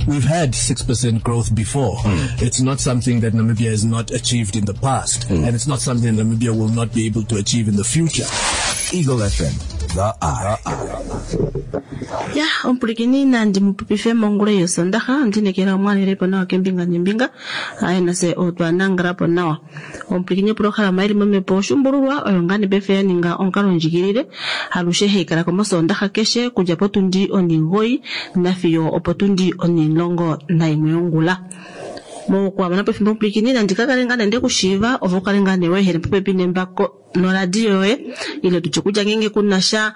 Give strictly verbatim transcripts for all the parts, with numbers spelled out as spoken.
We've had six percent growth before. Mm. It's not something that Namibia has not achieved in the past, mm. and it's not something Namibia will not be able to achieve in the future. Eagle F M, the Eye. Ya, omupulikini nandi mupupife mongula yosondaha ndinekela omwalelepo nawa kembinga nembinga aye nase otwa nangalapo nawa. Omupulikini programa ili momepo oshumbululwa oyo ngani befe ya ninga onkalo ndjigilile alushe heikala komosondaha keshe kudja potundi oningoi nafiyo opotundi onilongo naimwe yongula. Mokuamana pefimbo omupulikini nandi kakale ngane ndekushiiva ovo kale ngane wehere popepi nembako noradio yoye ile tutye kutya ngenge kunasha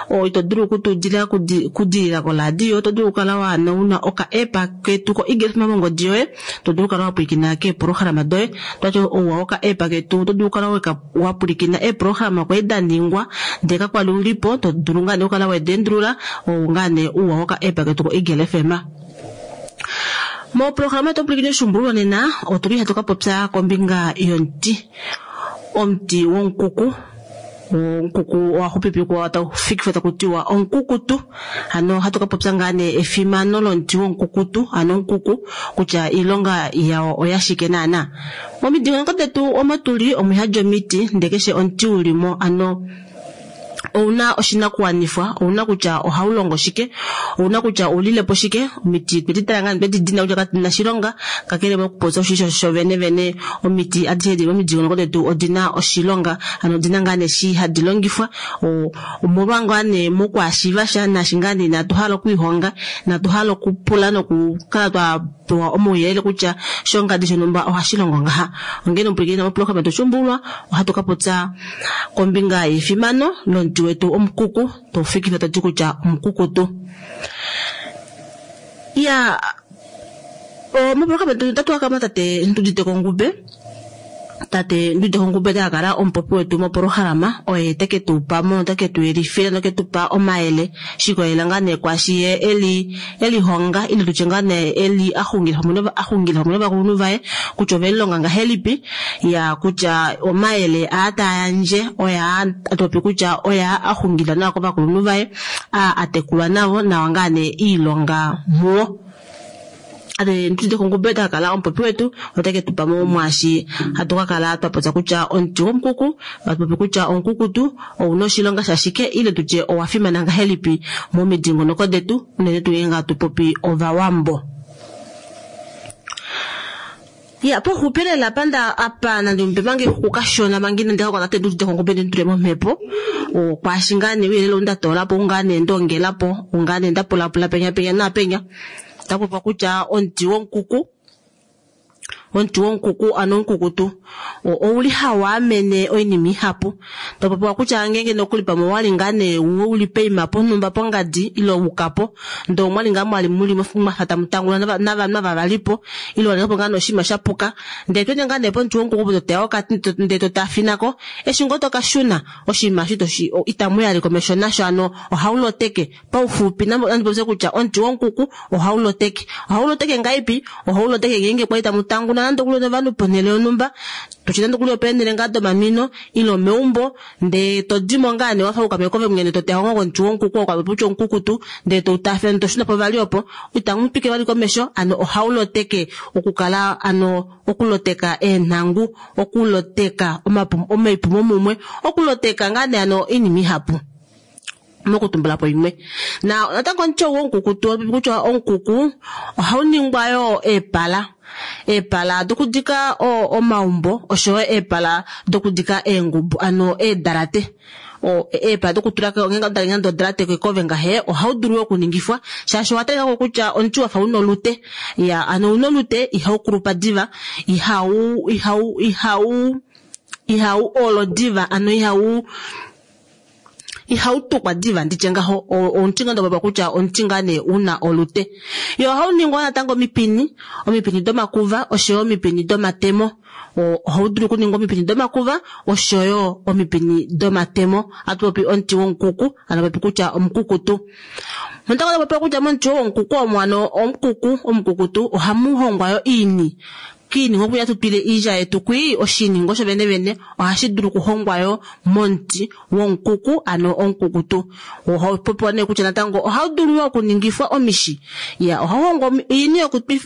o ito dulu okutudila kudilila koradio oto dulu okukala wa una oka app ketu ko Eagle F M mongodi yoye to dulu okukala wa pwilikina keeprograma doye twati ouwa oka app ketu oto dulu okukala wa pwilikina eeprograma kwali da ningwa ndee kakwali ulipo to dulu ngane okukala wedendulula ou ngane ouwa oka app ketu ko Eagle F M. Mo programa to pwilikina oshumbululwa nena otuli hatu ka popya kombinga yomuti. Omuti wonkuku onkuku owaxupipikwa taufikifwa takutiwa onkukutu ano hatu ka popya ngane efimano lomuti wonkukutu ano onkuku kutya iilonga yawo oyashike naana. Momidingonoko detu omo tuli omwihadja omiti ndee keshe omuti ulimo ano ouna oshinakuwanifwa ouna kutya ohaulongo shike ouna kutya oulilepo shike omiti twedi tala ngaa twedi dina kutya katina shilonga kakele mokupopya oshisho shovene vene omiti adishe dili momidingonoko detu odina oshilonga ano odina ngaa neshi hadi longifwa omolwa ngaa nee mokwashiiva sha naashi ngaa nee inatu hala okwiihonga inatu hala okupula nokukala twa pewa omauyelele kutya shongadi shonhumba ohashi longo ngaha. Ongene omupulikini moprograma toshumbulwa ohatu ka popya kombinga yefimano lomuti wetu omukuku tofikifa tati kutya omukukutu. Ya moprograma tatu akama tate Ndudite Kongube tate Ndudite Kongube takakala omupopi wetu moprograma oye teke tu pa mo teke tu yelifila noke tu pa omayele shikolela ngaa nee kwashi ye eli elihonga ile tutye ngaa nee eli axungila pamwe axungila pamwe novakulunhu vaye kutya ovelilonga ngahelipi ya kutya omayele aa tayandje oya atopi kutya oya axungila nawa kovakulunhu vaye a atekulwa navo nawa ngaa nee iilonga muwo. Ate Ndudite Kongube takakala omupopi wetu otake tu pa mo mwashi hatu kakala twapopya kutya omuti womukuku atupopi kutya omukukutu ouna oshilonga shashike ile tutye owa fimana ngahelipi momidingonoko detu unene tuu ngeenge hatu popi ovawambo. Ya poxupelela panda apa nandi mupe mange kukashona mangi nandi kakwa tate Ndudite Kongube nditule momhepo okwashi ngaa nee ouyelele ou ndatolapo ungaa nee ndongelapo ungaa nee ndapulapula penya penya napenya tapopa kutya omuti wonkuku omuti wonkuku ano omukukutu ouli hawaamene oinima ihapu topopiwa kutya ngenge nokuli pamwe wali ngaa nee uli peima ponhumba pongadi ile wukapo ndee omwali ngaa mwali muli mwafa tamutangula navanhu ava valipo ile walingapo ngaa noshinima shapuka ndee twende ngaa nee pomuti wonkuku toteya okati ndee totafinako eshi ngoo tokashuna oshinima eshi itamu yali komesho nasho ano ohauloteke paufupi nandipopye kutya omuti wonkuku ohauloteke ohauloteke ngaipi ohauloteke ngeenge kwali tamutangula nande kuli novanhu ponhele yonhumba toshi nande kuli opeenhele ngaa domamino ile omeumbo ndee todimo ngaa nee wafa ukameko mwene toteya ngo komuti wonkuku okapopi kutya omukukutu ndee toutafela toshuna po vali opo itamu twike vali komesho ano ohauloteke okukala ano okuloteka eenhangu okuloteka omaipumo mumwe okuloteka ngaa nee ano oinima ihapu mokutumbulapo imwe. Na natango omuti wonkukutu kutya omukuku ohauningwa yo eepala eepala dokudika omaumbo oshoyo eepala dokudika eengubu ano eedalate eepala dokutula ngeenge odalate kekove ngahe ohaudulu okuningifwa shaashi owatalika kutya omuti wafa una olute ya ano una olute ihaukulupa diva ihau ihau ihau ihau olo diva ano ihau ihautukwa diva nditye ngaho omuti ngaa ndopopiwa kutya omuti ngaa nee una olute. Yo ohauningwa natango omipini omipini domakuva oshoyo omipini domatemo ohaudulu okuningwa omipini domakuva oshoyo omipini domatemo atupopi omuti wonkuku ano popi kutya omukukutu. Natango topopiwa kutya momuti wonkuku omo ano omukuku omukukutu ohamu hongwa yo iini Kiiningo kuya tutwile iilya yetu kwi oshiningo sho vene vene ohashi dulu okuhongwa yo momuti womukuku ano omukukutu. Ohau popiwa nee kutya natango ohau dulu yo okuningifwa omishi. Ya ohau hongwa oini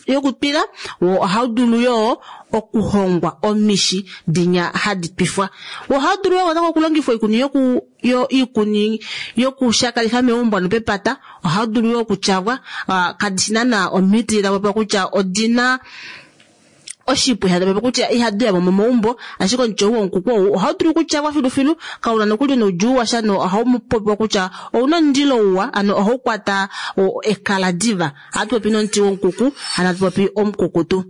yokutwila wo ohau dulu yo okuhongwa omishi dinya hadi twifwa. Ohau dulu yo natango okulongifwa oikuni yoku yo iikuni yokushakalifa meumbo nopepata. Ohau dulu yo okutyavwa kadishi naana omiti da popiwa kutya odina oshipu ihada kutya ihadi ya mo momaumbo, ashike omuti ou womukuku ou ohau dulu okutyavwa filufilu, kauna nokuli noudjuu washa no ohau popiwa kutya ouna omundilo uwa, ano ohau kwata ekala diva. Ohatu popi nomuti womukuku, hano hatu popi omukukutu.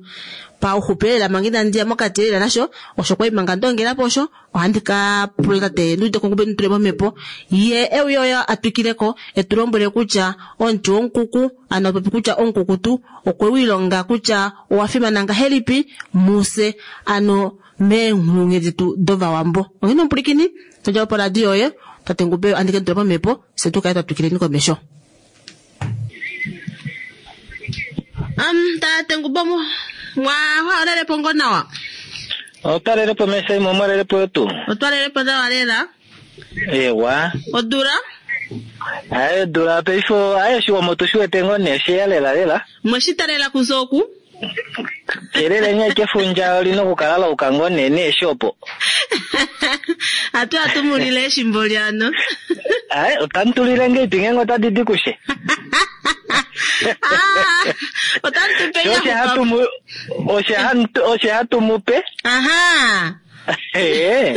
Pauxupi lela manga inandi ya mokati lela nasho, osho kwali manga ndongela po osho, ohandi ka pula tate Nduudeko Ngube nditule momhepo, ye euye oye a twikileko etu lombwele kutya omuti womukuku, ano popi kutya omukukutu okwe wiilonga kutya owa fimana ngahelipi muse ano meenghulunghedi detu dovawambo. Onghene omupulikini, todja po radio yoye, tate Ngube andike nditule momhepo, fye tu kale twa twikileni komesho. Um, tate Ngube mwa walelepo ngo nawa? Otwalelepo mesa imwe, omwalelepo yotu. Otwalelepo nawa lela. Ewa. Odula? Aye, odula paife, aye oshiwambo tu shiwete ngo nee sheya lela lela. Mweshitalela kuza oku? Kelele nye kefundja olina okukala lauka ngo nee neeshi opo. Atu atumulile eshimbo lyano. Aye, otamutulile ngeipi ngenge otadi di kushe. Ah, otamutupe Oshe hatu mu oshe hatu oshe hatu mupe. Aha. Eh.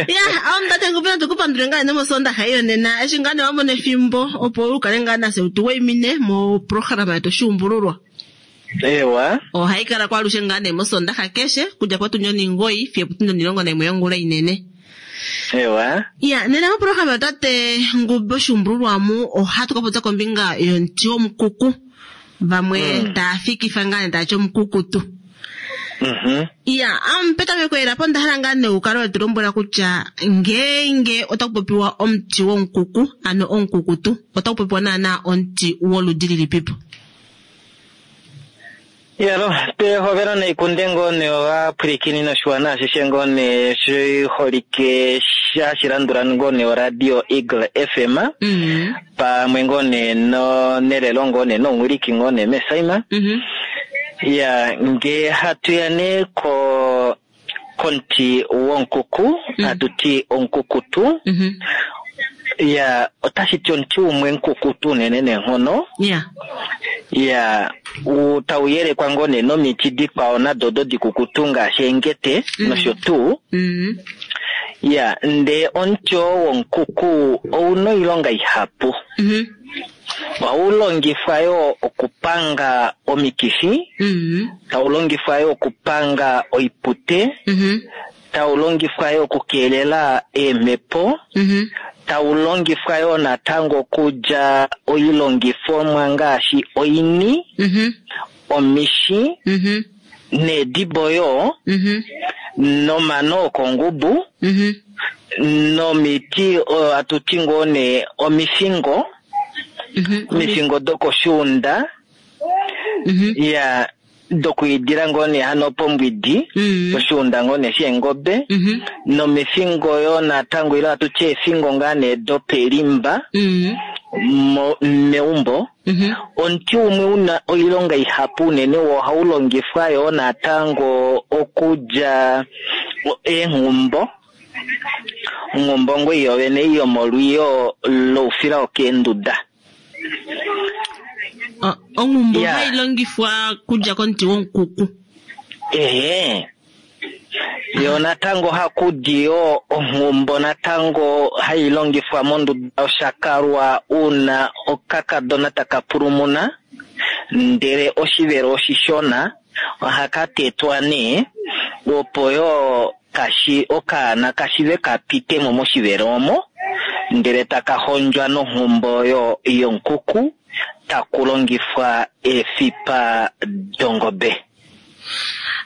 Ya, omutate Ngube natukupandule ngaa nomosondaxa iyo nena eshi ngaa nee wamona efimbo opo ukale ngaa nase utuwaimine moprograma yetu Oshuumbululwa. Ewa. Ohayi kala kwalushe ngaa nee mosondaxa keshe kudja potundi oningoyi fiyo potundi omulongo naimwe yongula inene. Ewa. Ya, nena moprograma tate Ngube Oshuumbululwa mu ohatu ka popya kombinga yomuti womukuku. Vamwe mm. taa fikifa ngaa nee taati omukukutu. Mhm. Ya, um, petameko lela po onda hala ngaa nee ukale wetu lombwela kutya ngeenge otaku popiwa omuti womukuku, ano omukukutu, otaku popiwa naana omuti woludi lilipipo. Yalo, pehovelo naikunde ngoo nee ovapwilikini noshiwana ashishe ngoo nee shiholike hashilandula ngoo nee oradio Eagle F M. Mm. Pamwe ngoo nee no nelelo ngoo nee nomuwiliki ngoo nee Mesaima. Mm-hmm. Ya, nge hatu ya nee ko komuti wonkuku, Mm. hatu ti omukukutu. Mm-hmm. Ya, otashi ti omuti umwe mukukutu unene neenghono. Ya. Ya, tau yelekwa ngoo nee nomiti dikwao nado do dikukutu ngaashi eengete Mm. nosho tuu. Mm. Ya, ndee omuti oo wonkuku ouna oilonga ihapu. Mm-hmm. Ohau longifwa yo okupanga omikifi, Mm. tau longifwa yo okupanga oipute, Mm-hmm. tau longifwa yo okukeelela eemhepo, Mm-hmm. tau longifwa yo natango okulya oilongifomwa ngaashi oini, Mm-hmm. omishi, Mm-hmm. needibo yo, Mm-hmm. nomano okongubu, Mm-hmm. nomiti oyo hatu ti ngoo nee omifingo, Mm-hmm. omifingo dokoshuunda, Mm-hmm. ya dokwiidila ngoo nee hano pombwidi, Mm-hmm. oshuunda ngoo nee sheengobe, Mm-hmm. nomifingo yo natango ile hatu ti eefingo ngaa nee dopelimba Mm-hmm. mo, meumbo. Mm-hmm. Omuti umwe una oilonga ihapu unene wo ohau longifwa yo natango okulya eenghumbo. Onghumbo ngoo iyo vene yomolwiyo loufila wokeenduda. Onghumbo Ya. ohayi longifwa kudja komuti womukuku. Ehe. Yo natango hakudi yo onghumbo natango hai longifwa monduda yoshakalwa una okakadona taka pulumuna, ndele oshivelo oshishona ohaka tetwa nee opo yo kashi okaana kashive kapitemo moshivelo omo, ndele taka hondjwa nonghumbo yo yonkuku taku longifwa eefipa dongobe.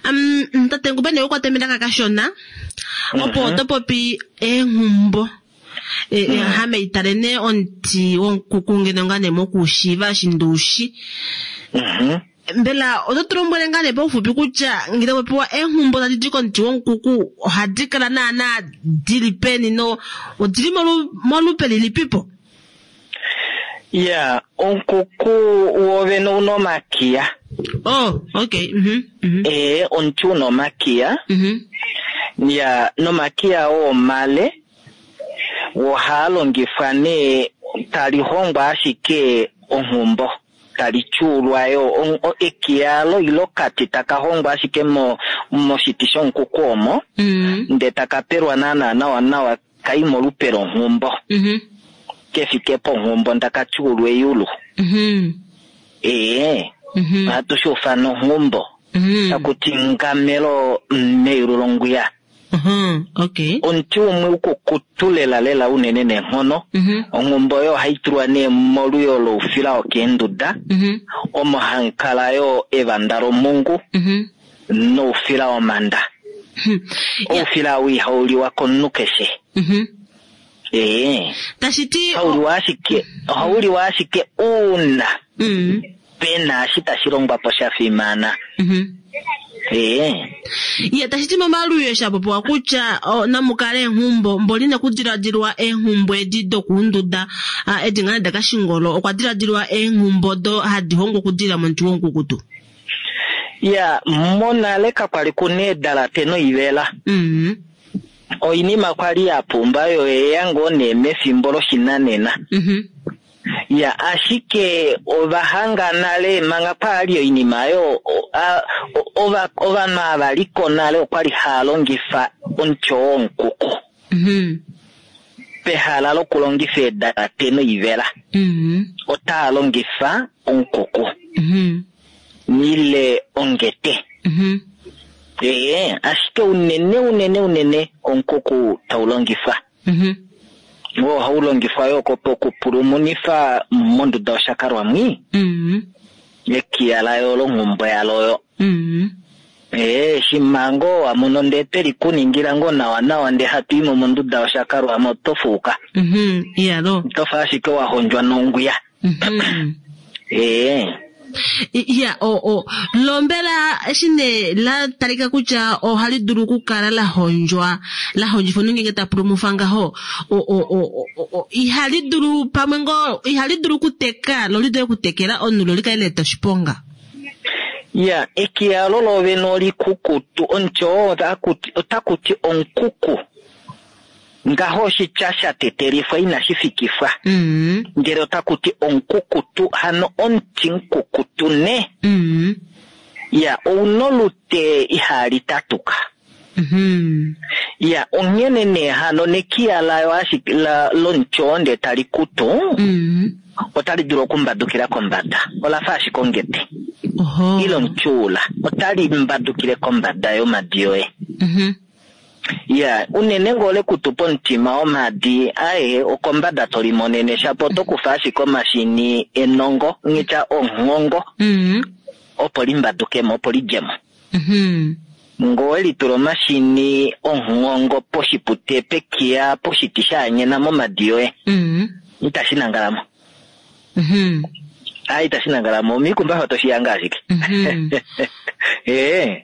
Um, tate Ngube nee ukwate melaka kashona opo oto popi eenghumbo. E, e, hame itale nee omuti womukuku ngeno ngaa nee mokuushiiva eshi nduushi. Mhm. Mbela oto tu lombwele ngaa nee paufupi kutya ngele popiwa eenghumbo tadi di komuti womukuku ohadi kala naana dili peni no odili molupe lilipipo? Ya, omukuku wovene una omakiya. Oh, okay. Mhm. Mm Eh, omuti una omakiya. Mhm. Ya, nomakiya oo omale ohaa longifwa nee tali hongwa ashike onghumbo. Tali tyuulwa yo ekiya lo ilo kati taka hongwa ashike mo moshiti shomukuku omo. Mm. Nde taka pelwa naana nawa nawa kai molupe longhumbo. Mhm. Kefike ponghumbo ndaka tyuulwa eyulu. Mhm. Ee. Mhm. Ohatu shi ufana onghumbo. Mhm. Takuti ngamelo meyulu longwiya. Mhm. Okay. Omuti umwe ukukutu lela lela unene neenghono. Mhm. Onghumbo oyo ohayi tulwa nee moluyo loufila wokeenduda. Mhm. Omo hamu kala yo evanda lomungu. Mhm. Noufila womanda. Hmm. Oufila ou ihau liwa komunhu keshe. Mhm. Ee. Tashi ti Ohau liwa ashike, ohau liwa ashike uuna Mhm. pena eshi tashi longwa po sha fimana. Mhm. Ee. Ye tashi ti momaluyo sha popiwa kutya o, namukale eenghumbo mboli nekudiladilwa eenghumbo edi dokuunduda edi ngaa dakashingolo okwa diladilwa eenghumbo do hadi hongwa okudila momuti womukukutu. Ya, monale kakwali kuna eedalate noivela. Mhm. Oinima kwali ya pumba yo eya ngoo nee mefimbo loshinanena. Mhm. Ya, ashike ovahanga nale manga kwali oinima yo ova ovanhu ava liko nale okwali haya longifa omuti womukuku. Mhm. Pehala lokulongifa eedalate noivela. Mhm. Otaya longifa omukuku. Mhm. Ile ongete. Mhm. Ee, ashike unene unene unene omukuku tau longifwa. Mhm. Wo ohau longifwa yo okupulumunifa monduda yoshakalwamwi. Mhm. Ekiya layo longhumbo yaloyo. Mhm. Ee, shimango wamono ndee tweli kuningila ngoo nawa nawa ndee hatu imo monduda yoshakalwamwi oto fuuka. Mhm. Iyalo. Otofa ashike wa hondjwa nongwiya. Mhm. Ee. Ya, o o lombela eshi nee la talika kutya ohali dulu okukala la hondjwa la hondjifwa nongenge ta pulumufa ngaho o o o o ihali dulu pamwe ngoo ihali dulu okuteka lo li dule okutekela omunhu lo likale leeta oshiponga. Ya, ekiya lo lovene olikukutu omuti oo otakuti omukuku. Ngaho oshitya sha tetelifwa inashi fikifwa. Mm. Ndele otakuti omukukutu hano omuti mukukutu ne. Mm. Ya, ouna olute ihali tatuka. Mhm. Ya, onghene nee hano nekiya layo ashike la lomuti oo ndee tali kutu. Mm. Otali dulu okumbadukila kombada. Olafa ashike ongete. Oho. Ile omutyuula. Otali mbadukile kombada yomadi yoye. Mhm. Ya, unene ngoo lekutu pomutima womadi aye okombada tolimonene shapo oto kufa ashike omashini enongo ngitya onghongo. Mhm. Opo limbadukemo opo lidjemo. Mhm. Ngoo litula omashini onghongo poshipute pekiya poshiti shaanyena momadi yoye. Mhm. Itashi nangalamo. Mhm. Ayi itashi nangalamo omikumbafa toshiyanga ashike. Mhm. Ee.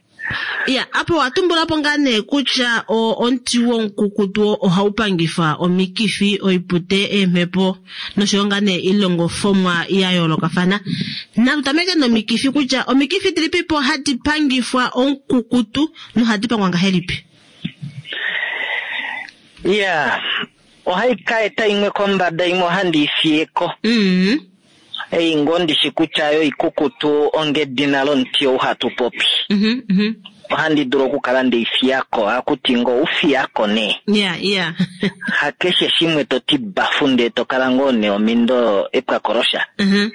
Ya, apo watumbulapo ngaa nee kutya omuti womukukutu ohau pangifa omikifi, oipute, eemhepo noshoyo ngaa nee ilongofomwa ya yoolokafana. Natu tameke nomikifi kutya omikifi dilipipo hadi pangifwa omukukutu nohadi pangwa ngahelipi? Ya, ohai ka eta imwe kombada imwe ohandi ifiyeko. Mhm. Ei ngoo ndishi kutya yo ikukutu ongedina lomuti ou hatu popi. Mhm, mhm. Ohandi dulu okukala ndeifiyako, hakuti ngoo ufiyako nee. Ya, ya. Hakeshe shimwe toti bafu ndee tokala ngoo nee omindo epwakolosha. Mhm.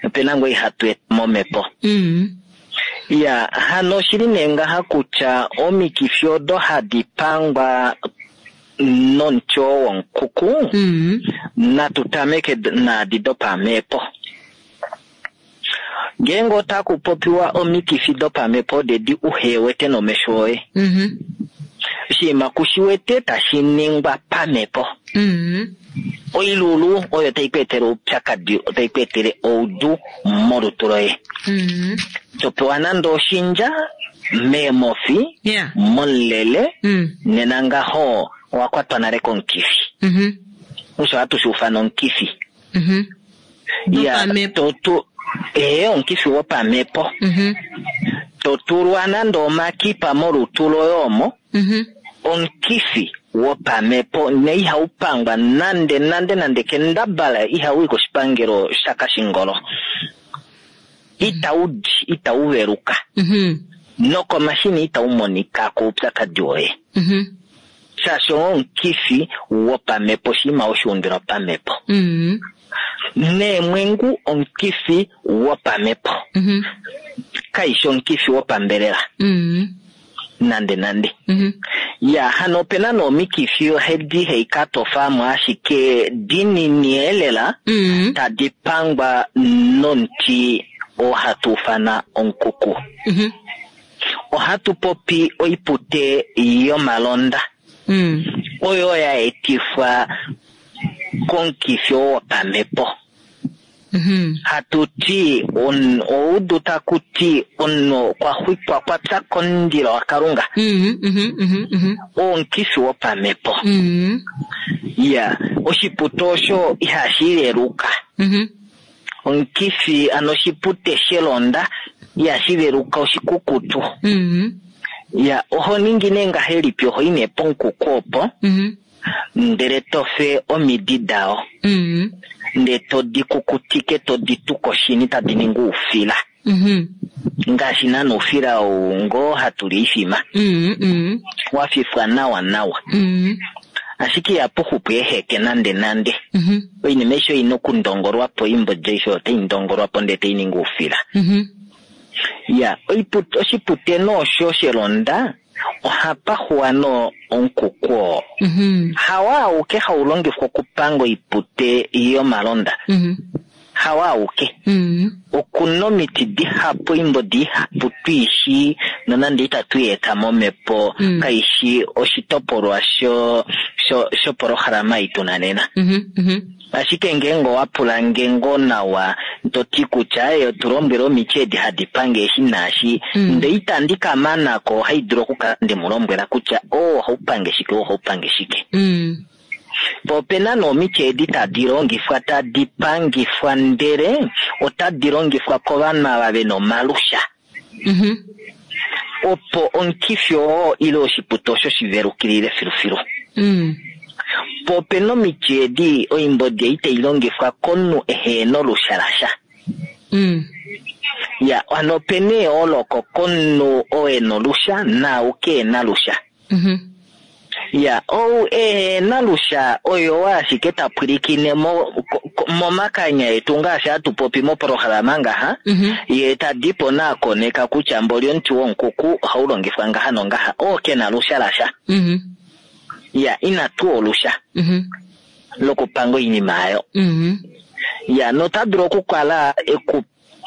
Opena ngoo ihatu eta momhepo. Mhm. Ya, hano oshili nee ngaha kutya omikifi odo hadi pangwa nomuti oo womukuku. Mhm. Natu tameke naadi dopamhepo. Ngeenge otaku popiwa omikifi dopamhepo odedi uhewete nomesho oye. Mhm. Oshinima kushiwete tashi ningwa pamhepo. Mhm. Oilulu oyo tai ku etele oupyakadi, otai ku etele oudu molutu loye. Mm. To pewa nande oshindja meemofi, Yeah. momulele, Mm. nena ngaho owa kwatwa nale komukifi. Mhm. Osho hatu shi ufana omukifi. Mhm. Ya, Dopamhepo. to tu ee omukifi wopamhepo. Mhm. To tulwa nande omakipa molutu loye omo, Mhm. omukifi wopamhepo ne ihau pangwa nande nande nande kendabala ihau i koshipangelo shakashingolo. Itau di, itau veluka. Mhm. Nokomashini itau monika koupyakadi woye. Mhm. Shaashi omukifi wopamhepo oshinima oshiundilwa pamhepo. Mhm. Neemwengu omukifi wopamhepo. Mhm. Kaishi omukifi wopambelela Mhm. nande nande. Mhm. Ya, hano opena nomikifi ohedi hei katofamo ashike dinini elela Mhm. tadi pangwa nomuti oo hatu ufana omukuku. Mhm. Ohatu popi oipute yomalonda Mm. oyo ya etifwa komukifi oo wopamhepo. Mhm. Hatu ti on- oudu taku ti omunhu okwa xwikwa kwa pya komundilo waKalunga. Mhm. Mhm. Mhm. Mhm. Omukifi wopamhepo. Mhm. Ya, oshipute osho ihashi veluka. Mhm. Omukifi ano oshipute shelonda ihashi veluka oshikukutu. Mhm. Ya, oho ningi nee ngahelipi? Oho i nee pomukuku opo, Mhm. ndele to fe omidi dao, Mhm. ndele to di kukutike, to di tu koshini tadi ningi oufila. Mhm. Ngaashi naana oufila ou ngoo hatu li oifima, Mhm. Mhm. wa fifwa nawa nawa. Mhm. Ashike ihapu xupu eeheke nande nande. Mhm. Oinima aishe oina okundongolwa po, oimbodi aishe otai ndongolwa po ndele tai ningi oufila. Mhm. Ya, oipute, oshipute noosho shelonda ohapa xuwa no omukuku oo. Mhm. Hawa auke hau longifwa okupanga oipute yomalonda. Mhm. Hawa auke. Mhm. Okuna omiti dihapu, oimbodi ihapu twiishi nonande itatu i eta momhepo, Mm. kaishi oshitopolwa sho sho shopolohalama ei tuna nena. Mhm. Mhm. Ashike ngeenge owa pula nge ngoo nawa to ti kutya e tu lombwele omiti edi hadi pange eshi naashi, Mm. ndele itandi ka manako, ohai dulu okukala nde mu lombwela kutya oo ohau pange shike, oo ohau pange shike. Mm. Po opena nee omiti edi tadi longifwa tadi pangifwa ndele otadi longifwa kovanhu ava vena omalusha. Mhm. Opo omukifi oo ile oshipute osho shivelukilile filufilu. Mm. Po opena omiti edi oimbodi ei tai longifwa komunhu ehena olusha lasha. Mm. Ya, hano opena eyooloko komunhu oo ena olusha naau kehena lusha. Mhm. Ya, ou ehena lusha oyo ashike ta pwilikine mo, ko- ko- momakanya etu ngaashi hatu popi mopolohalama ngaha, Mhm. ye tadipo naakoneka kutya mboli omuti womukuku ohau longifwa ngaha nongaha, oo kena lusha lasha. Mhm. Ya, ina tuu olusha Mhm. lokupanga oinima ayo. Mhm. Ya, nota dulu okukala eku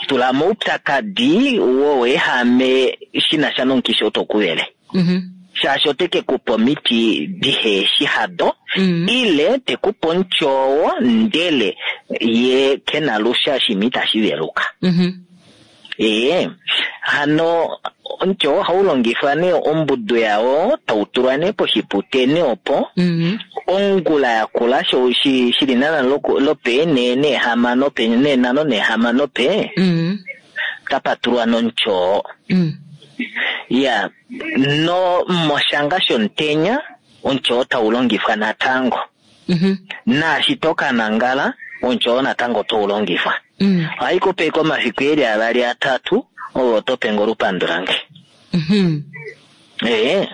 tula moupyakadi woweehame shina sha nomukifi oo tokuvele. Mhm. Shaashi ote ke kupa omiti diheshi hado, Mhm. ile te kupe omuti oo ndele ye kena lusha oshinima itashi veluka. Mhm. Ee, hano omuti oo ohau longifwa nee ombudu yawo tau tulwa nee poshipute nee opo, Mhm. ongula yakula sho shi shili naana loku- lopeenee neehamano pe neenhano neehamano pe, Mhm. tapa tulwa nomuti oo. Mm. Ya, no moshanga shomutenya omuti oo tau longifwa natango. Mhm. Naashi to ka nangala omuti oo natango otau longifwa. Mm. Ohai kupe omafiku eli avali atatu ove oto pe olupandu lange. Mhm. Ee,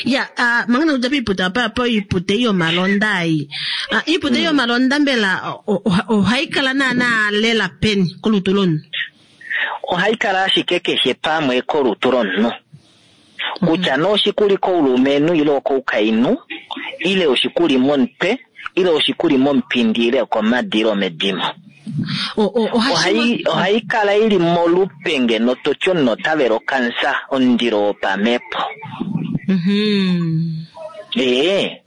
Ya, ah, mangana kudja piipute apa po iipute yomalonda ei. Ah, iipute yomalonda mbela o- o- ohayi kala naana lela peni kolutu lomunhu? ohai kala ashike keshe pamwe kolutu lomunhu. Kutya nee oshikuli koulumenhu ile okoukainhu, ile oshikuli momutwe, ile oshikuli momupindi ile okomadi ile omedimo. O- o- ohashi Ohai ohai kala ili molupe ngeno toti omunhu ota vele okansa, omundilo wopamhepo. Mhm. Ee,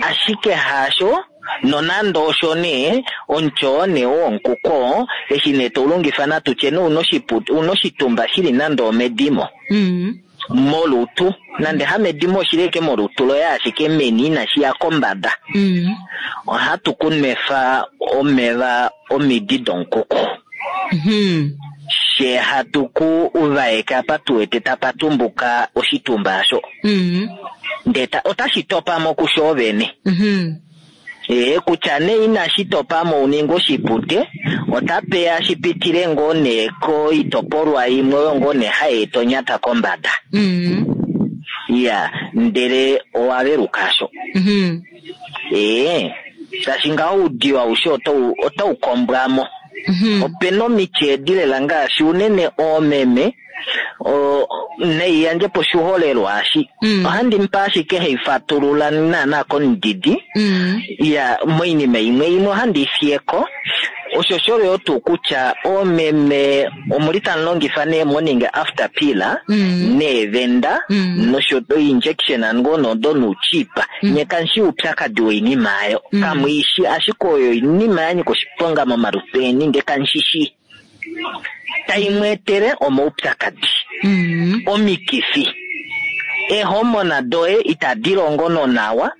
ashike haasho Nonande osho nee omutyo nee wonkuko eshi nee toulongifa natutye nee una oshitumba shili nande omedimo mm. molutu nande hamedimo oshili eke molutu loye ashike meni inashi ya kombada mm. ohatu kunwefa omeva omidi donkuku mm. she hatu ku uvaeka apa tuwete tapa tumbuka oshitumba asho mm. ndee otashi topamo kusho vene mm. ee kutya nee inashi topamo uninge oshipute otapeya shipitile ngoo nee koitopolwa imwe oyo ngoo nee hayi eta onyata kombada mm. iya ndele owaveluka asho mm. ee shaashi ngaho oudiyo aushe otau otau kombwamo mm -hmm. opena omiti edi lela ngaashi unene oomeme neiyandje po oshiholelwa ashi mm. ohandi mupe ashike haifatulula naana komudidi mm. ya moinima imwe imwe ohandi ifiyeko osho osho tuu kutya oomeme omuli tamu longifa nee morning after pill mm. neevenda mm. nosho injection ngoo nodo nuuchipa mm. nye kamushi uupyakadi woinima ayo mm. kamuishi ashike oyo oinima ya nyika oshiponga momalutu eni nde kamushishi taimweetele omaupyakadi mm. omikifi eehomona doye itadi longo nonawa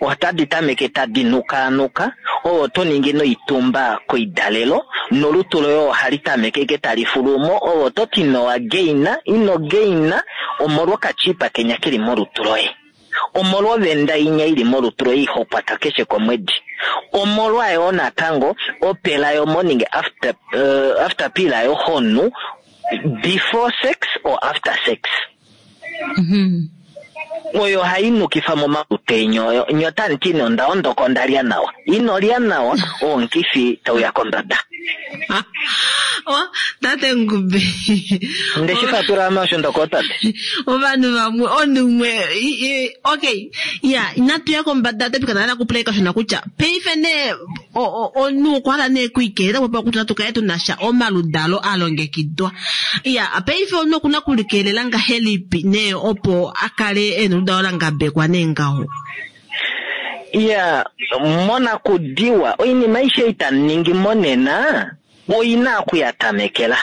otadi tameke tadi nukaanuka oyo to ningi noitumba koidalelo nolutu loye ohali tameke ike tali fulumo oyo to ti nowa geina ino geina omolwa okachipa kenya keli molutu loye omolwa ovenda inya ili molutu loye ihokwata keshe komwedi omolwa yo natango opela yo morning after, uh, after pill yo honu before sex or after sex mm -hmm. oyo hayi nukifa momalutu enyu oyo nyo tamuti nee onda ondoka ondalya nawa inolya nawa omukifi tauya kombada oh, tate Ngube ndeshi fatula osho ndoko tate ovanhu vamwe omunhu umwe okay ya inatu ya kombada tate tukana kupula kashona kutya paife nee omunhu okwa hala nee kuikelela opo kutya tukale tunasha omaludalo alongekidwa ya paife omunhu okuna kulikelela ngahelipi nee opo akale ena oludalo langabekwa nee ngaho ya monakudiwa oinima aishe itaningi monena oina okuyatamekela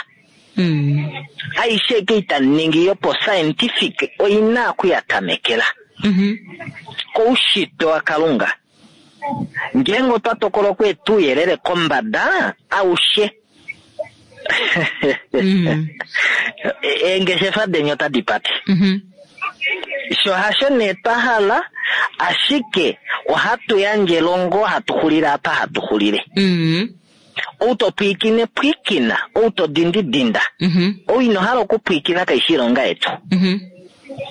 mm. aishe ke itaningi yopo scientific oina okuyatamekela mm -hmm. koushitwe wakalunga ngeenge otwa tokola okweeta ouyelele kombada aushe mm. eengeshefa deni otadi pate mm -hmm. sho hasho nee twa hala ashike ohatu yandje elongo hatu xulile apa hatu xulile mm. ou to pwiikine pwiikina ou to dindi dinda mm -hmm. ou ino hala okupwiikina kaishi ilonga yetu mm -hmm.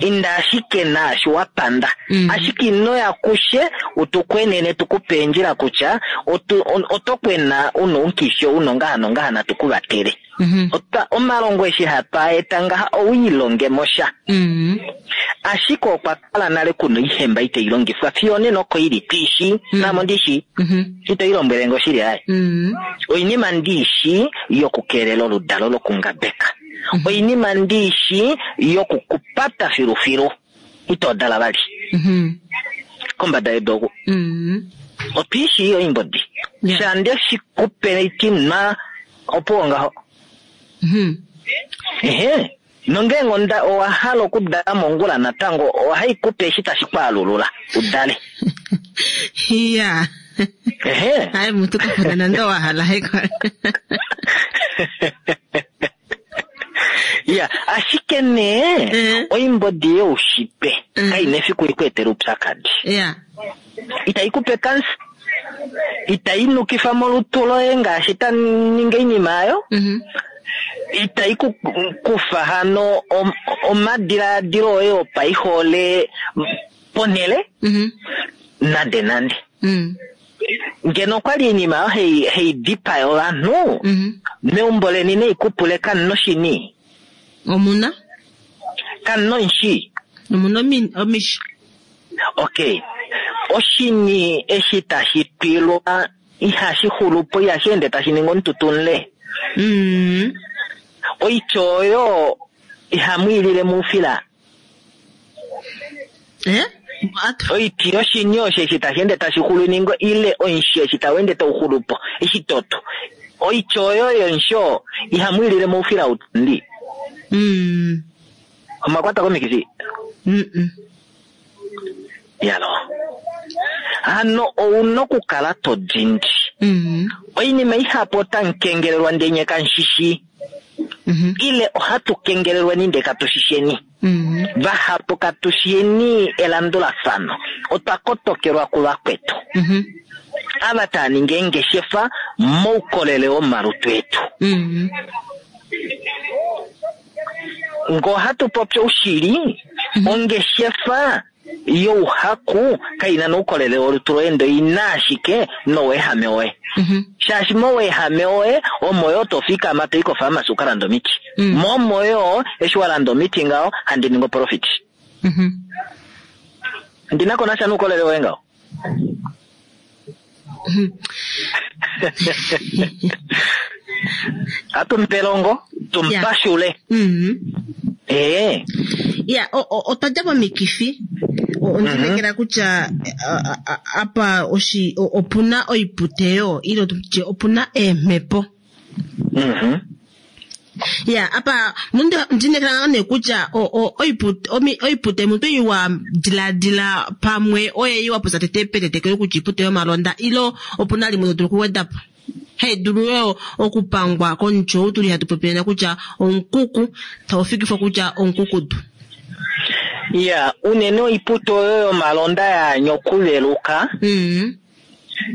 inda ashike naashi wapanda mm. ashike inoya kushe utukwenene tukupe endjila kutya oto kwena una omukifi ou nongaha nongaha natukuvatele mm -hmm. Ota, omalongo eshi hatu eta ngaha owiilongemo sha mm. ashike okwa kala nale kuna oihemba itayi longifwa fiyo nena oko ili twiishi mm. namo ndishi mm -hmm. ito ilombwele ngo shili aye mm. oinima ndiishi yokukeelela oludalo lokungabeka mm -hmm. oinima ndiishi yokukupata filufilu ito dala vali mm -hmm. kombada yedu oku mm. otwiishi iyo oimbodi yeah. shande shikupe itinwa opuwo ngaho mm -hmm. ehe nongeenge onda owa hala okudala mongula natango ohaikupe eshi tashi kwaalulula udale iya ehe hayi mutu kafuna nande owa hala haiko ya ashike nee mm. oimbodi youshitwe mm. kaina efiku ikweetela oupyakadi yeah. itaikupe kansa itayi nukifa molutu loye ngaashi taninga oinima ayo mm -hmm. itayi kufa hano omadilaadilo oye opaihole ponhele mm -hmm. nande nande mm. ngeno okwali oinima oyo hei hei dipaya ovanhu mm -hmm. meumbo leni neikupule kamuno shini omuna kamuno nshi omuna omishi okay oshini eshi tashi twilwa ihashi xulupo ihashi ende tashi ningi omututunle mm. oitya oyo ihamu ilile muufila eh? Oiti yoshini osho eshi tashi ende tashi xulu ningo ile oishi eshi tau ende tau xulupo eshi toto. Oiti oyo yonsho ihamu ilile moufila utandi. Mm. Omakwata komikifi. Mm -mm. Yalo. Hano ouna okukala to dindi. Mm. Oinima ihapu otamu kengelelwa ndenye kanshishi. Mm Ile ohatu kengelelwa ninde katushisheni. -hmm. Vahapu katushiyeni elandulafano. Otwa kotokelwa kuvakwetu. Mm -hmm. Ava taa ningi eengeshefa moukolele womalutu etu. Mm Ngo hatu popi oushili, ongeshefa youhaku kaina noukolele wolutu loye ndo ina ashike noweehame woye. -hmm. Shaashi moweehame woye omo yo tofikama toyi kofaamasi ukalanda omiti. Mm. Momo yo eshi walanda omiti ngaho handi ningi oprofit. Mm -hmm. Ndinako nasha noukolele woye ngaho. Atumpelongo tumpashule. Mm Ee. Ya, otwa dja momikifi. Ondinekela kutya a- a- apa oshi o- opuna oiputeyo ile tutye opuna eemhepo. Mhm. Ya, apa nonde ndinekela nee kutya o- o- oipute omi- oipute mutu iwa diladila pamwe oye iwa popya tete petetekelo kutya iipute yomalonda ilo opuna limwe to dulu okuweda po. Hai dulu yo okupangwa komuti ou tuli hatu popilena kutya omukuku tau fikifwa kutya omukukutu. Ya, unene oiputo oyo yomalonda yaanya okuveluka. Mm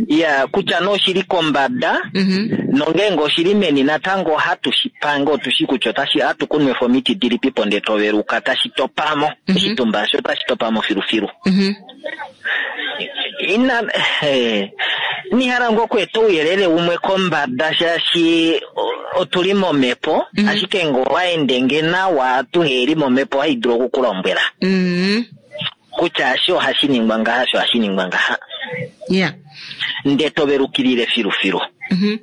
Ya, kutya nee oshili kombada -hmm. nongeenge oshili meni natango ohatu shi pange otushi kutya otashi hatu kunwefa omiti dilipipo ndee toveluka tashi topamo. Mhm. Oshitumba osho tashi topamo filufilu. Mm Ina eh, nihala ngo okweeta ouyelele umwe kombada shaashi o- otuli momhepo Mhm. ashike ngo waende nge nawa tuheli momhepo ohayi dulu okukulombwela -hmm. kutya ashi ohashi ningwa ngaha asho ohashi ningwa ngaha Yeah. ndee tovelukilile filufilu Mm -hmm.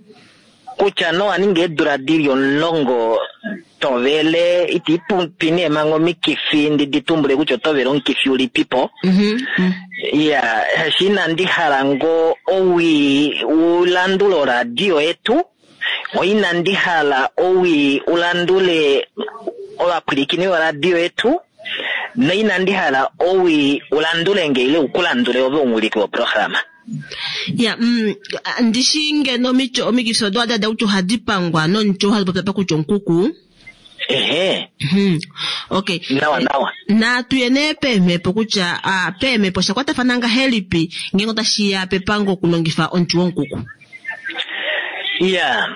kutya nowa ninga eedula dili omulongo tovele iti pupi nee manga omikifi ndi ditumbule kutya otovele omukifi ulipipo Mm -hmm. ya shi inandi hala ngo owii ulandule oradio yetu oinandi hala owii ulandule ovapwilikini voradio yetu noinandi hala owii ulandule nge ile ukulandule ove omuwiliki woprograma Ya, mm, ndishi ngeno omicho omikifi odo adada kutya ohadi pangwa nomuti ou hatu popya pa kutya omukuku. ehe Mhm. Okay. nawa nawa Natu ye nee peemhepo kutya ah, peemhepo osha kwatafana ngahelipi ngeenge otashiya pepango okulongifa omuti womukuku. ya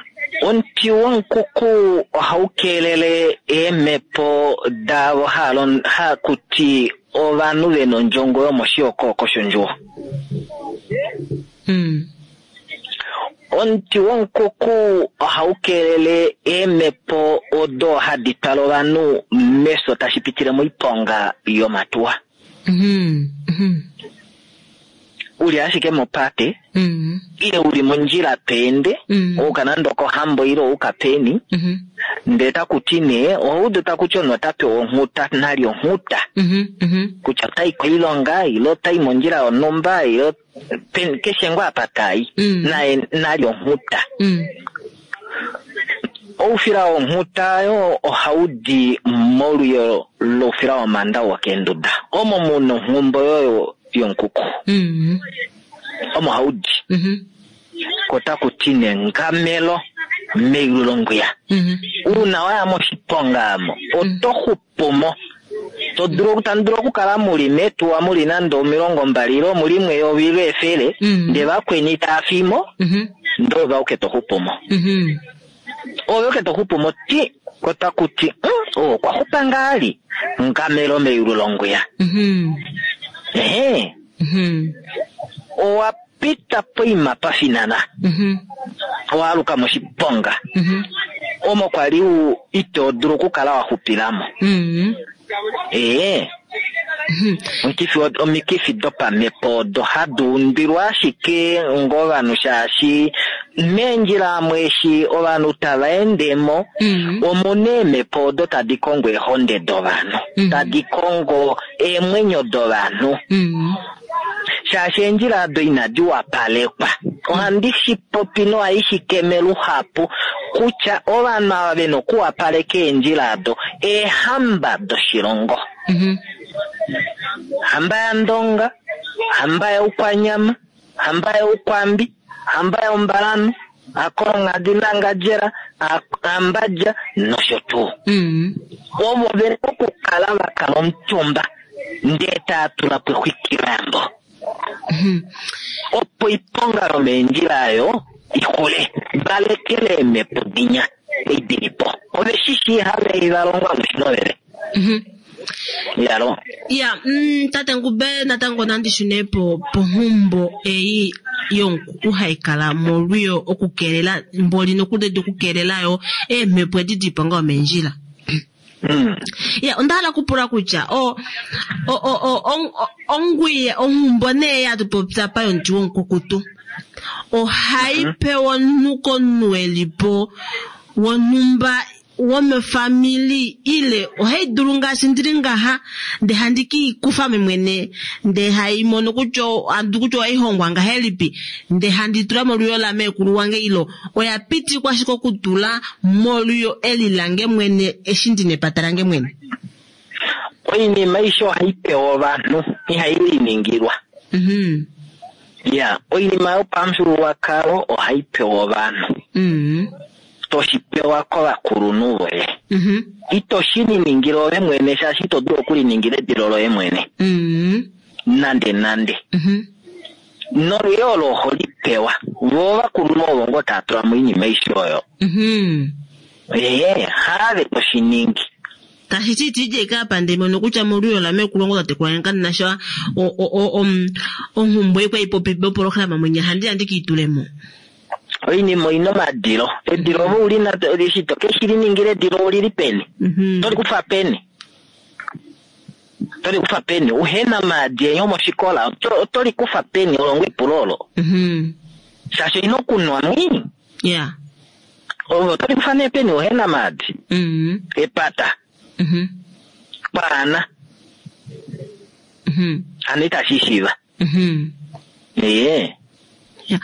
omuti womukuku ohau keelele eemhepo daavo haalon- hakuti ovanhu vena ondjongo yomoshiyokoko shondjuwo Mm. Omuti womukuku ohau keelele eemhepo odo hadi twala ovanhu mefyo tashi pitile moiponga yomatuwa. Mhm. Mhm. Uli ashike mopate Mm. ile uli mondjila peende Mm. ouka nande okohambo ile ouka peni Mhm. ndee takuti nee ohaudu takuti omunhu ota pewa onghuta nali onghuta Mhm. Mhm. kutya otai koilonga ile otai mondjila yonhumba ile pen- keshe ngoo apa tai Mm. naye nali onghuta. Mm. Oufila wonghuta yo ohau di molwiyo loufila womanda wokeenduda omo muna onghumbo yoyo yomukuku Mm. omo hau di Mhm. ko taku ti nengamelo meyulu longwiya Mhm. uuna waya moshiponga amo oto xupumo to dulu tamu dulu okukala muli metuwa muli nande omilongo mbali ile muli mweyovi ile efele Mm. ndee vakweni taa fimo Mhm. ndee ove auke to xupumo Mhm. ove ke to xupumo ti ko taku ti "Mm, oo okwa xupa ngaali ngamelo meyulu longwiya Mhm. ehe Mhm. owa pita poima pafinana Mhm. owaaluka moshiponga Mhm. omo kwali u ito dulu okukala wa xupilamo Mhm. ee Omukifi omikifi dopamhepo odo hadi undwilwa ashike ngovanhu shaashi meendjila amwe eshi ovanhu tava endemo Mm. omuna eemhepo odo tadi kongo eehonde dovanhu Mhm. tadi kongo eemwenyo dovanhu Mm. shaashi eendjila ado inadi wapalekwa. Ohandi shi popi nohai shi keme luhapu kutya ovanhu ava vena okuwapaleka eendjila ado eehamba doshilongo. Mhm. Hamba yaNdonga, hamba yaUkwanyama, hamba yaUkwambi, hamba yaUmbalanhu, Akolonghadi naNgadjela, Ambadja nosho tuu. Mm. Ovo vena okukala va kala omutumba ndee tava tula po exwikiloyambo Mhm. opo iponga yomeendjila ayo ixule valekele eemhepo dinya ei dili po ove shi shii have valongwa noshinovele Mhm. yalo Ya, mm, tate Ngube natango nandi shune po ponhumbo ei yomukuku hayi kala molwiyo okukeelela mboli nokudedi okukeelela yo eemhepo edi diiponga yomeendjila. Mm. Ya, onda hala okupula kutya o o o o on- o- ongwiye onghumbo nee yatupopya pa yomuti womukukutu ohayi pewa omunhu komunhu elipo wonhumba womefamili ile ohayi dulu ngaashi ndili ngaha ndee handi kiikufa ame mwene ndee haimono kutya andu kutya ohaihongwa ngahelipi ndee handi tula molwiyo lameekulu wange ilo oya pitikwa ashike okutula molwiyo eli lange mwene eshi ndina epata lange mwene. Oinima aishe ohayi pewa ovanhu ihayi liningilwa. Mhm. Ya, oinima yopamufyuululwakalo ohayi pewa ovanhu Mhm. toshi pewa kovakulunhu voye Mhm. ito shi niningile ove mwene shaashi ito dulu okuliningila edilo loye mwene Mhm. nande nande. Mhm. Nolwiyo olo oho li pewa vo ovakulunhu ovo ngoo tava tula mo oinima aishe oyo. Mhm. Ee, haave toshi ningi. Tashi ti iti ike apa ndee mono kutya molwiyo lameekulu wange tatekulu wange kandina sha o- o- o- om- onghumbo ei kwali popi mopolohalama mwenya handi handi kiitulemo. Oinima oina omadilo. Edilo ove ulina eshi to ke shi liningila edilo olili peni? Mhm. Toli kufa peni? Toli kufa peni? Uhena maadi enye omoshikola oto oto li kufa peni olongo epulo olo. Mhm. Shaashi oina okunwa mwi. Yeah. Ove oto li kufa nee peni uhena maadi? Mhm. Epata. Mhm. Paana. Mhm. Hano itashi shiiva. Mhm. Ee. Ya.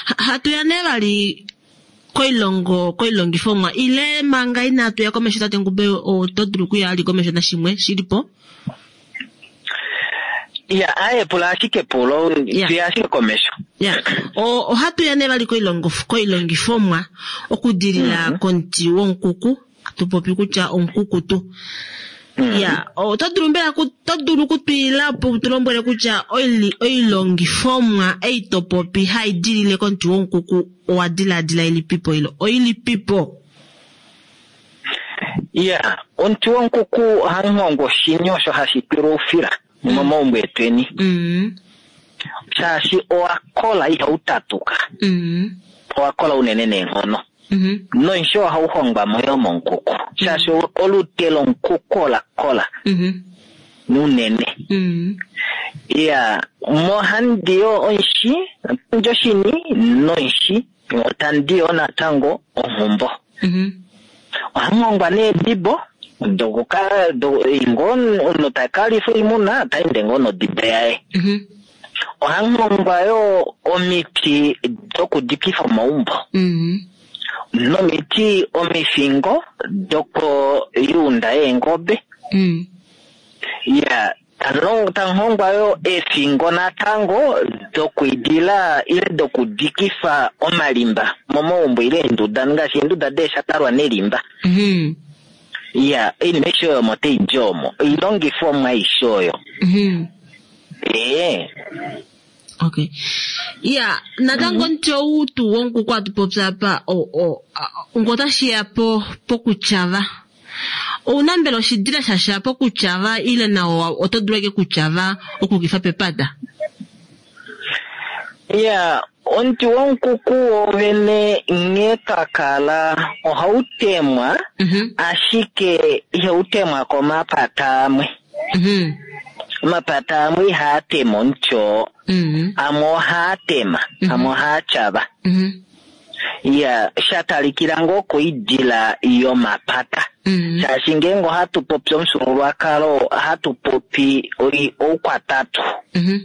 Ha- Hatuya nee vali koilongo koilongifomwa ile manga inatuya komesho tate Ngube oto dulu okuya ali komesho nashimwe shilipo? Ya, aye pula ashike epulo, Ya. tuya ashike komesho. Ya. O ohatuya nee vali koilongo koilongifomwa okudilila komuti womukuku tupopi kutya omukukutu. Mm. Ya, oto dulu mbela ku- oto dulu okutwiila po tulombwele kutya oili- oilongifomwa ei topopi hai dilile komuti womukuku owa dilaadila ilipipo ilo oilipipo? Ya, omuti womukuku ohamu hongwa oshini osho hashi tulwa oufila momaumbo etweni. Mm. Shaashi owa kola ihau tatuka. Mm. Owa kola unene neenghono. Mhm. Noisho ohau hongwa mo yo momukuku. Shaashi olute lomukuku ola kola Mhm. unene. Mm. Ya, mohandi yo onshi, otandi oshini nonshi, otandi yo natango onghumbo. Mhm. Ohamu hongwa nee edibo dokuka do ngoo omunhu taka lifa oimuna ota ende ngoo nodibo yaye. Mhm. Ohamu hongwa yo omiti dokudikifa omaumbo. Mhm. Nomiti omifingo dokoyuunda yeengobe. Mm. Ya, tamu hongwa yo eefingo natango dokuidila ile dokudikifa omalimba momaumbo ile eenduda ngaashi eenduda deeshatalwa nelimba. Mhm. Ya, oinima aishe oyo omo tai di omo. Oilongifomwa aishe oyo. Mhm. Ee. Okay. Ya, natango omuti ou tuu womukuku atu popya apa o o ngo otashiya po pokutyava. Ouna mbela oshidila shasha pokutyava ile nawo oto dulu ashike okutyava okukifa pepata? Ya, omuti womukuku wovene nghee twa kala ohau temwa Mhm. ashike ihau temwa komapata amwe. Mhm. Omapata amwe ihaa tema omuti oo, Mhm. amwe ohaa tema, amwe ohaa tyava. Mhm. Ya, sha talikila ngoo koidila yomapata. Mhm. Shaashi ngeenge ohatu popi omufyuululwakalo, ohatu popi oi- oukwatatu. Mhm.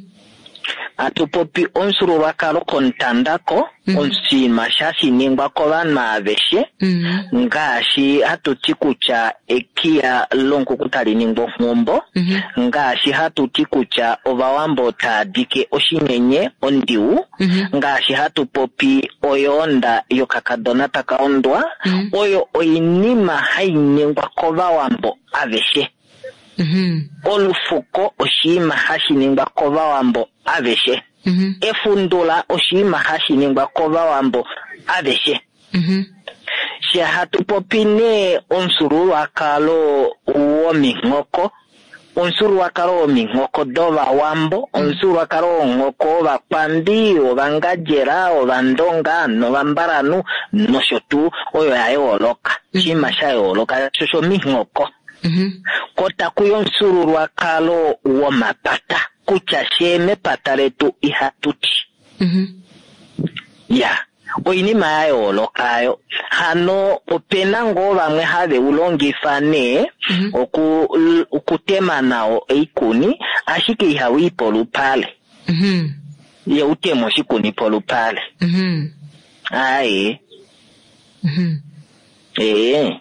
Hatu popi omufyuululwakalo komutandako, Mhm. oshinima shashi ningwa kovanhu aveshe, Mhm. ngaashi hatu ti kutya ekiya lonkuku tali ningwa onghumbo, Mhm. ngaashi hatu ti kutya ovawambo taa dike oshinyenye ondiwu, Mhm. ngaashi hatu popi oyoonda yokakadona taka ondwa, Mhm. oyo oinima hai ningwa kovawambo aveshe. Mhm. Olufuko oshinima hashi ningwa kovawambo aveshe. Mhm. Efundula oshinima hashi ningwa kovawambo aveshe. Mhm. She hatu popi nee omufyuululwakalo wominghoko, omufyuululwakalo wominghoko dovawambo, omufyuululwakalo wonghoko wovakwambi, wovangadjela, wovandonga novambalanhu nosho tuu, oyo ya yooloka. Oshinima sha yooloka sho shominghoko. Mhm. Ko taku ya omufyuululwakalo womapata, kutya she mepata letu ihatu ti. Mhm. Ya, oinima ya yooloka yo. Hano opena ngoo vamwe have u longifa nee Mhm. oku okutema nawo oikuni, ashike ihau i polupale. Mhm. Ye utema oshikuni polupale. Mhm. Aye, Mhm. ee.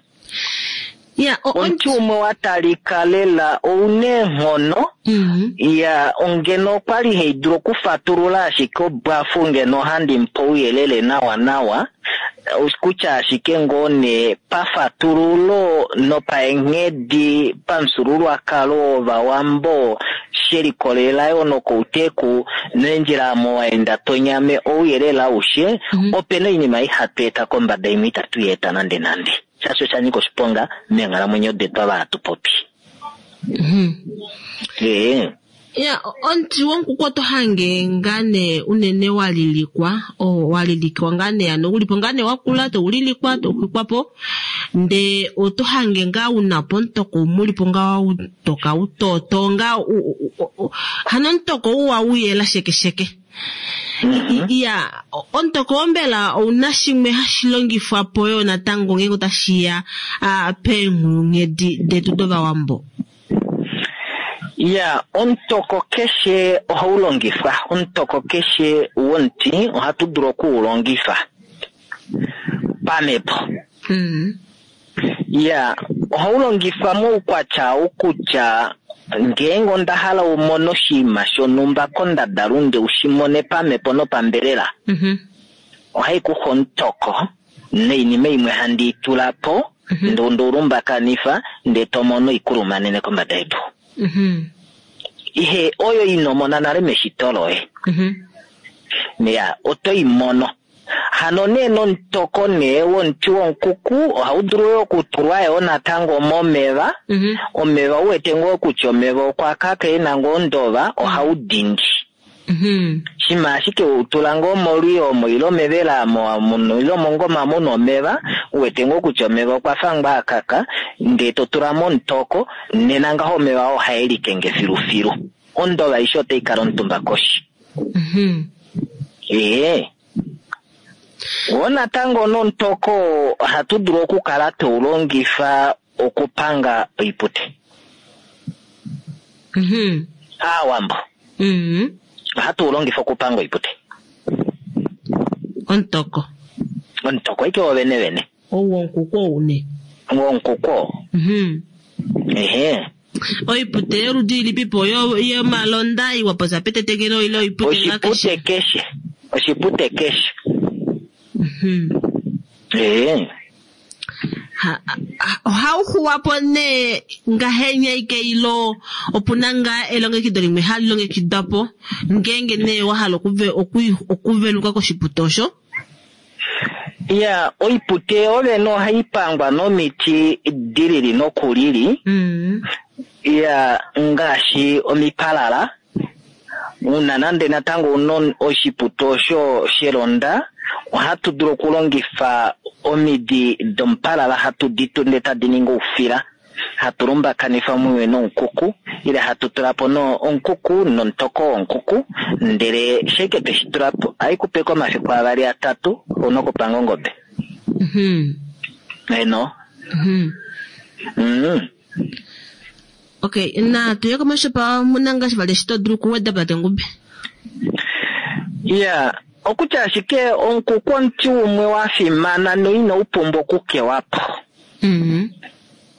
Ya, o- Omuti umwe wa talika lela ouna eenghono. Mhm. Ya, ongeno okwali haidulu okufatulula ashike obwafu ngeno ohandi mupe ouyelele nawa nawa, kutya ashike ngoo nee pafatululo nopaenghedi pamufyuululwakalo wovawambo shelikolelela yoo nokouteku neendjila amo waenda tonyame ouyelele aushe, Mhm. opena oinima ihatu eta kombada imwe itatu i eta nande nande. Shaashi osha nyika oshiponga meenghalamwenyo detu ava hatu popi. Mhm. Ee. Ya, omuti wonkuku oto hange ngaa nee unene wa lilikwa, o wa lilikwa ngaa nee ano ulipo ngaa nee wakula to ulilikwa to xwikwa po, ndee oto hange ngaa una po omutoko umwe ulipo ngaa utoka utoto ngaa u- u- u- u- hano omutoko uwa uyela shekesheke. Mhm. Ya, omutoko oo mbela ouna shimwe hashi longifwa po yo natango ngeenge otashiya ah, peenghulunghedi detu dovawambo. Ya, omutoko keshe ohau longifwa. Omutoko keshe womuti ohatu dulu okuulongifa pamhepo. Mhm. Ya, ohau longifwa moukwatya ou kutya ngeenge onda hala umone oshinima shonhumba kondadalunde ushimone pamhepo nopambelela, Mhm. ohai kufa omutoko noinima imwe handi i tula po, Mhm. ndee ondeulumbakanifa ndee tomono oikulumanene kombada yedu. Mhm. Ihe oyo inomona nale meshito loye. Mhm. Ya, oto i mono. Hano nee nomutoko nee womuti wonkuku ohau dulu yoo okutulwa yoo natango momeva. Mhm. Omeva uwete ngoo kutya omeva okwa kaka ena ngoo ondova, ohau dindi. Mhm. Shima ashike utula ngoo molwiyo omo ile omevela amo muno ile omongoma muna omeva, uwete ngoo kutya omeva okwa fa ngoo akaka, ndee to tula momutoko, nena ngaho omeva oo ohae likenge filufilu. Ondova aishe otai kala omutumba koshi. Mhm. Ee. Wo natango nomutoko ohatu dulu okukala teulongifa okupanga oipute. Mhm. Aawambo Mhm. ohatu ulongifa okupanga oipute. Omutoko. Omutoko ike wovene vene. Ou wonkuku ou nee. Wonkuku oo. Mhm. Ehe. Oipute yoludi ilipipo yo yomalonda iwa popya petetekelo ile oipute ngaa keshe? Oshipute keshe. Oshipute keshe. Mhm. Ee. Ha- ha- ohau xuwa po nee ngahenya ike ilo opuna ngaa elongekido limwe hali longekidwa po ngeenge nee wa hala okuve- oku- okuveluka koshipute osho? Ya, oipute yovene ohai pangwa nomiti dilili nokulili. Mhm. Ya, ngaashi omipalala. Una nande natango una oshipute osho shelonda, ohatu dulu okulongifa omidi domupalala hatu di tunde tadi ningi oufila. Hatu lumbakanifa mumwe nomukuku ile hatu tulapo no omukuku nomutoko wonkuku, ndele sheke tweshi tulapo haikupeko omafiku avali atatu ouna okupanga ongobe. Mhm. Eno. Mhm. Mm. Okay, na tuye komesho pa muna ngaashi vali shito dulu kuweda tate Ngube. Ya, okutya ashike omukuku omuti umwe wa fimana noina upumbwa okukewapo. Mhm.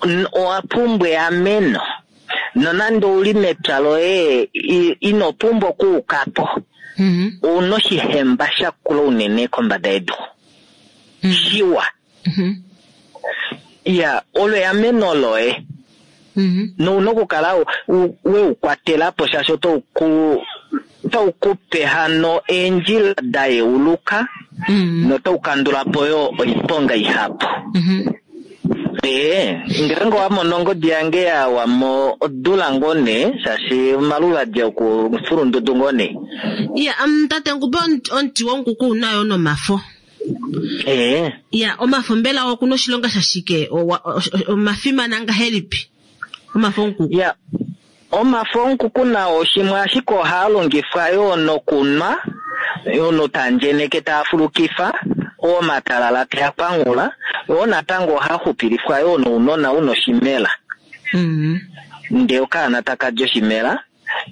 N- owa pumbwa eameno. Nonande uli mepya loye i- ino pumbwa okuukapo. Mhm. Ouna oshihemba shakula unene kombada yedu. Mhm. Shiwa. Mhm. Ya, olo eameno loye. Mhm. Nouna okukala u- u- weukwatelapo shaashi otauku otaukupe hano eendjila da yeuluka Mhm. notaukandulapo yo oiponga ihapu. Mhm. Ee, ngeenge owamono ongodi yange yawamo odula ngoo nee shaashi omaluvadi okufulundudu ngoo nee. Ya, um, tate Ngube omuti omuti wonkuku unayo nomafo. Ee, Ya, omafo mbela okuna oshilonga shashike? Owa- o- o- Omafimana ngahelipi? Omafo onkuku. ya omafo onkuku nao shimwe ashike ohaa longifwa yoo nokunwa omunhu tandjeneke taa fulukifa omatalala tea kwangula yoo natango ohaa xupilifwa yoo nounona una oshimela. Mhm. Ndee okaana takalya oshimela.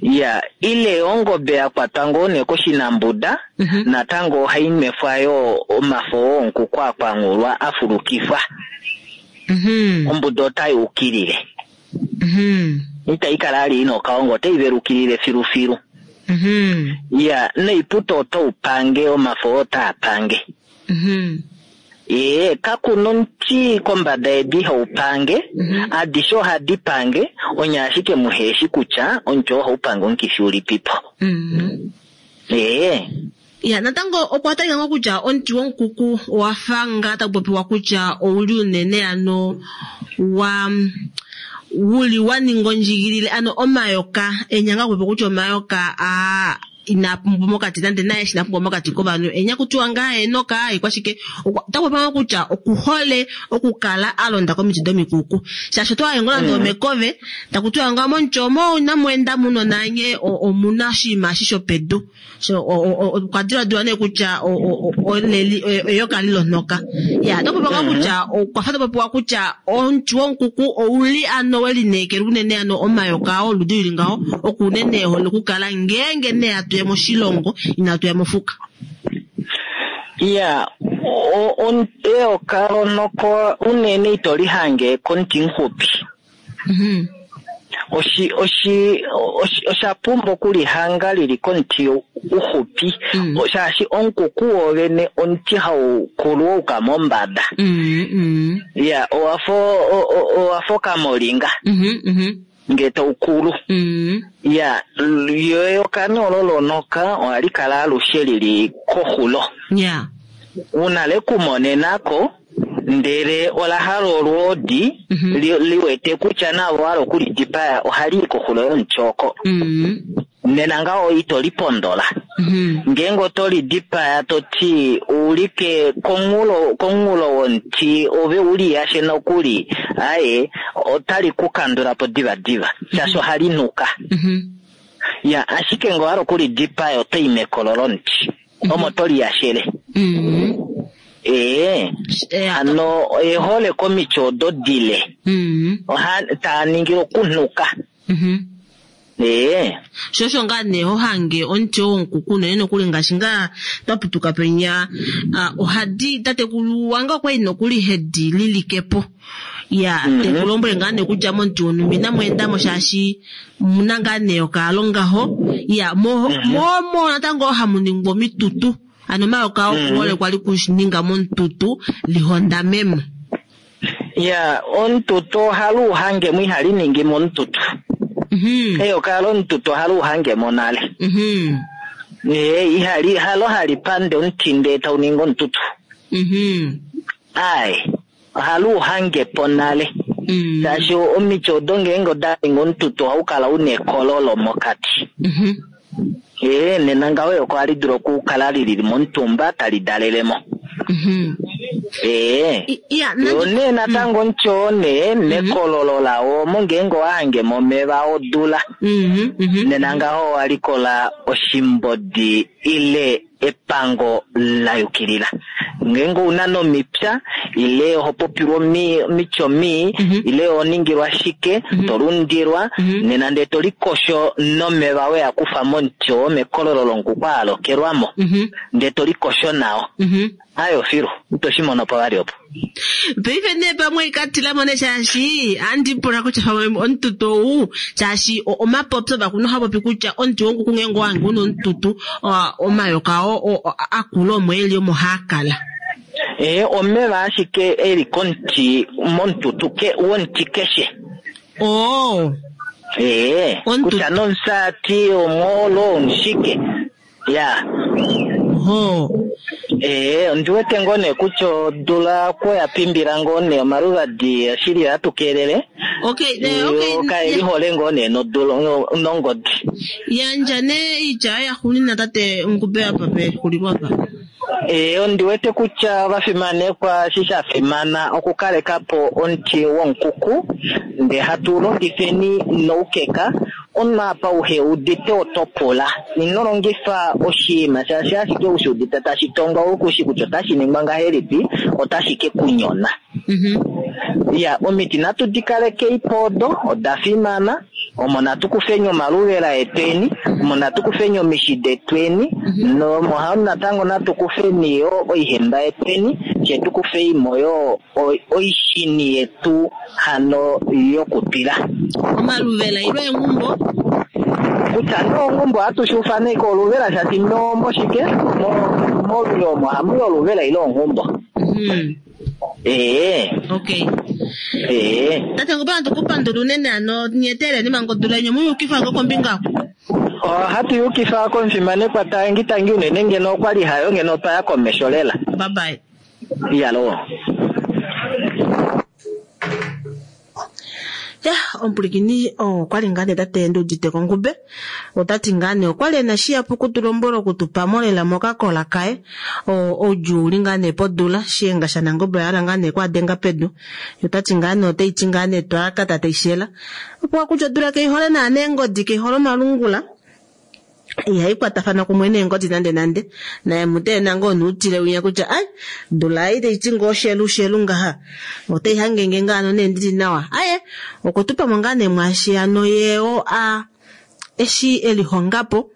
Ya, ile ongobe yakwatwa ngoo nee koshinambuda Mhm. natango ohai nwefwa yoo omafo wonkuku akwangulwa afulukifwa. Mhm. Ombuda otai ukilile. Mhm. Itai kala ali ina okaongo otai velukilile filufilu. Mhm. Ya, noiputo otaupange omafo otaa pange. Mhm. Ee, kakuna omuti kombada yedu ihaupange, Mhm. adishe ohadi pange, onye ashike muheshi kutya omuti oo ohaupange omukifi ulipipo. Mhm. Ee, Ya, natango okwa talika ngoo kutya omuti wonkuku owafa ngaa taku popiwa kutya ouli unene ano wa wuli wa ninga ondjigilile ano omayoka enyanga kupopiwa kutya omayoka a inaa pumbwa mokati nande naye shi inapumbwa mokati kovanhu enya kutiwa ngaa enoka ikwashike otaku popiwa ngoo kutya okuhole okukala a londa komiti domikuku shaashi oto waye ngoo nande omekove taku tiwa ngaa momuti omo inamu muno nanye omuna oshinima eshi shopedu so okwa diladilwa nee kutya o- o- o- oleli eyoka lilonhoka ya otaku popiwa ngoo kutya okwa fa tapopiwa kutya omuti wonkuku ouli ano welineekelwa unene ano omayoka oludi lili ngaho oku unene ehole okukala ngeenge nee atuya moshilongo inatuya mofuka. ya, o- o- eyoka lonoko unene ito lihange komuti muxupi. Mhm. Oshi, oshi, oshi, osha pumbwa okulihanga lili komuti uxupi Mm. shaashi omukuku wovene omuti haukulu wauka mombada. Mhm, mhm. Ya, owafa o- o- owafa okamolinga Mhm, mhm. ngee taukulu. Mhm. Ya, yo eyoka nee olo lonoka ohali kala alushe lili koxulo. Ya. Una lekumonenako ndele ola hala olwoodi Mhm. li, liwete kutya navo hala okulidipaya ohali i koxulo yomuti oko. Mhm. Nena ngaho ito lipondola. Mhm. Ngeenge oto lidipaya toti uulike komunghulo komunghulo womuti ove uliyashe nokuli aye otali ku kandulapo diva diva shaashi ohali nuka. Mhm. Ya, ashike ngee owahala okulidipaya otoyi mekolo lomuti omo toliyashele. Mhm. Ee, Eh, hano ehole komiti odo dile Mhm. oha taa ningile okunuka. Mhm. Ee, sho osho ngaa nee ho hange omuti wonkuku unene nokuli ngaashi ngaa twa putuka penya ah, ohadi tatekulu wange okwali nokuli hedi lilikepo ya Mhm. tekulombwele ngaa nee kutya momuti wonhumba inamu endamo shaashi muna ngaa nee okaalo ngaho ya mo mo mo natango hamu ningwa omitutu ano omayoka okuhole kwali kuninga momututu lihondamemo. ya omututu ohali uhangemo ihali ningi momututu. Mhm. Eyoka lomututu ohali uhangemo nale. Mhm. Ee, ihali halo hali pande omuti ndee tau ningi omututu. Mhm. Aye, ohali uhangepo nale. Mhm. Shaashi omiti odo ngeenge oda ningi omututu ohau kala una ekololo mokati. Mhm. Ee, nena ngaho eyoka ohali dulu okukala lili momutumba tali dalelemo. Mhm. Ee. I- Ya, Yo nandi- nee natango omuti oo nee mekololo lawo omo ngeenge owahange momeva odula Mhm, mhm. nena ngaho owa likola oshimbodi ile epango la yukilila ngeenge ouna nomipya ile oho popilwa omi- omityo mii Mhm. ile oho ningilwa shike to lundilwa Mhm. nena ndee to likosho nomeva weya kufa momuti oo mekololo longuku alokelwamo Mhm, ndee to likosho nawo mhm. ayo filu ito shi mono po vali opo Paife nee pamwe ikatilamo ne shaashi andi pula kutya pamwe omututu ou shaashi o- omapopyo vakuno ohapopi kutya omuti wonguku ngeenge owange una omututu o- omayoka oo o- o- akula omo eli omo haakala. ee omeva ashike eli komuti momututu ke womuti keshe Oo. ee Omututu. kutya nomusati omwoolo omushike ya Oho. ee ondi wete ngoo nee kutya odula kwoya pimbila ngoo nee omaluvadi oshili ohatu keelele Okay, ne, okay. yo kaeli hole ngoo nee nodula no- nongodi Yandja nee iitya ya xunina tate Ngube apa pexulilo apa. Ee, ondi wete kutya ovafimanekwa eshi sha fimana okukaleka po omuti womukuku ndee hatu longifeni noukeka omunhu apa uhe udite oto pula ino longifa oshinima shaashi ashike ushi udite tashi tongwa ukushi kutya otashi ningwa ngahelipi otashi ke kunyona Mhm. ya omiti natu di kalekei podo oda fimana omo natu kufeni omaluvela etweni omo natu kufeni omishi detweni nomo ha- natango natu kufeni yo oihemba yetweni fye tu kufeimo yo oi- oishini yetu hano yokutwila Omaluvela ilo engumbo. kutya nee ongumbo ohatu shi ufana ike oluvela shaashi no moshike mo- molule omo hamuyi oluvela ile onghumbo Mhm. ee Okay. ee Tate Ngube natu kupandula unene ano nyeteleni manga odula yenyu muyukifa ngo kombinga oku. ohatu yukifa komufimanekwa tangi tangi unene ngeno okwali hayo ngeno otwaya komesho lela Bye bye. iyalo Ya, omupulikini okwali ngaa nee tate Nduudite Kongube otati ngaa nee okwali ena shihapu okutulombwela okutupamo lela mokakola kaye oudjuu uli ngaa nee podula shiyenga shaNangombe oyahala ngaa nee kwaadenga pedu ye otati ngaa nee otaiti ngaa nee twalaka tateishela opuwa kutya odula keihole naana eengodi keihole omalungula ihayi kwatafana kumwe neengodi nande nande naye muteena ngoo nuutile winya kutya ai dula ei taiti ngoo shelu shelu ngaha otai hangenge ngaano nee ndili nawa aye okutupamo ngaa nee mwaashi ano ye o a eshi elihongapo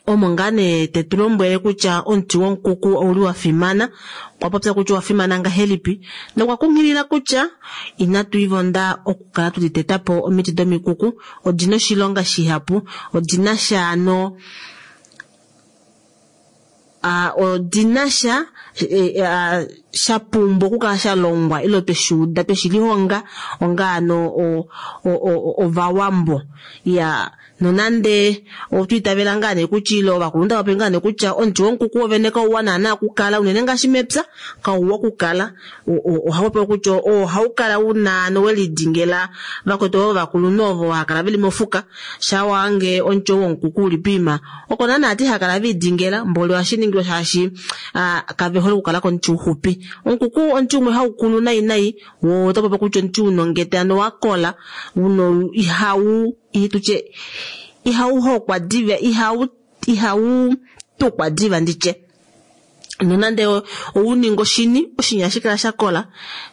omo ngaa nee tetu lombwele kutya omuti womukuku ouli wa fimana okwa popya kutya owa fimana ngahelipi nokwa kunghilila kutya inatu ivonda okukala tuli teta po omiti domikuku odina oshilonga shihapu odina sha ano a odina sha e, a, sha pumbwa okukala sha longwa ile tweshi uda tweshi lihonga onga ano o- o- o- ovawambo ya nonande otwiitavela ngaa nee kutya ile ovakulunhu tava popi ngaa nee kutya omuti womukuku wovene kauwa naana okukala unene ngaashi mepya kauwa okukala ohawu kutya ohau kala una ano welidingela vakwetu ovo ovakulunhu ovo hakala veli mofuka shawange omuti ou womukuku uli poima oko naana ati hakala viidingela mboli ohashi ningilwa shaashi kave hole okukala komuti uxupi. Omukuku omuti umwe haukulu nai nai wo oto popi kutya omuti una ongete ano wakola uno ihau tutye ihau hokwa diva ihau ihau tukwa diva nditye nonande ouninga oshini oshini ohashi kala shakola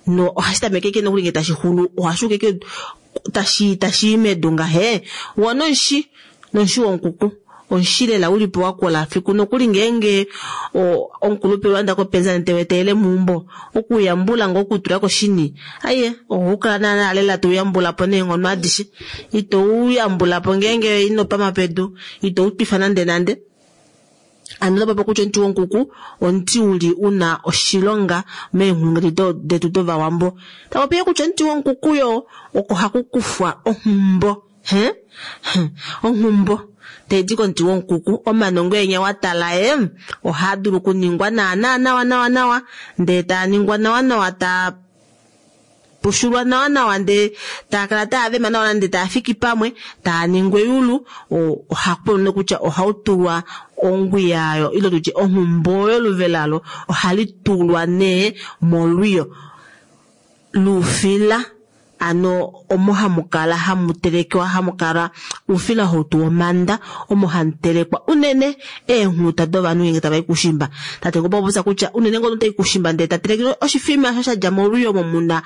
no ohashi tameke ike nokuli ngee tashi xulu ohashi uka ike tashi tashi i medu ngahe wo nomushi nomushi womukuku omushi lela ulipo wakola fiku nokuli ngeenge omukulupe waenda kopenzela tewetele meumbo okuyambula ngoo okutula koshini aye ohokala naana lela touyambula po neenghono adishe ito uyambula po ngeenge inopama pedu ito utwifa nande nande ano otopopi kutya omuti womukuku omuti uli una oshilonga meenghulungu detu dovawambo tapopiye kutya omuti womukuku yo oko haku kufwa onghumbo he onghumbo taidi komuti womukuku omanongo enya watala e ohaa dulu okuningwa naana nawa nawa nawa ndee taa ningwa nawa nawa taa pushulwa nawa nawa ndee taa kala taa vema nawa nande taa fiki pamwe taa ningwa eyulu, ohaku kutya ohautulwa ongwiya ayo ile tutye onghumbo yoluve lalo ohali tulwa nee molwiyo luufila, ano omo hamukala hamutelekewa hamukala oufila hautu womanda omo hamutelekwa unene eenghuta dovanhu ngenge tava i kushimba. Tate ngopopya kutya unene ngono tai kushimba ndee tatelekelwa oshifima osho shadja molwiyo omo muna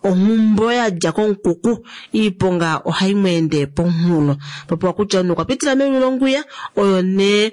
onghumbo yadja komukuku, iiponga ohai mweende pomunghulo. Popiwa kutya omunhu okwa pitila meyulu longwiya oyo nee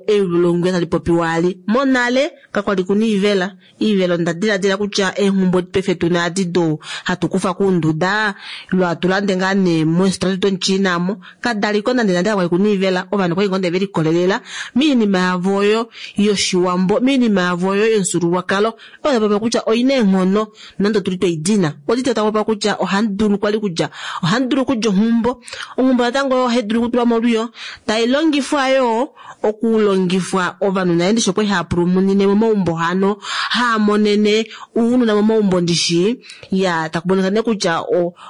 eyulu longwiya tali popiwa ali. Monale kakwali kuna iivela, iivela onda diladila kutya eenghumbo paife tuna adi do hatu kufa kuunduda lwatulande ngaa nee moositola domuChina mo kadaliko nande nande kakwali kuna iivela, ovanhu okwali ngoo nee velikolelela miinima yavo oyo yoshiwambo, miinima yavo oyo yomufyuululwakalo oyo tapopiwa kutya oina eenghono nande otuli tweidina. Odite tapopiwa kutya ohandulu kwali kulya, ohandulu kulya onghumbo, onghumbo natango oyo ohaidulu okutulwa molwiyo tailongifwa yoo okulongifwa ovanhu naye ndishi okwali hava pulumunine momaumbo hano haamonene ounona momaumbo ndishi ya takumonika nee kutya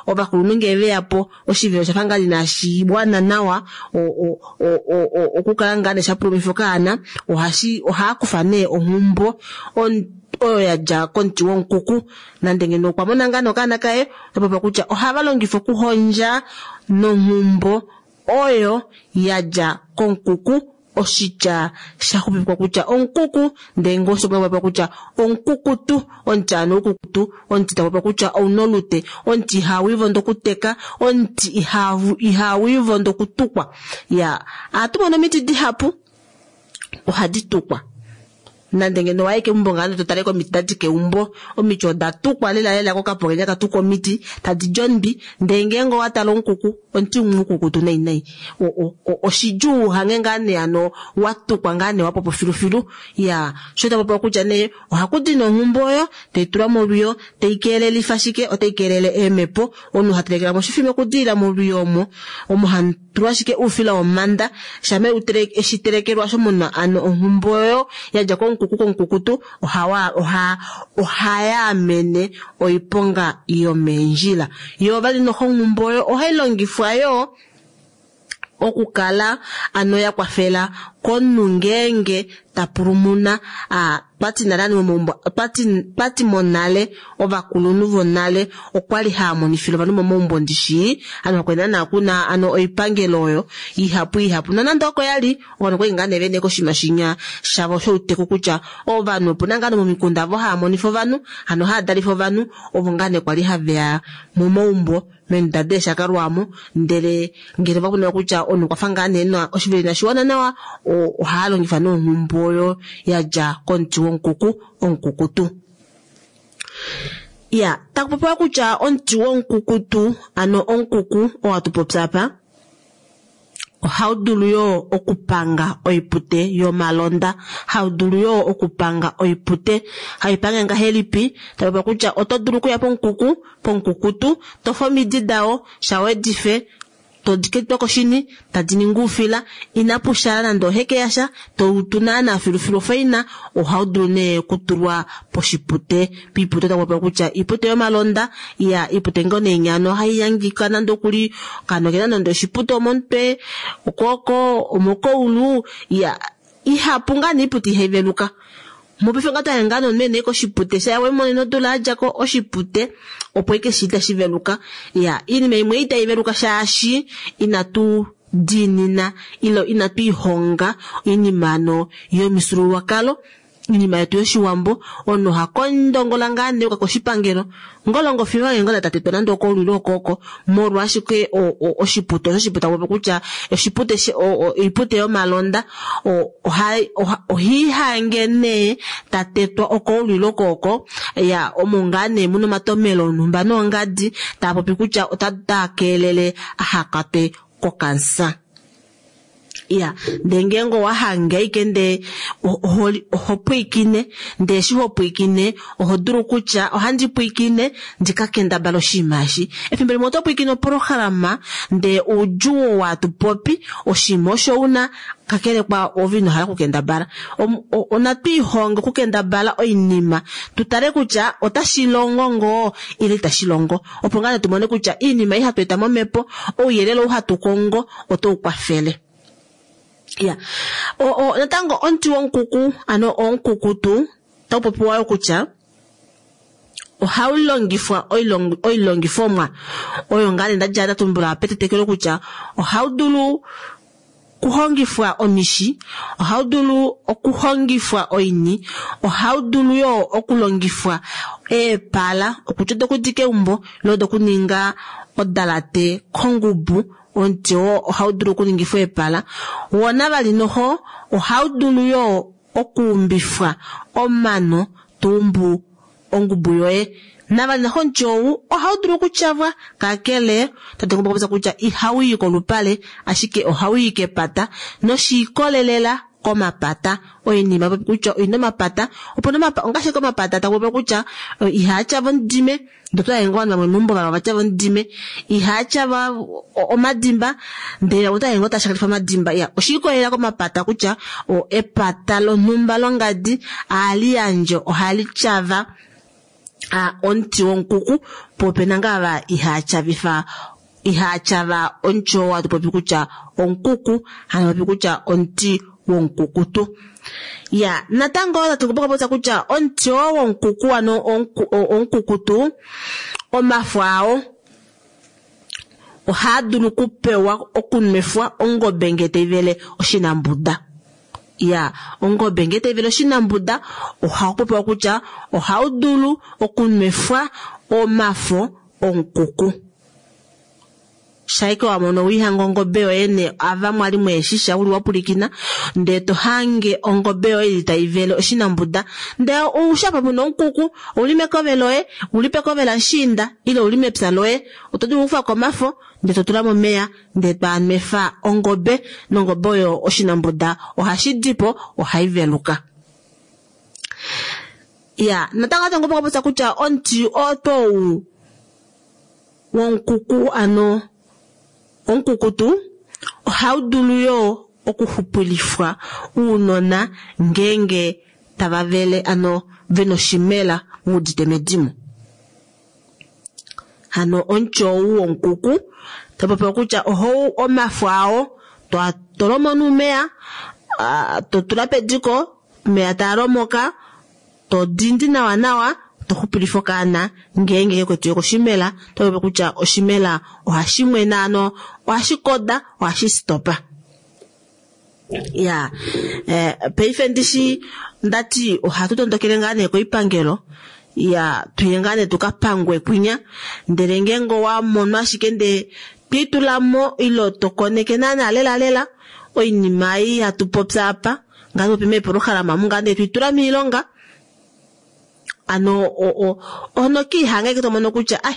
ovakulunhu ngee veyapo oshivelo oshafa ngaa inashi wana nawa okukala ngaa nee shapulumifa okaana, ohashi ohaakufa nee onghumbo oyo yadja komuti womukuku nande ngeno okwa mona ngaa nokaana kaye otapopiwa kutya ohava longifa okuhondja nonghumbo oyo yadja komukuku, oshitya shaxupipikwa kutya omukuku ndee ngoo osho kutya omukukutu, omuti ano ukukutu, omuti tapopiwa kutya ouna olute, omuti ihaawiivondo okuteka, omuti ihaawiivondo okutukwa. Ya ohatu mono omiti dihapu ohadi tukwa nande ngeno waye keumbo ngaa totale komiti dadi keumbo, omiti oda tukwa lela lela kokapokenya katukwa omiti tadi di ondwi, ndee ngeenge owatala omukuku omuti umwe ukukutu nai nai oshidjuu uhange ngaa nee ano watukwa ngaa nee wapopo filufilu. Ya sho tapopiwa kutya nee ohakudi nee onghumbo oyo taitulwa molwiyo taikeelelifa shike, otai keelele eemhepo, omunhu hatelekelamo oshifima okudilila molwiyo omo, omo hamutulwa ashike oufila womanda shama eshitelekelwa osho muna ano onghumbo oyo yadja komukuku komukukutu ohawa oha ohayaamene oiponga yomeendjila. Yoo vali noho onghumbo oyo ohailongifwa yoo okukala ano ya kwafela komunhu ngeenge tapulumuna twati nale momaumbo twati monale ovakulunhu vonale okwali haamonifile ovanhu momaumbo ndishi ano kwali naana kuna ano oipangelo oyo ihapu ihapu nonande oko yali ovanhu okwali ngaa nee vene koshinima shinya shavo shouteku kutya ovanhu opuna ngaa momikunda avo haamonifa ovanhu hano haadalifa ovanhu ovo ngaa nee kwali haveya momaumbo meenduda deeshakalwamo ndele ngele vakumona kutya omunhu okwafa ngaa nee na oshiveli inashiwana nawa ohaalongifa nee onghumbo oyo yadja komuti womukuku omukukutu. Ya takupopiwa kutya omuti womukukutu ano omukuku oo hatupopya apa ohaudulu yoo okupanga oipute yomalonda, haudulu yoo okupanga oipute. Haipange ngahelipi? Tapopiwa kutya oto dulu okuya pomukuku pomukukutu tofe omidi dao shawedife todiketwa koshini tadi ningi oufila inapushala nande oheke yasha toutu naana filufilu ofaina ohaudulu nee okutulwa poshipute piipute takupopiwa kutya iipute yomalonda ya iipute ngoo nee nyano ohaihangika nande okuli okaana okena nande oshipute omomutwe okwooko omokoulu ya ihapu ngaa nee iipute ihaiveluka. Mopaife ngaa twaya ngaa nomunhu ene koshipute shaya wemonene odula yadjako oshipute opo ike shi itashi veluka. Ya iinima imwe itai veluka shaashi inatu diinina ile inatu ihonga oinima ano yomifyuululwakalo, iinima yetu yoshiwambo. Omunhu oha kondongola ngaa nee uka koshipangelo ngolongo fiyo ngola tatetwa nande okoulwilo okooko molwaashike oshipute osho oshipute takupopiwa kutya oshipute oipute yomalonda ohiihange nee tatetwa okoulwilo kooko ya omo ngaa nee muna omatomelo onhumba noongadi taapopi kutya otaa keelele ahakwatwe kokansa. Ya, ndee ngeenge owahange ashike ndee oho pwiikine, ndee eshi hopwiikine oho dulu kutya ohandi pwiikine ndika kendabale oshinima eshi. Efimbo limwe oto pwiikine oprograma ndee oudjuu oo hatupopi oshinima osho una kakele kwa ove inohala okukendabala. Onatwiihonge okukendabala oinima tutale kutya otashi longo ngoo ile itashi longo, opo ngaa tumone kutya iinima ei hatu eta momhepo, ouyelele ou hatu kongo otau kwafele. Ya, o natango omuti womukuku ano omukukutu taupopiwa yo kutya ohaulongifwa oilongifomwa oyo ngaa ndadja ndatumbula petetekelo kutya ohaudulu kuhongifwa omishi, ohaudulu okuhongifwa oini, ohaudulu yo okulongifwa eepala okutya dokudika eumbo ile dokuninga odalate kongubu. Omuti oo ohaudulu okuningifwa eepala. Wona vali noho ohaudulu yo okuumbifwa omano tuumbu ongubu yoye. Navali noho omuti ou ohaudulu okutyavwa, kakele tate ngombo kutya ihauyi kolupale ashike ohauyi kepata noshiikolelela komapata. Oinima kutya oina omapata, opo ongaashi komapata takupopiwa kutya ihaatyava omudime, ndotwa yenga ovanhu vamwe meumbo vava vatyava omudime, ihaatyava omadimba, ndele otwa yenga otashakalifa omadimba. Ya, oshiikolelela komapata kutya epata lonhumba longadi ohali yandje ohali tyava omuti womukuku, po opena ngaa ava ihaatyavifwa ihaatyava omuti oo hatu popi kutya omukuku, hatu popi kutya omuti womukukutu. Ya, natango tatu popya kutya omuti oo womukuku ano omukukutu omafo ao ohaa dulu okupewa okunwefwa ongobe ngee taivele oshinambuda. Ya, ongobe ngee taivele oshinambuda ohakupopiwa kutya ohaudulu okunwefwa omafo omukuku. Shaike wamono wiihanga ongobe yoye ne ava mwali mweeshisha uli wapulikina ndee tohange ongobe yoye ili taivele oshinambuda, ndee oushapa puna omukuku ouli mekove loye, uli pekove lashiinda ile uli mepya loye, oto dulu okukufako omafo ndee totula momeya ndee twaanwefa ongobe, nongobe oyo oshinambuda ohashi dipo, ohaiveluka. Ya, natango ate ngombe popya kutya omuti otou womukuku ano omukukutu ohaudulu yo okuxupulifwa uunona ngeenge tava vele ano vena oshimela wuudite medimo. Hano omuti ou womukuku tapopiwa kutya ohou omafo ao tolomo nuumeya, totula pediko omeya taalomoka, todindi nawa nawa, toxupulifa okaana ngeenge kekwetiwe koshimela. Topopiwa kutya oshimela ohashi mwena ano ohashi koda, ohashi stopa. Ya, eh, paife ndishi ndati ohatu tondokele ngaa nee koipangelo, ya tuye ngaa nee tukapangwe kwinya, ndele ngeenge owamonwa ashike ndee twiitulamo ile tokoneke naana lela lela oinima ei hatu popya apa ngaa popi meepolohalama omu ngaa ndee twiitula miilonga, ano ono kiihanga ike tomono kutya ai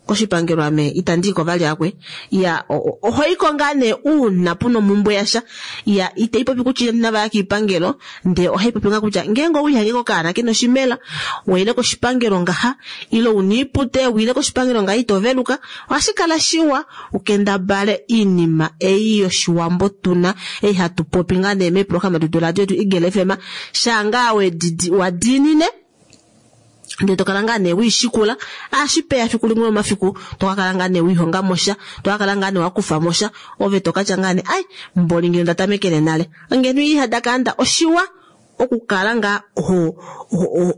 koshipangelo ame itandi iko vali akwe. Ya, ohoiko ngaa nee uuna puna omumbwe yasha. Ya, itaipopi kutya inavaya kiipangelo, ndee ohaipopi ngaa kutya ngeenge owiihange kokaana kena oshimela waile koshipangelo ngaha, ile una iipute wiile koshipangelo ngaha ito veluka, ohashi kala shiwa ukendabale iinima ei yoshiwambo tuna ei hatu popi ngaa nee meeprograma detu radio yetu Eagle F M, shaa wedidi wadiinine ndee tokala ngaa nee wiishikula, ashipeya fiku limwe lomafiku tokakala ngaa nee wiihonga mosha, tokakala ngaa nee wakufa mosha, ove tokatya ngaa nee ai mboli ngeno ndatamekele nale ngeno ihadakaanda. Oshiwa okukala ngaa ho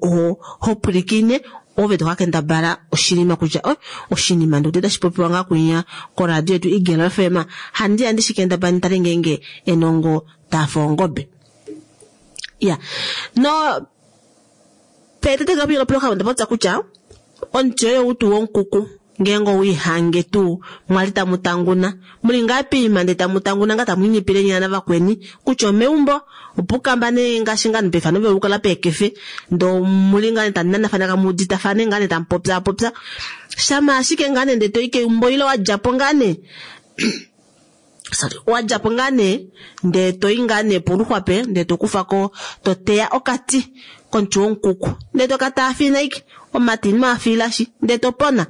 ho ho pwilikine ove tokakendabala oshinima kutya oi oshinima ndote tashi popiwa ngaa kwinya koradio yetu Eagle F M, handi andi shikendabala nitale ngeenge enongo tafa ongobe. Ya, no petete ngapilo ploka ndapotsa kutya omuti oyo utu wonkuku ngeenge owiihange tuu mwali tamu tanguna muli ngaa piima ndee tamu tanguna ngaa tamu inyipile nyina navakweni kutya omeumbo opukamba nee ngaashi ngaa pefano veukala peekefe ndo muli ngaa tamu nanafana kamuuditafane ngaa nee tamu popyapopya shama ashike ngaa nee ndee toyi keumbo ile wadjapo ngaa nee Sorry, wadjapo ngaa nee ndee toyi ngaa nee poluxwape ndee tokufako toteya okati komuti womukuku ndee toka taafina ashike omati ino afiilashi ndee topona.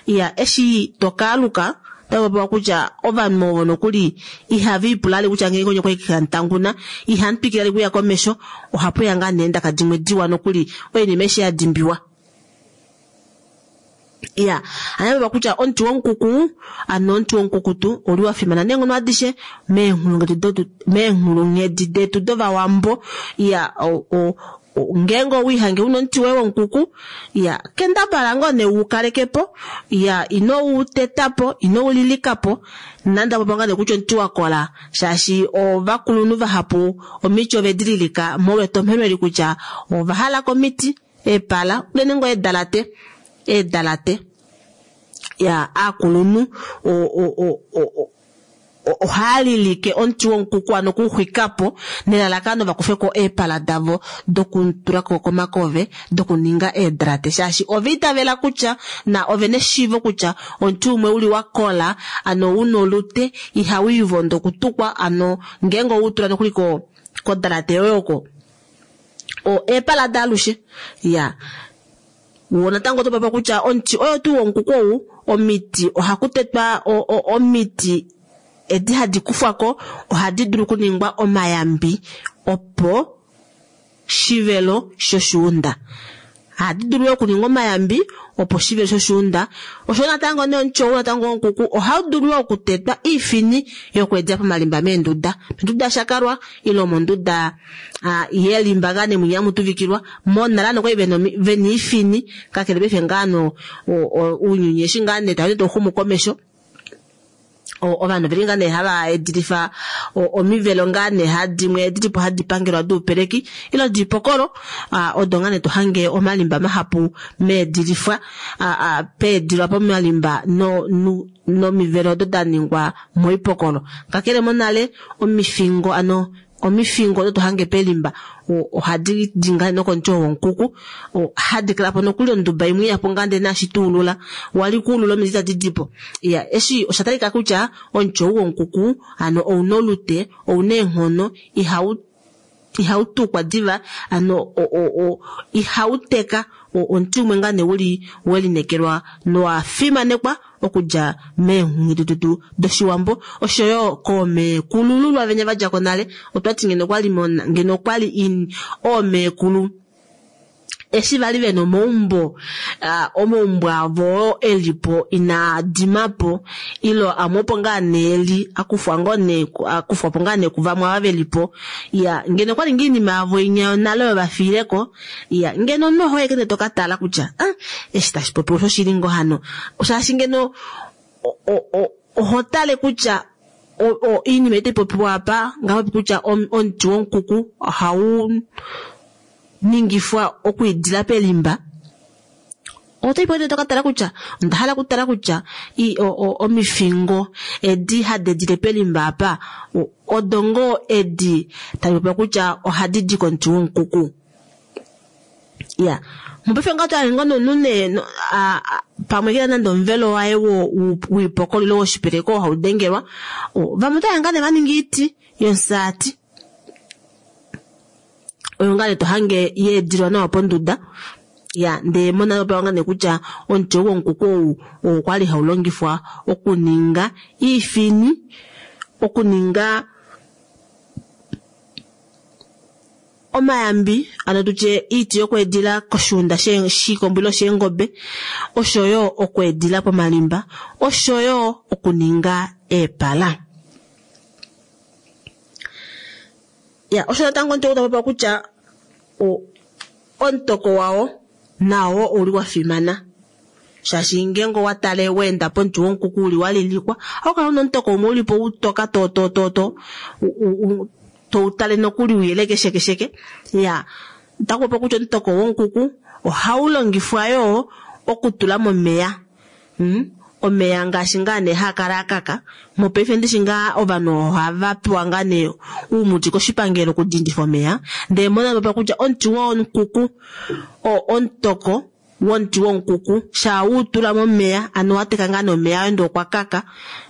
Iya eshi tokaaluka otapopiwa kutya ovanhu ovo nokuli ihava ipula vali kutya ngenge onye okwali hamutanguna ihamutwikile vali okuya komesho ohapuya ngaa nee eendaka dimwe diwa nokuli oinima eshi yadimbiwa. Iya, hano kutya omuti womukuku ano omuti womukukutu ouli wafimana neenghono adishe meenghulunghedi meenghulunghedi detu dovawambo. Iya, ngeenge owiihange una omuti woye womukuku, iya kendabala ngoo nee ukalekepo, iya ino utetapo, ino ulilikapo, nande popiwa ngaa nee kutya omuti wakola shaashi ovakulunhu vahapu omiti ovedi lilika molwa etomheno eli kutya ovahala komiti eepala unene ngoo eedalate eedalate ya aakulunhu ohaya lilike omuti womukuku ano okuuxwikapo nelalakano vakufeko eepala davo dokutulako komakove dokuninga eedrate shaashi ova itavela kutya na ovena eshiivo kutya omuti umwe uli wakola ano una olute ihawiivondo okutukwa ano ngeenge oweutula nokuli ko kodrate yoye oko eepala daalushe. Ya wo natango oto popiwa kutya omuti oyo tuu womukuku ou omiti ohakutetwa omiti edi hadi kufwako ohadi dulu okuningwa omayambi opo shivelo shoshuunda. Ohadi dulu okuningwa omayambi opo shivelo shoshuunda. Osho natango nee omuti ou natango womukuku ohau dulu okutetwa iifini yokweedila pomalimba meenduda, monduda yashakalwa ile monduda yelimba ngaa nee mwinya hamu monale nokwali vena iifini kakele paife ngaa ounyuni eshi ngaa nee tau tauxumu komesho ovanhu oveli ngaa nee hava edilifa omivelo ngaa nee dimwe dilipo hadi pangelwa doupeleki ile diipokolo odo ngaa nee tohange omalimba mahapu meedilifwa peedilwa pomalimba no nomivelo odo daningwa moipokolo. Kakele monale omifingo ano omifingo odo tohange pelimba ohadi di ngaa nokomuti womukuku hadi kalapo nokuli onduba imwe iyapo ngaa ndee naashi tuulula wali kuulula omiti tadi dipo. Iya eshi osha talika kutya omuti ou womukuku ano ouna olute ouna eenghono ihau ihautukwa diva ano ihauteka omuti umwe ngaa nee uli welinekelwa nowafimanekwa okudja meenghulunghedi detu doshiwambo oshoyo koomeekulululwa venya vadjako nale. Otwati ngeno okwali ngeno okwali oomeekulu eshi vali vena omaumbo omaumbo avo elipo inaa dimapo ilo amwe opo ngaa nee eli akufwa ngoo nee akufwapo ngaa nee kuvamwe ava velipo. Iya ngeno okwali ngoo iinima yavo inya yonale oyo vafiileko, iya ngeno omunhu ohoye kene tokatala kutya ah eshi tashi popiwa oshoshili ngoo hano shaashi ngeno oho tale kutya iinima itaipopiwa apa ngapopi kutya omuti womukuku ohau ningifwa okwiidila pelimba otoipo tokatala kutya onda hala okutala kutya omifingo edi hadi edile pelimba apa odo ngoo edi tadi popiwa kutya ohadi di komuti womukuku. Ya mopaife ngaa otwahange ngoo nomunhu nee pamwe kena nande omuvelo waye woipokolo ile woshipeleko oo haudengelwa, vamwe otohange ngaa nee vaninga oiti yomusaati oyo ngaa nee tohange yeedilwa nawa ponduda. Ya ndee monale opewa ngaa nee kutya omuti ou womukuku ou okwali haulongifwa okuninga iifini, okuninga omayambi ano tutye iiti yokweedila koshuunda shiikombo ile sheengobe oshoyo okweedila pomalimba oshoyo okuninga eepala. Ya osho natango omuti ou tapopiwa kutya omutoko wao nao ouli wafimana shaashi ngeenge owatale weenda pomuti womukuku uli walilikwa ohaukala una omutoko umwe ulipo utoka to to to to toutale nokuli uyeleke sheke sheke. Ya otakupopiwa kutya omutoko womukuku ohaulongifwa yoo okutula momeya mm? Omeya ngaashi ngaa nee haakala akaka mopaife ndishi ngaa ovanhu ohava pewa ngaa nee uumuti koshipangelo okudindifa omeya ndee monale popiwa kutya omuti womukuku omutoko womuti womukuku shaa utula momeya ano wateka ngaa nee omeya ende okwa kaka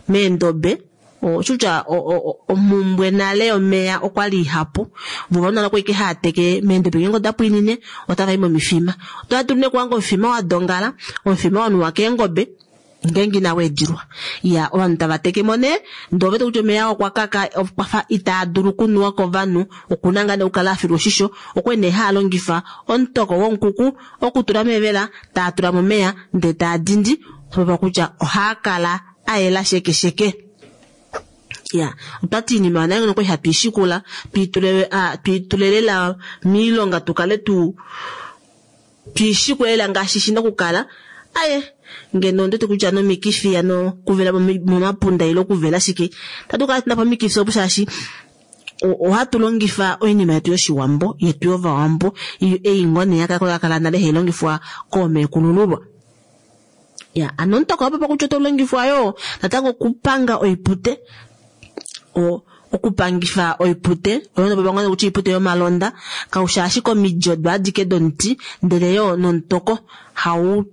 meendobe Oshutya omhumbwe nale yomeya okwali ihapu vo ovanhu nale okwali ike hava teke meendobe ngeenge oda pwiinine otava i momifima. Otava dulu nee okuhanga omufima wa dongala, omufima wanuwa keengobe ngeenge inawu edilwa. Iya ovanhu tava tekemo nee ndee ovete kutya omeya okwa kaka okwafa itaa dulu okunuwa kovanhu, okuna ngaa nee okukala afilwa oshisho, okwali nee haa longifa omutoko womukuku okutula mevela taa tula momeya ndee taa dindi, otopopiwa kutya ohaa kala ayela sheke sheke. Ya otwati iinima yonale nokwali hatu ishikula twiitule twiitule lela miilonga tukale tu twiishikule lela ngaashi shina okukala. Aye ngeno ondiwete kutya nomikifi hano okuvela momapunda ile okuvela shike itatu kala tuna po omikifi opo shaashi ohatu longifa oinima yetu yoshiwambo yetu yovawambo ei ngoo nee yakala nale hai longifwa koomeekulululwa. Ya ano omutoko owa kutya otau longifwa yoo natango okupanga oipute, okupangifa oipute oyo nopapa kutya oipute yomalonda kaushi ashike omidi odo adike domuti ndele yoo nomutoko hau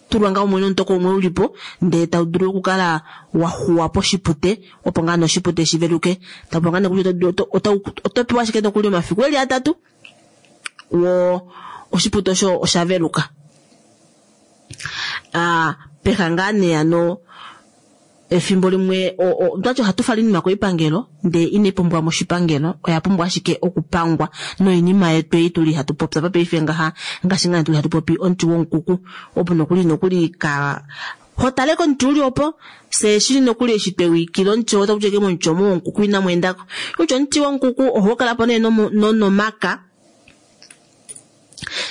tulwa ngaho mumwe nomutoko umwe ulipo ndee tau dulu okukala waxuwa poshipute opo ngaa noshipute shiveluke. Tapopiwa ngaa nee kutya oto pewa ashike nokuli omafiku eli atatu wo oshipute osho osha veluka. Aa peha ngaa nee hano efimbo limwe otwati ohatu fala oinima koipangelo ndee inai pumbwa moshipangelo, oya pumbwa ashike okupangwa noinima yetu ei tuli hatu popya paife ngaha ngaashi ngaa tuli hatu popi omuti womukuku opo nokuli nokuli ka hotale komuti uli opo fye shili nokuli eshi twewikile omuti oo otakutya ike momuti omo womukuku inamu endako kutya omuti womukuku ohau kalapo nee nonomaka.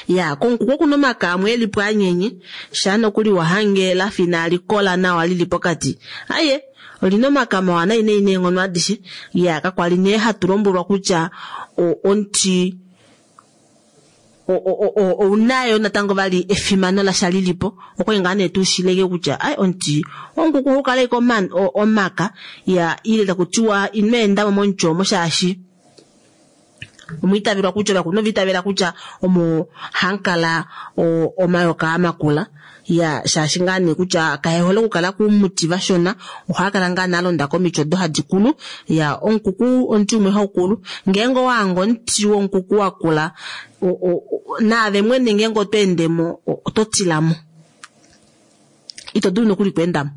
Ya komukuku okuna omaka amwe elipo anyenye shaa nokuli wahange lafa inali kola nawa lili pokati, aye olina omaka mawa nai nai neenghono adishe. Ya kakwali nee hatu lombwelwa kutya omuti ounayo natango vali efimano lasha lilipo, okwali ngaa nee tushileke kutya ai omuti womukuku ohau kala ashike omaka ya ile takutiwa ino endamo momuti omo shaashi omwiitavelwa kutya ovakulunhu ovaitavela kutya omo hamukala omayoka amakula. Ya shaashi ngaa nee kutya kaehole okukala kumuti vashona, ohaa kala ngaa nee alonda komiti odo hadi kulu. Ya omukuku omuti umwe haukulu ngeenge owahanga omuti womukuku wakula naave mwene ngeenge oto endemo oto tilamo, ito dulu nokuli okweendamo.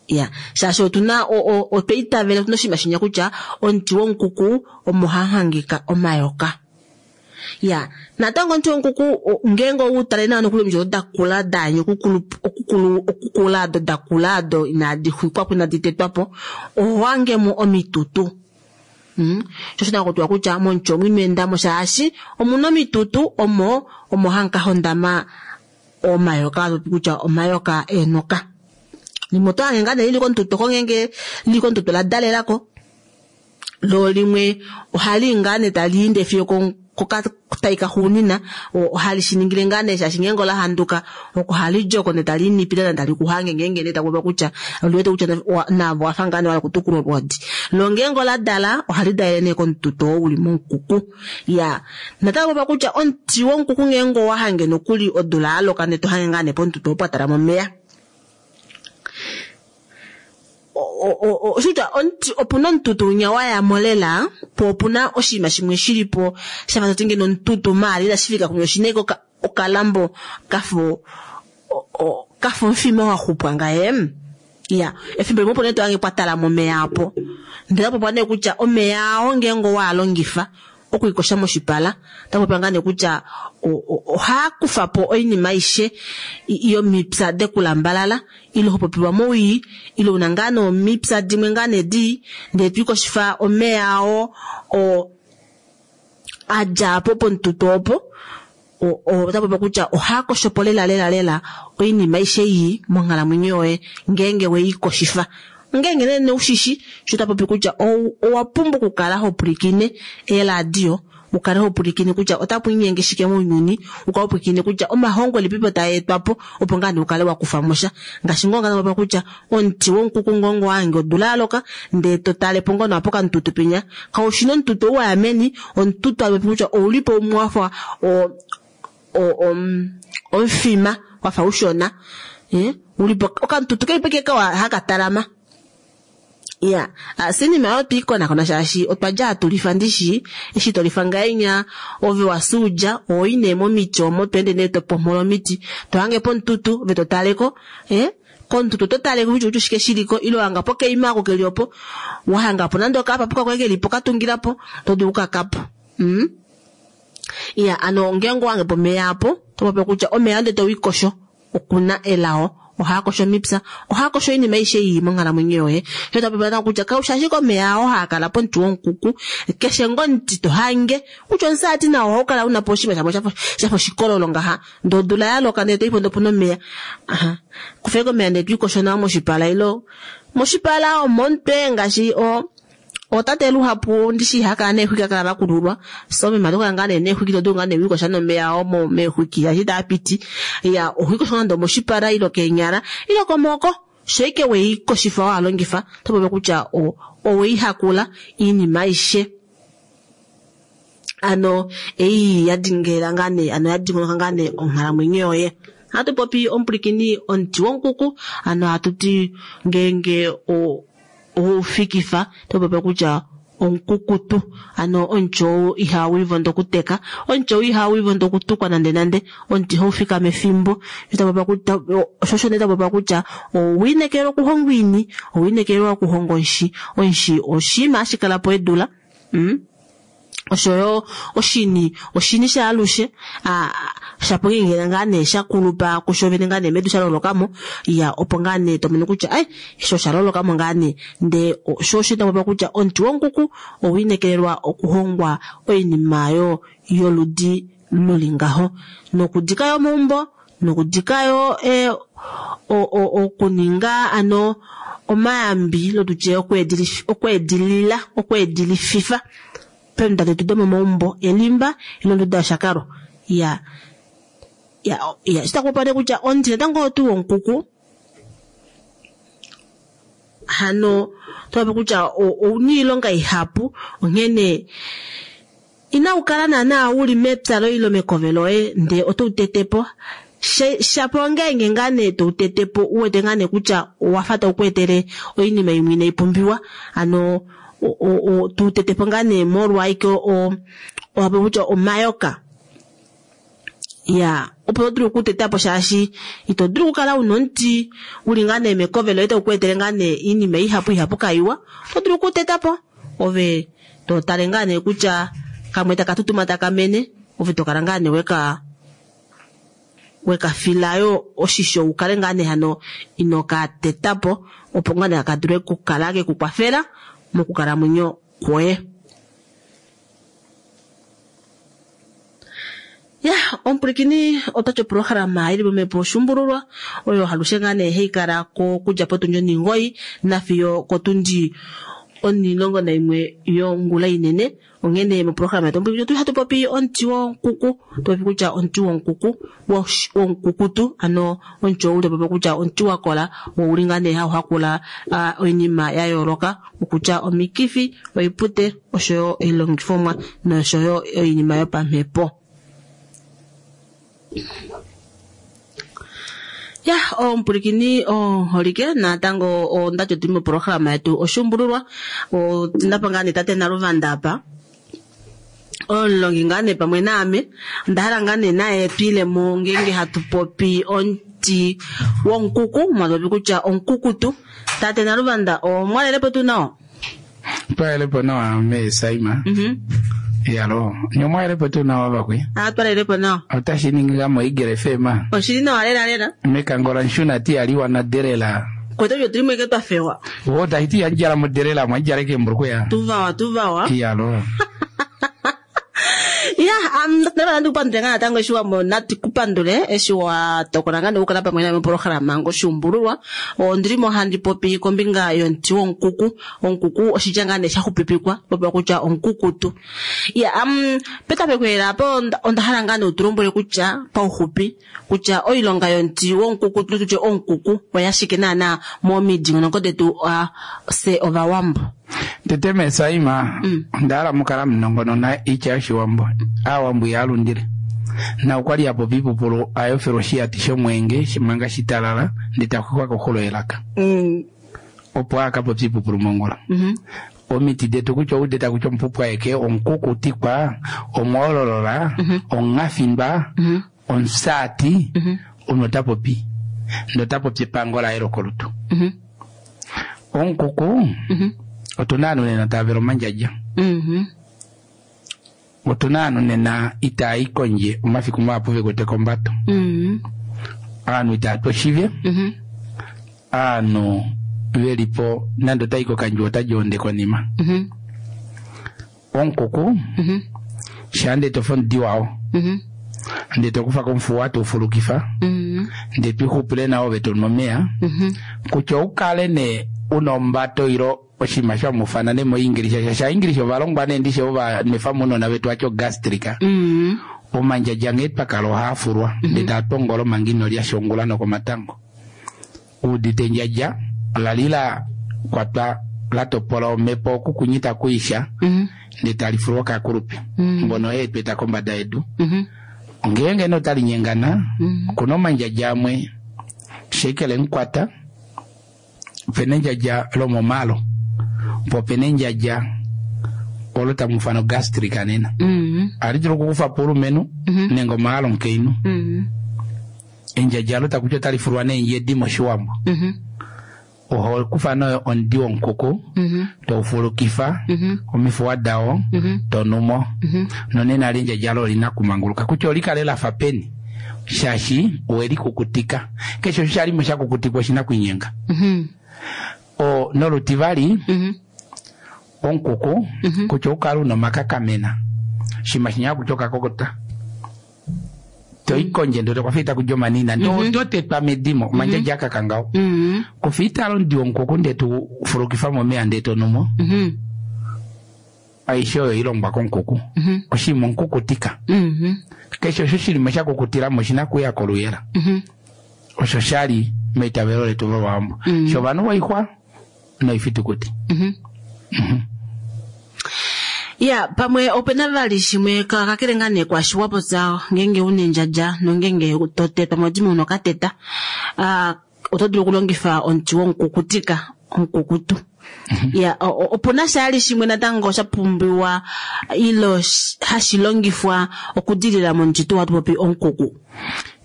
Ya shaashi otuna otwa itavela otuna oshinima shinya kutya omuti womukuku omo hahangika omayoka. Ya natango omuti womukuku ngeenge outale nawa nokuli omiti odo dakula daanya okukulu okukula ado dakula ado inadi xwikwapo inadi tetwapo oho hangemo omitutu. Mm. Sho shina kutya kutya momuti omu ino endamo shaashi omuna omitutu omo omo hamuka hondama omayoka kutya omayoka eenoka. Limwe oto hange ngaa nee lili komututu oko ngeenge lili komututu la dalelako, lo limwe ohali ngaa nee tali ende fiyo kokatai kaxuunina ohali shiningile ngaa nee shaashi ngeenge ola handuka oko hali djoko ndee tali nipile tali kuhange ngeenge nee takupopiwa kutya oliwete kutya naave owafa ngaa nee wahala okutukula olwoodi. Lo ngeenge ola dala ohali dalele nee komututu oo uli momukuku. Ya natango popiwa kutya omuti womukuku ngeenge owahange nokuli odula yaloka ndee tohange ngaa nee pomututu oo pwatalama omeya, oshitya opuna omututu winya wayamo lela po opuna oshinima shimwe shilipo shafa toti ngeno omututu maala inashi fika kumwe oshina ashike okalambo kafa kafa omufima waxupwa ngaye. Ya efimbo limwe opo nee tohange pwatalama omeya apo ndele otapopiwa nee kutya omeya ao ngeenge owaalongifa okwiikosha moshipala otapopiwa ngaa nee kutya ohaa kufapo oinima aishe yomipya dekulambalala ile hopopiwa mowii ile una ngaa nee omipya dimwe ngaa nee dii ndee twiikoshifa omeya ao adja po pomututu opo otapopiwa kutya ohaa koshopo lela lela lela oinima aishe ii monghalamwenyo yoye ngeenge weikoshifa. Ngeenge nee neushishi sho tapopi kutya owa pumbwa okukala ho pwilikine eeradio, ukale ho pwilikine kutya otapu inyenge shike mounyuni, ukale ho pwilikine kutya omahongo elipipo taa etwapo opo ngaa nee ukale wakufamo sha. Ngaashi ngoo ngaa kutya omuti womukuku ngeenge owahange odula yaloka ndee totalepo ngoo nawa pokamututu penya kaushina omututu ou waya meni, omututu tapopi kutya oulipo umwe wafa omufima wafa ushona ulipo okamututu kelipo ike kawa haka talama. Ya, sinima oyo twiikonakona shaashi otwa dja hatu lifa ndishi, eshi tolifa ngahenya ove wasuudja, oi nee momiti omo to ende nee topomhola omiti, to hange pomututu ove to taleko, eh komututu oto taleko kutya kutya oshike shiliko, ile wahanga po keima ako keli opo, wahangapo nande okapapuka koye kelipo katungilapo, oto dulu okukakapo. Mm? Ya, ano ngeenge owange pomeya apo, to popi kutya omeya ndee towiikosho, okuna elao. Ohaa kosho omipya, ohaa kosho oinima aishe ii monghalamwenyo yoye. Sho ta popi kutya kaushi ashike omeya oo haa kala pomuti womukuku, keshe ngoo omuti to hange, kutya omusaati nao ohau kala una po oshinima shafa shafa oshikololo ngaha, ndee odula yaloka ndee toipo ndee opuna omeya. Aha. Kufeko omeya ndee twiikosho nao moshipala ilo moshipala omomutwe ngaashi o otate luhapu ndishi ihakala neexwiki akala vakululwa so meme otokala ngaa nee neexwiki todulu ngaa nee wiikosha nomeya omo meexwiki ashi taapiti. Ya, ohwiikosha nande omoshipala ilo keenyala ilo komaoko, sho ike weikoshifa walongifa oto popi kutya oweihakula iinima aishe. Ano ei yadingela ngaa nee, ano yadingonoka ngaa nee onghalamwenyo yoye. Ohatu popi omupulikini omuti womukuku, ano hatu ti ngeenge o oufikifa to popi kutya omukukutu, ano omuti ou ihawu ivondo okuteka, omuti ou ihawu ivondo okutukwa nande nande, omuti haufika mefimbo. Osho osho nee tapopiwa kutya owiinekelwa okuhongwa oini, owiinekelwa okuhonga onshi, onshi oshinima hashi kala po edula. Mm? Oshoyo oshini, oshini shaalushe, shapo ngeenge ngaa nee shakulupa kusho vene ngaa nee medu shalolokamo, ya opo ngaa nee tomono kutya ai sho shalolokamo ngaa nee, ndee sho osho tapopiwa kutya omuti womukuku owiinekelelwa okuhongwa oinima yo yoludi luli ngaho, nokudika yo omaumbo, nokudika yo eh, okuninga ano omayambi lotutye okweedilila okweedilififa peemunda detu domomaumbo elimba ile onduda yoshakalo. Ya ya ya shitakupopiwa nee kutya omuti natango tuu womukuku hano topopi kutya ouna oilonga ihapu, onghene inaukala naana uli mepya loye ile mekove loye ndee oto utetepo. Shapo ongeenge ngaa nee toutetepo uwete ngaa nee kutya owafa taukweetele oinima imwe inaipumbiwa, ano tuutetepo ngaa nee molwa ashike owapopi kutya omayoka. Ya, opo to dulu okutetapo shaashi ito dulu okukala una omuti uli ngaa nee mekove loye taukweetele ngaa nee iinima ihapu ihapu kaiwa, oto dulu okutetapo ove totale ngaa nee kutya kamwe taka tutuma taka mene, ove tokala ngaa nee weka wekafilayo oshisho ukale ngaa nee hano inoka tetapo, opo ngaa nee kadule okukala kekukwafela mokukalamwenyo kwoye. Ya, omupulikini otati oprograma ili momhepo oshumbululwa oyo halushe ngaa nee hayi kala ko okudja potundi onhingoyi nafiyo kotundi onilongo naimwe yongula inene. Onghene moprograma yetu omupulikini otu hatu popi omuti womukuku, topopi kutya omuti womukuku womukukutu, ano omuti ou topopi kutya omuti wakola wouli ngaa nee hau hakula oinima ya yooloka, okutya omikifi, oipute oshoyo oilongifomwa noshoyo oinima yopamhepo. Ya, omupulikini oholike natango ondati otuli moprograma yetu oshumbululwa, otindapa ngaa nee tate Naluvanda apa omulongi ngaa nee pamwe naame, onda hala ngaa nee naye twiilemo ngeenge hatu popi omuti womukuku, mwatopopi kutya omukukutu. Tate Naluvanda omwalelepo tuu nawa? Twalelepo nawa mee Saima. Mhm. Yalo, nyomwalelepo tuu nawa vakwe? Ah, twalelepo nawa. Otashi ningi nga mo Eagle F M. Oshili nawa lela lela. Mekangola nshuna ti aliwa na delela. Kwetu otuli mweke twa fewa. Wo tahiti ya njala mo delela mwa njala ke mbruku ya. Tuvawa, tuvawa. Yalo. Ya, um, ndaba ndikupandule ngaa natango eshi wamona tikupandule eshi wa tokola ngaa okukala pamwe name moprograma ngoshumbululwa. Ondili mo handi popi kombinga yomuti womukuku. Omukuku oshitya ngaa nee shaxupipikwa, popiwa kutya omukukutu. Ya, um, petameko apo onda hala ngaa nee utulombwele kutya pauxupi kutya oilonga yomuti womukukutu tutye omukuku oyashike naana momidingonoko detu uh, se ovawambo. Tete mee Saima, onda hala mukala munongonona itya yoshiwambo. Aawambo ihaalundile. Na okwali apopi iipupulu ayofelwa oshiyati shomwenge manga shitalala ndee takwekwa koxulo yelaka. Mm. Opo akapopya ipupulu mongula. Mhm. Omiti detu kutya oudeta kutya omupupwaeke, omukukutikwa, omwoololola, omungafindwa, omusaati, omunhu ota popi. Ndee ota popi epango laye lokolutu. Mhm. Omukuku, otuna ovanhu nena tava vele omandjadja. Mhm. Otuna ovanhu nena itaa i kondje omafiku mahapu vekwete kombato. Mhm. Ovanhu itaa tu oshive. Mhm. Ovanhu velipo nande otai kokandjuwo ota onde konima. Mhm. Omukuku, Mhm. shaa ndee tofa omudi wao. Mhm. Ndee tokufa komufuwa toufulukifa. Mhm. Ndee twixupule nao ove tonu omeya. Mhm. Kutya oukale nee una ombato ilo oshinima shamufana nee moingilisha sha English ovalongwa nee ndishe ova nwefa mounona vetu atya ogastrika. Mhm. Omandjadja nghee twakala ohaafulwa ndee taa tongola omanga ino lya shongula nokomatango. Uudite endjadja ola li la kwatwa la topola omhepo okukunyita kuisha Mhm. ndee tali fulwa kakulupe mbono eetweta kombada yedu. Mhm. Ngeenge nee otali nyengana Mhm. okuna omandjadja amwe shekele mukwata, opena endjadja lomomalo, po opena endjadja olo tamu ufana ogastrika nena. Mhm. Ohali dulu okukufa po oulumenhu nenge omaalo omukainhu. Mhm. Endjadja olo takutya otali fulwa neendjedi moshiwambo. Mhm. Oho kufa nee omudi womukuku Mhm. toufulukifa Mhm. omifuwa dao Mhm. tonumo. Mhm. Nonena ali endjadja olo olina kumanguluka kutya olikale lafa peni shaashi owelikukutika. Keshe osho shalimo shakukutikwa oshina kuinyenga. Mhm. O nolutivali Mhm. omukuku kutya oukale una omakakamena shima shinya kutya okakokota toi kondje ndee tokwafa itakuja omanina ndee oto tetwa medimo omandjadja akakangao. Mhm. Kufa itala omudi womukuku ndee tufulukifa momeya ndee tonumo. Mhm. Aishe oyo ilongwa komukuku. Mhm. Oshinima omukukutika. Mhm. Keshe osho shilimo shakukutilamo oshina kuya koluyela. Mhm. Osho shali meitavelo letu lOvawambo. Mm. Shovanhu voixwa noifitukuti. Mhm. Ya, pamwe opena vali shimwe ka- kakele ngaa nee kwaashi wa popya ngeenge una endjadja nongeenge to tetwa modimo una okateta, ah, oto dulu okulongifa omuti womukukutika, omukukutu. Ya, o- o- opuna shali shimwe natango sha pumbiwa ilo sh- hashi longifwa okudilila momuti tuu hatu popi omukuku.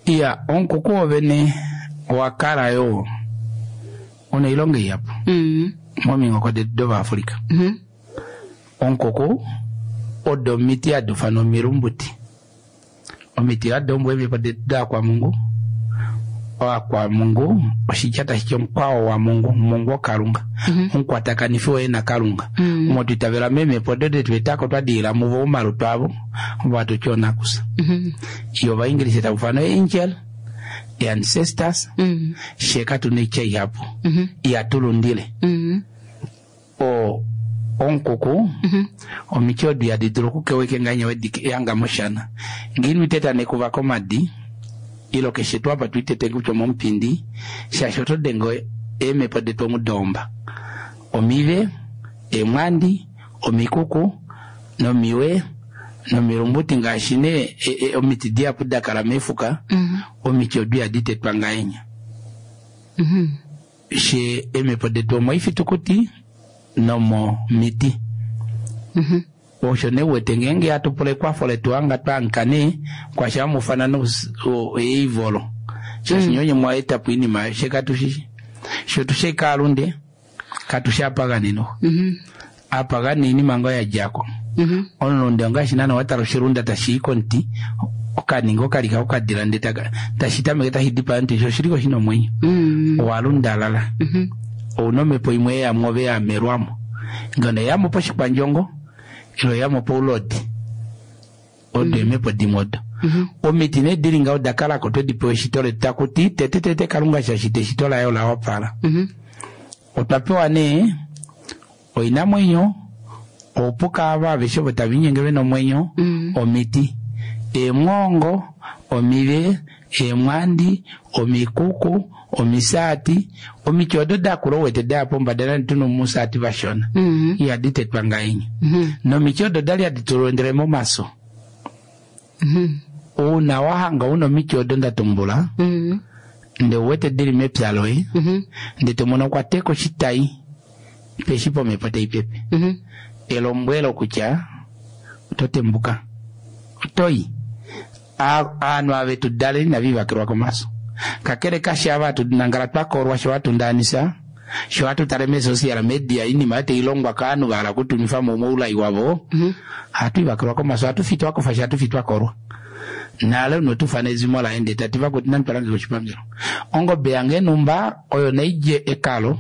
Iya, omukuku wovene owa kala yo una oilonga ihapu Mhm. mominghoko detu dOvaafrika. Mhm. Omukuku odo omiti hadi ufanwa omilumbuti. Omiti hadi ombwa eemhepo detu daakwamungu. Oakwamungu oshitya tashi ti omukwao wamungu, mungu okalunga. Omukwatakanifi woye nakalunga. Mhm. Omo twiitavela meemhepo odo detu etako twa diila muvo omalutu avo, ovo hatu ti oonakusa. Mhm. Iyo ovaingilisa tava ufanwa angel, ancestors, Mhm. she katuna oitya ihapu. Mhm. Ihatulundile. Mhm. O omukuku Mhm. omiti odo ihadi dulu okukeweke ngahenya wedi yanga moshana. Ngee ino iteta nekuva komadi, ilo keshe tuu apa twitete kutya omomupindi, shaashi oto denge eemhepo detu omudoomba. Omive, eemwandi, omikuku, nomiwe, nomilumbuti ngaashi nee e, e, omiti dihapu dakala meefuka, Mhm. omiti odo ihadi tetwa ngahenya. Mhm. She eemhepo detu omoifitukuti nomomiti. Mhm. Osho nee uwete ngeenge hatu pula ekwafo letu hanga twaanka nee kwasha hamufana eivolo. Shaashi nyonye mwa etapo oinima she katushishi. Sho tushe kaalunde katushe apagani noho. Mhm. Apagani oinima ngoo yadjako. Mhm. Omulunde ongaashi naana watala oshilunda tashi i komuti okaninga okalika okadila ndee taka- tashi tameke tashi dipaa omuti sho oshiliko shina omwenyo. Mhm. Owalundalala. Mhm. Ouna omhepo imwe yeyamo ove yamelwamo. Ngono eyamo poshikwandjongo ilo eyamo poulodi. Odo eemhepo dimwe odo. Mhm. Omiti nee dili ngaho oda kalako twedi pewa eshito letu takuti tete tete Kalunga shashita eshito laye ola wapala. Mhm. Otwa pewa nee oinamwenyo, oupuka ava aveshe ovo tava inyenge vena omwenyo, Mhm. omiti, eemwoongo, omive, eemwandi, omikuku, omisaati, omiti odo dakula ouwete daya pombada nande tuna omusaati vashona. Mhm. Ihadi tetwa ngahenya. Mhm. Nomiti odo dali hadi tulondele momaso. Mhm. Uuna wahanga una omiti odo nda tumbula, Mhm. ndee uwete dili mepya loye, Mhm. ndee tomono kwa teka oshitai Peshi pomhepo tai pepe. Mhm. Elombwelo kutya oto tembuka. Otoi. Aanhu ave tu daleni inava ivakelwa komaso. Kakele kashi ava hatu nangala twa kolwa sho hatu ndaanisa, sho hatu tale meesocial media inima oyo tai longwa kaanhu va hala okutunwifa mo moulai wavo, hatu ivakelwa komaso, hatu fi twa kofa shi hatu fi twa kolwa. Nale unotufa nezimo laye ndee tati vakuti nandi twalange koshipangelo. Ongobe yange numba oyo naidje ekalo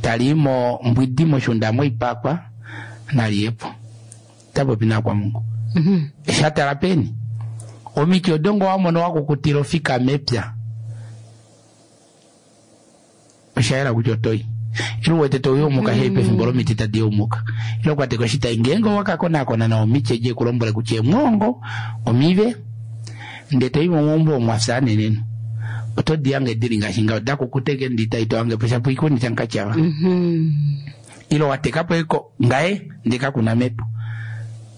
tali mo mbwidi moshunda moipakwa naliyepo. Tapopi nakwamungu. Mhm. Shatala peni. Omiti odongo wamono wakukutila ofika mepya. Osha yela kutya otoi. Ile uwete toyumuka hei pefimbo lomiti tadi yumuka. Ile okwateka oshitai ngeenge owakakonakona nawa omiti edi ekulombwele kutya emwongo omive ndee toi momaumbo omwafya aneneno. Oto di hange dili ngaashi ngaho dakukuta eke ndita ito hange po shapo ikuni tankatyava. Mhm. Ile watekapo eko ngaye ndee kakuna mepo.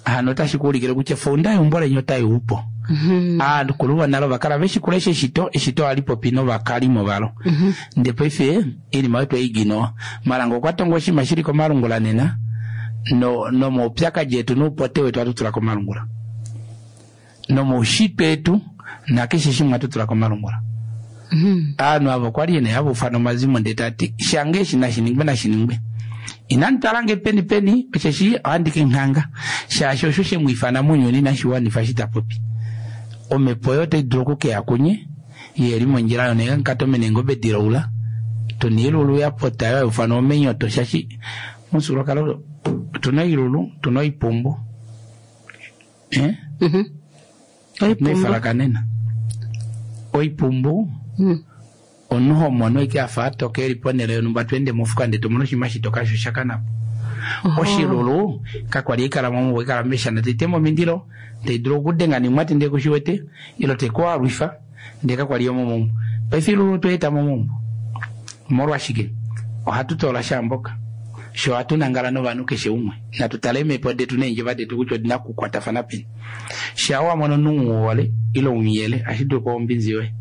Hano otashi kuulikile kutya founda yeumbo leni otai upo. Mhm. Aakulu vonale ovakala veshi kulesha eshito, eshito ohali popi novakalimo valo. Ndee paife oinima oyo tweiginowa. Malanga okwa tonga oshinima shili komalungula nena no nomaupyakadi etu noupote wetu ohatu tula komalungula. Nomoushitwe etu nakeshe shimwe ohatu tula komalungula. Mhm. Aanhu avo okwali yena hava ufana omazimo ndee tati shange eshi nashiningwe nashiningwe. Inandi twalange peni peni osheshi ohandi kenghanga shaashi osho shemu ifana mounyuni inashi wanifa eshi ta popi. Omhepo oyo otai dulu okukeya kunye yeli mondjila yonenga nkatomene eengobe dilaula tuna oilulu ya pota oyo haiufanwa omenyoto shaashi momufyuululwakalo otuna oilulu tuna oipumbu eh? Mhm. Tuna Oipumbu. oifalakanena. Oipumbu Mm. omunhu homono ike afa atoka eli ponele yonhumba tweende mofuka ndee tomono oshinima shitoka sho shakanapo. Oshilulu kakwali ikala momubo ikala meshana taitema omindilo taidulu okudenga nimwati ndee kushiwete ilo tekualwifa ndee kakwali yomomaumbo. Paife ilulu tweeta momaumbo. Molwashike? Ohatu toola shaamboka. Sho ohatu nangala novanhu keshe umwe. Natu tale eemhepo detu neendjeva detu kutya odina okukwatafana peni. Shaa wamono omunhu umuhole ile umuyele ohashi dulu okuva ombinzi yoye.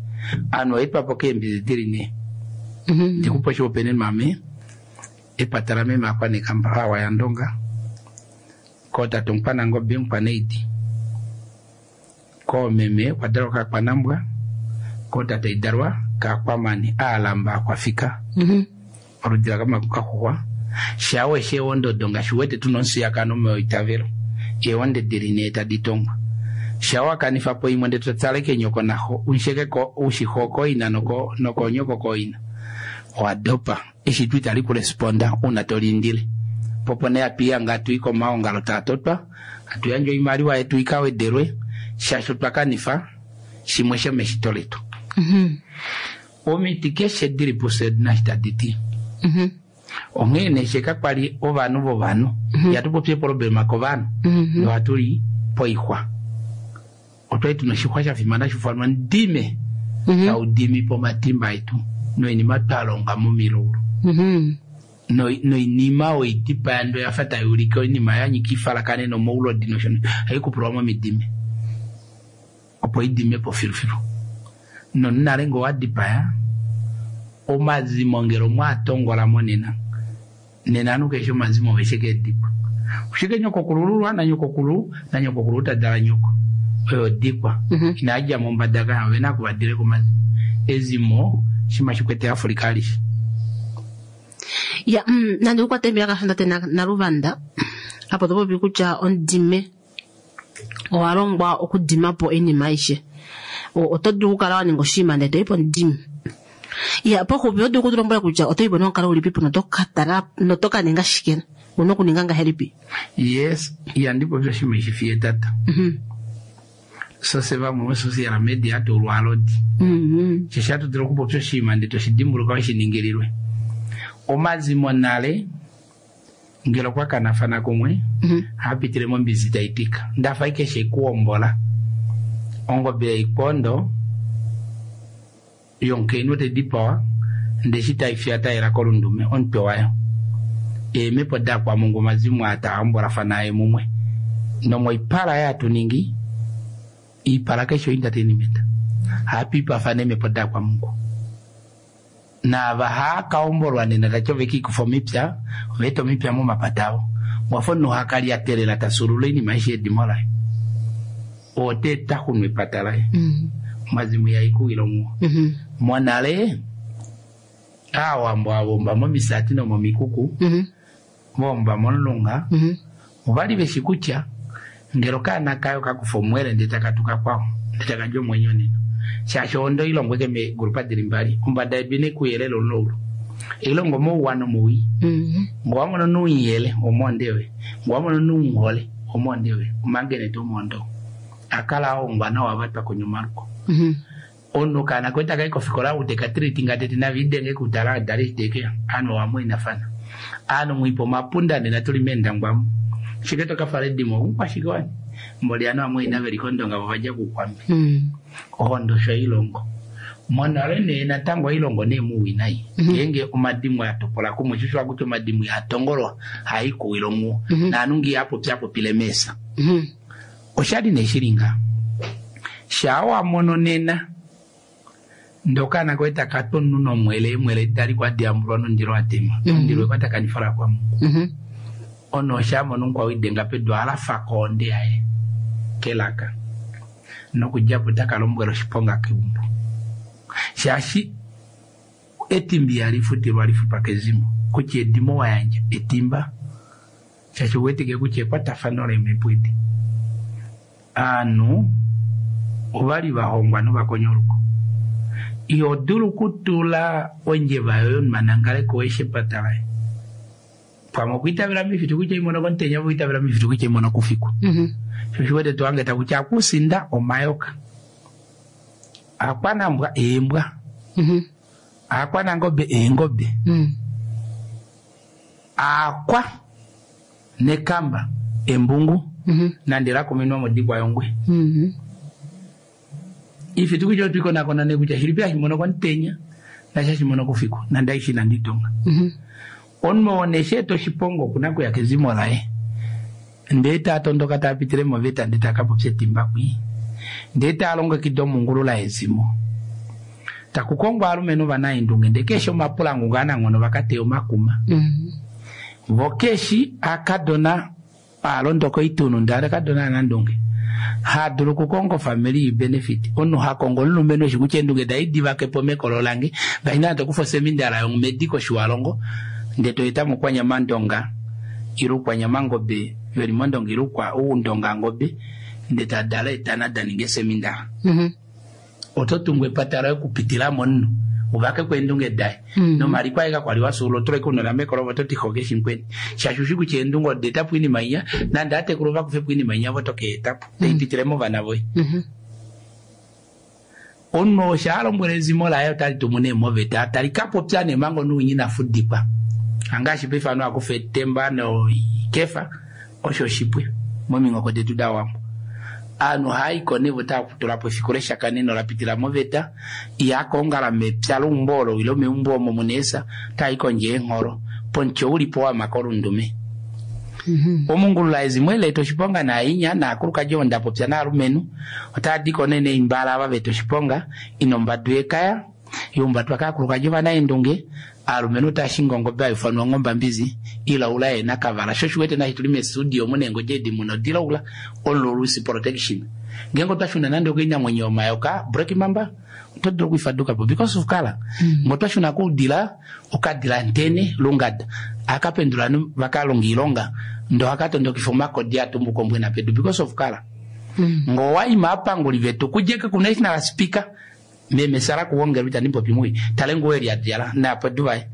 Aanhu ohaitwapo keembinzi dili nee. Mhm. Ndikupa oshihopaenenwa ame epata lameme akwanekamba awa yandonga kootate omukwanangobe omukwaneidi koomeme okwadalwa kakwanambwa kootate aidalwa kakwamani aalamba akwafika Mhm. oludi lakamaku kaxuxwa shaa weshe eewondodo ngaashi uwete tuna omufiyakano meitavelo eewonde dili nee tadi tongwa shaa wakanifa po imwe ndee totale kenyoko naxo usheke ushixo koina noko nokonyoko koina owadopa eshitwa itali kulesponda uuna toliindile popo nee hatu ihanga hatu i komaongalo taa totwa hatu yandje oimaliwa yetu ikawedelwe shaashi otwa kanifa shimwe shomeshito letu. Mhm. Omiti keshe dili pufye odina eshi tadi ti. Mhm. Onghee nee she kakwali ovanhu vovanhu ihatu popi eproblema kovanhu Mhm. nohatu li poixwa. Otwali tuna oshixwa sha fimana hashi ndime Mhm. taudimi po omatimba etu noinima twalonga momilaulu. Mhm. Noinima oidipaya ndo yafa tai ulike oinima ya nyika ifalakane nomoulodi nosho ohai kupulwa momidime opo idime po filufilu. Nonale ngee owadipaya omazimo ngele omwaatongola monena nena ovanhu keshe omazimo oveshe keedikwa. Oshike nyokokulululwa nanyokokulu nanyokokulu tadala nyoko oyo dikwa Mhm. inadja mombada kaya ovena okuvadile komazimo. Ezimo oshinima shikwete Africa alishe. Ya, mm, nande ukwate mbiyaka tate na- naluvanda apo topopi kutya ondime owa longwa okudima po oinima aishe. O- Oto dulu okukala wa ninga oshinima ndele toyi pondime. Ya, poxupi oto dulu okutulombwela kutya oto yipo nomukalo ulipi po noto ka tala noto ka ninga shike una okuninga ngahelipi. Yes, ihandi popi oshinima ishi fiye tata. Mhm. Sose vamwe vosocial media hatu ulwalodi. Mhm. Shaashi hatu dulu okupopya oshinima ndee toshidimbuluka weshiningililwe. Omazimo nale ngele okwa kanafana kumwe Mhm. ohapitile mombinzi taitika. Ndafa ike shekuombola. Ongobe yaikondo yomukainhu taidipawa ndee eshi taifi tayela kolundume omutwe wayo. Eemhepo dakwamungu omazimo aa taa hombolafana aye mumwe. Nomoipala oyo hatu ningi iipala keshe oentertainment. Ohatu ipafana eemhepo dakwamungu. Naava haakaombolwa nena tati ove kiikufa omipya, oveeta omipya momapata avo. Wafa omunhu hakalyatelela tasulula oinima aishe yedimo laye. Ote taxunu epata laye. Omazimu ihaikuwile omuwo. Monale, aawambo avomba momisati nomomikuku, vomba momulunga, ovali veshi kutya ngele okaana kayo kakufa omwele ndele taka tuka kwao, ndele taka dja omwenyo nena. Shaashi ohondo ilongwe ke meegrupa dili mbali, ombada yedu ine kuyelele omulaulu. Ilongo mouwa nomowii. Ngo wamono nuuyele omonde yoye, ngo wamono nuunghole omonde yoye, omangene to omondo. Akala ahongwa nawa vatwa konyomaluko. Omunhu okaana koye taka i kofikola ute ka treatinga tete naviidenge kutala adale iteke anu wamwainafana. Anu mwipa omapunda nena tuli meendangwamu. Shike toka fala edimo omukwashike wani? Mboli anu amwaina veli kondonga vo vadja kuukwambi. Ohondo osho hailongo. Monale nee natango hailongo nee muuwinayi. Ngeenge omadimo a topola kumwe, sho osho hakuti omadimo ihaa tongolwa, haa ikuwile omuwo. Naanhu ngee iha popi apopile meesa. Oshali nee shili ngaha. Shaa wa mono nena ndee okaana koye taka tu omunhu nomwele, eemwele edi dali kwa diyambulwa nomundilo wa tema. Omundilo wekwatakanifo lakwamungu. Omunhu osha mona omukwao idenga pedu ohalafa kohonde yaye kelaka. Nokudjapo taka lombwela oshiponga keumbo. Shaashi etimba ihali futilwa lifutwa kezimo. Kutya edimo wa yandja etimba. Shaashi uwetike kutya ekwatafano leemhepo edi. Aanhu ovali vahongwa novakonyoluko. Iho dulu kutula ondjeva yoye omunhu anangale ko eshepata laye. Pamwe okwiitavela mifitu kutya imono komutenya, okwiitavela mifitu kutya imono kufiku. Sho oshiwete twange takutya akusinda omayoka. Akwanambwa eembwa. Akwanangobe eengobe. Akwa nekamba embungu. Nande lakuminwa modikwa yongwe. Ifitu kutya otwikonakona ne kutya shilipi hashimono komutenya nashashimono kufiku nande aishi nanditonga. Omunhu oo nesheeta oshiponga okuna kuya kezimo laye. Ndee tatondoka tapitile moveta ndee takapopya etimba kwii. Ndee talongekida omungulula yezimo. Takukongwa aalumenhu vanaendunge ndee keshe omapulangu ngaananghono vakateya omakuma. Vo keshi akadona alondoka oitunu ndee akadona anandunge. Hadulu okukonga ofamily benefit. Omunhu hakongo omulumenhu eshi kutya eendunge daye divakepo mekolo lange. Ngaashi naana tokufa osemindala yomedi koshiwalongo ndee toeta mokwanyama ndonga ile ukwanyama ngobe veli mondonga ile uundonga ngobe ndee tadala etana daninga esemindala. Oto tungu epata loye okupitila momunhu uvake eendunge daye. Nomaliko aye kakwali wasuula otuleke unona mekolo vo toti xoke shinkweni. Shaashi ushi kutya eendunge oda etapo oinima inya nande atekulu vakufepo oinima inya vo tokeetapo taipitile movana voye. Omunhu osha alombwela ezimo laye otali tumu nee moveta tali kapopya nee manga omunhu winya ina fudikwa. Angaashi paife ovanhu hakufa etemba noikefa osho oshipwe mominghoko detu dawambo. Aanhu ohaayiko nee vo tava efiku leshakaneno lapitila moveta ihakoongala mepya leumbo olo ile meumbo omo muna eesa otaai kondje eengholo pomuti oulipo wama kolundume. Omungulula ezimo eleeta oshiponga naainya naakulukadi ovo ndapopya naalumenhu otaadiko nee neimbala ava veeta oshiponga ina ombadu yekaya yaumbatwa kaakulukadi ovanaendunge aalumenhu otaashingi ongobe haifanwa ongombambizi ilaula yeena kavala. Sho oshiwete naashi tuli mestudio muna eengodi edi muna odilaula omululusi protection. Ngeenge otwashuna nande okoinamwenyo yomayoka black mamba oto dulu okuifadukapo because of colour. Ngee otwashuna koudila okadila ntene lungada akapendula vakalonga oilonga ndee ohakatondokifa omakodi atumbuka ombwena pedu because of colour. Ngee owaima aapanguli vetu kudjeke ku national speaker meme Sara kuwongelwa itandi popi mwi tale nguo eli adjala napedu vaye.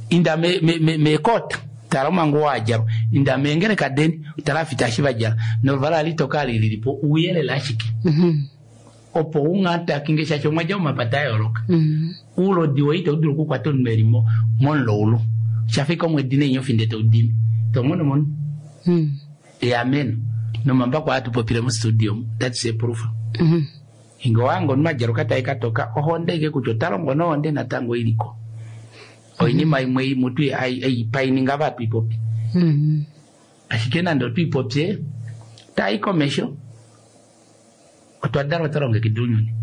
Inda me, me, me, mekota tala omanguwo adjalwa inda meengeleka deni tala afita eshi vadjala noluvala litoka lililipo ouyelele ashike. Opo ungatakinge shaashi omwadja omapata ayooloka. Oulodi woye ito dulu okukwata omunhu eli momulaulu. Shafika omwedi neenyofi ndee toudimi. Tomono mono. Eameno. Nomambako haatu popile mostudio that's a proof. Inge owange omunhu adjaluka tai katoka ohonde ike kutya ota longo nohonde natango iliko. Oinima imwe mutu aipaininga ava tuipopi. Ashike nande otwiipopye tai komesho otwa dalwa twalongekida ounyuni.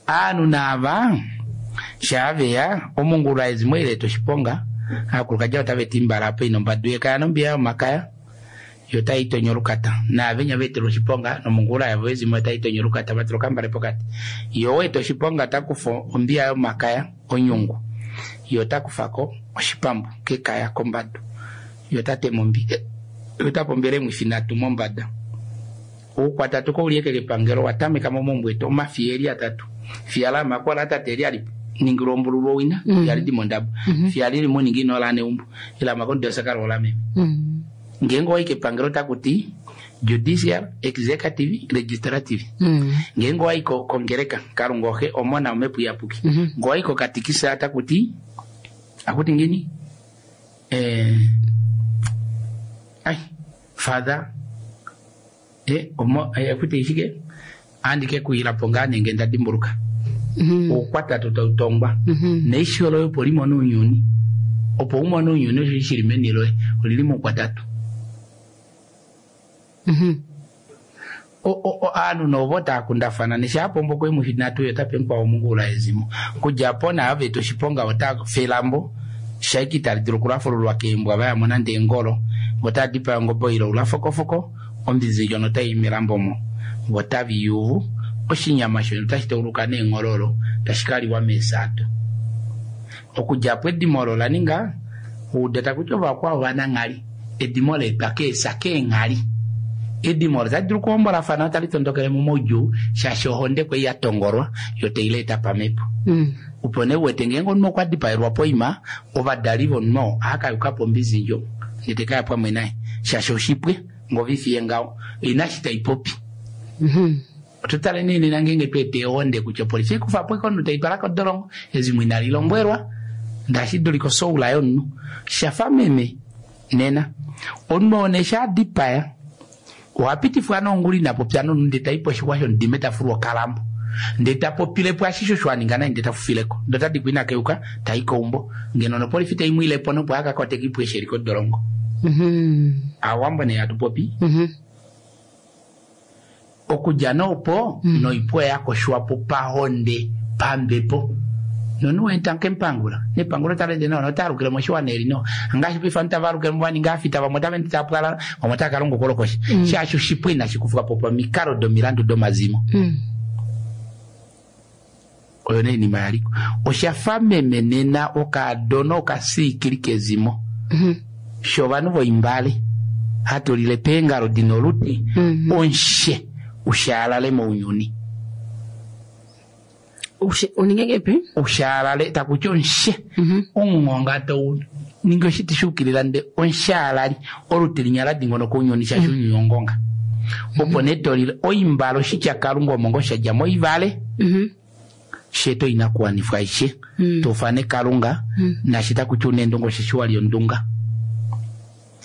Aanhu naava Shaaveya omungula ezimo ile toshiponga aakulukadhi otava ti mbala apa ina ombadu yekaya nombiya yomakaya yo tayi tonyo olukata naavenya veetelwa oshiponga nomungula yavo ezimo otayi tonyo olukata vatula okambale pokati yo weeta oshiponga takufa ombiya yomakaya onyungu yo takufako oshipambu kekaya kombadu yo tatema ombi yo tapombele emwifi nhatu mombada oukwatatu koulieke kepangelo watameka momombweto omafiya eli atatu fiya lamakola tate eli ali ningilwa ombululu owina mm. yali di mondabo mm -hmm. fiya lili muningi inola neumbo ila makondo sakala ola meme mm. ngeenge owayi kepangelo takuti judicial executive legislative mm. ngeenge owayi kongereka kalunga oxe omona omhepo iyapuki mm -hmm. nge owayi kokatikisa takuti akuti ngini eh, ai father eh, omo eh, akuti ishike andike kuyilapo ngaa nenge ndadimbuluka mm -hmm. oukwatatu tautongwa mm -hmm. neisho loye opo limone ounyuni opo umone ounyuni osho shili meni loye olili moukwatatu mm -hmm. aanhu novo taakundafana neshaapombo kwemuhinatu yo tape mukwao omungula ezimo kudja po naave oshiponga ota felambo shaiki tali dulu okulafululwa keembwa vayamo nande engolo votaa dipaya ongobo ilo ulafokofoko ombinzi ndjono otayi melambo mo votavi yuvu oshinyama shono tashi tauluka neenghololo tashi kaliwa meesato okudja po edimo olo la ninga uudata kutya ovakwao vananghali edimo leetwa keesa keenghali edimo olo tali dulu okuhombolafana otali tondokele momaudjuu shaashi ohonde kwei ya tongolwa yo taileeta pamhepo mm. Opo nee uwete ngeenge omunhu okwa dipaelwa poima ovadali vomunhu oo ohakayuka po ombinzi ndjo ndele tekaya pamwe naye shaashi oshipwe ngovifiye ngaho inashi taipopi mm-hmm. Oto tale nee nena ngeenge tweeta ehonde kutya opolifi ikufa po omunhu taitwala kodolongo ezimo inali lombwelwa ndashi dulika osoula yomunhu shafa meme nena omunhu oo nee shaadipaya ohapitifwa nonguli inapopya nomunhu ndee taipo oshixwa shomudime tafulwa okalambo ndee tapopilepo ashishe osho aninga naye ndee tafufileko ndee otadikwa inakeuka tai keumbo ngeno nopolifi taimwiilepo nopo akakwateka ipo eshi eli kodolongo mm-hmm. Aawambo nee hatu popi mm-hmm. Okudja noopo mm. Noipo yakoshwapo pahonde pambepo nonu wenta nkempangula nepangulo talende nawa notaalukile moshiwana eli no ngaashi paife ovanhu tava alukile vaninga afita vamwe otava ende tapwalala vamwe otava kalonga okolokosha mm. Shaashi oshipwe inashi kufwa po pamikalo domilandu domazimo mm. Oyo nee inima yaliko oshafa meme nena okaadona okasiikili kezimo mm -hmm. Sho ovanhu voimbale hatulile peengalo dina oluti mm -hmm. Onshe ushaalale mounyuni uninge kepi ushaalale takuti onshe mm -hmm. Omungonga tou ningi oshiti shuukilila nde onshaalali oluti linya la dingonoka ounyuni shaashi ounyuni ongonga mm -hmm. Opo nee tolile oimbale oshitya kalunga omongo shadja moivale mm -hmm. Sheto inakuwanifwa aishe mm. Tofane kalunga mm. Nashi takuti una endunga osheshi wali ondunga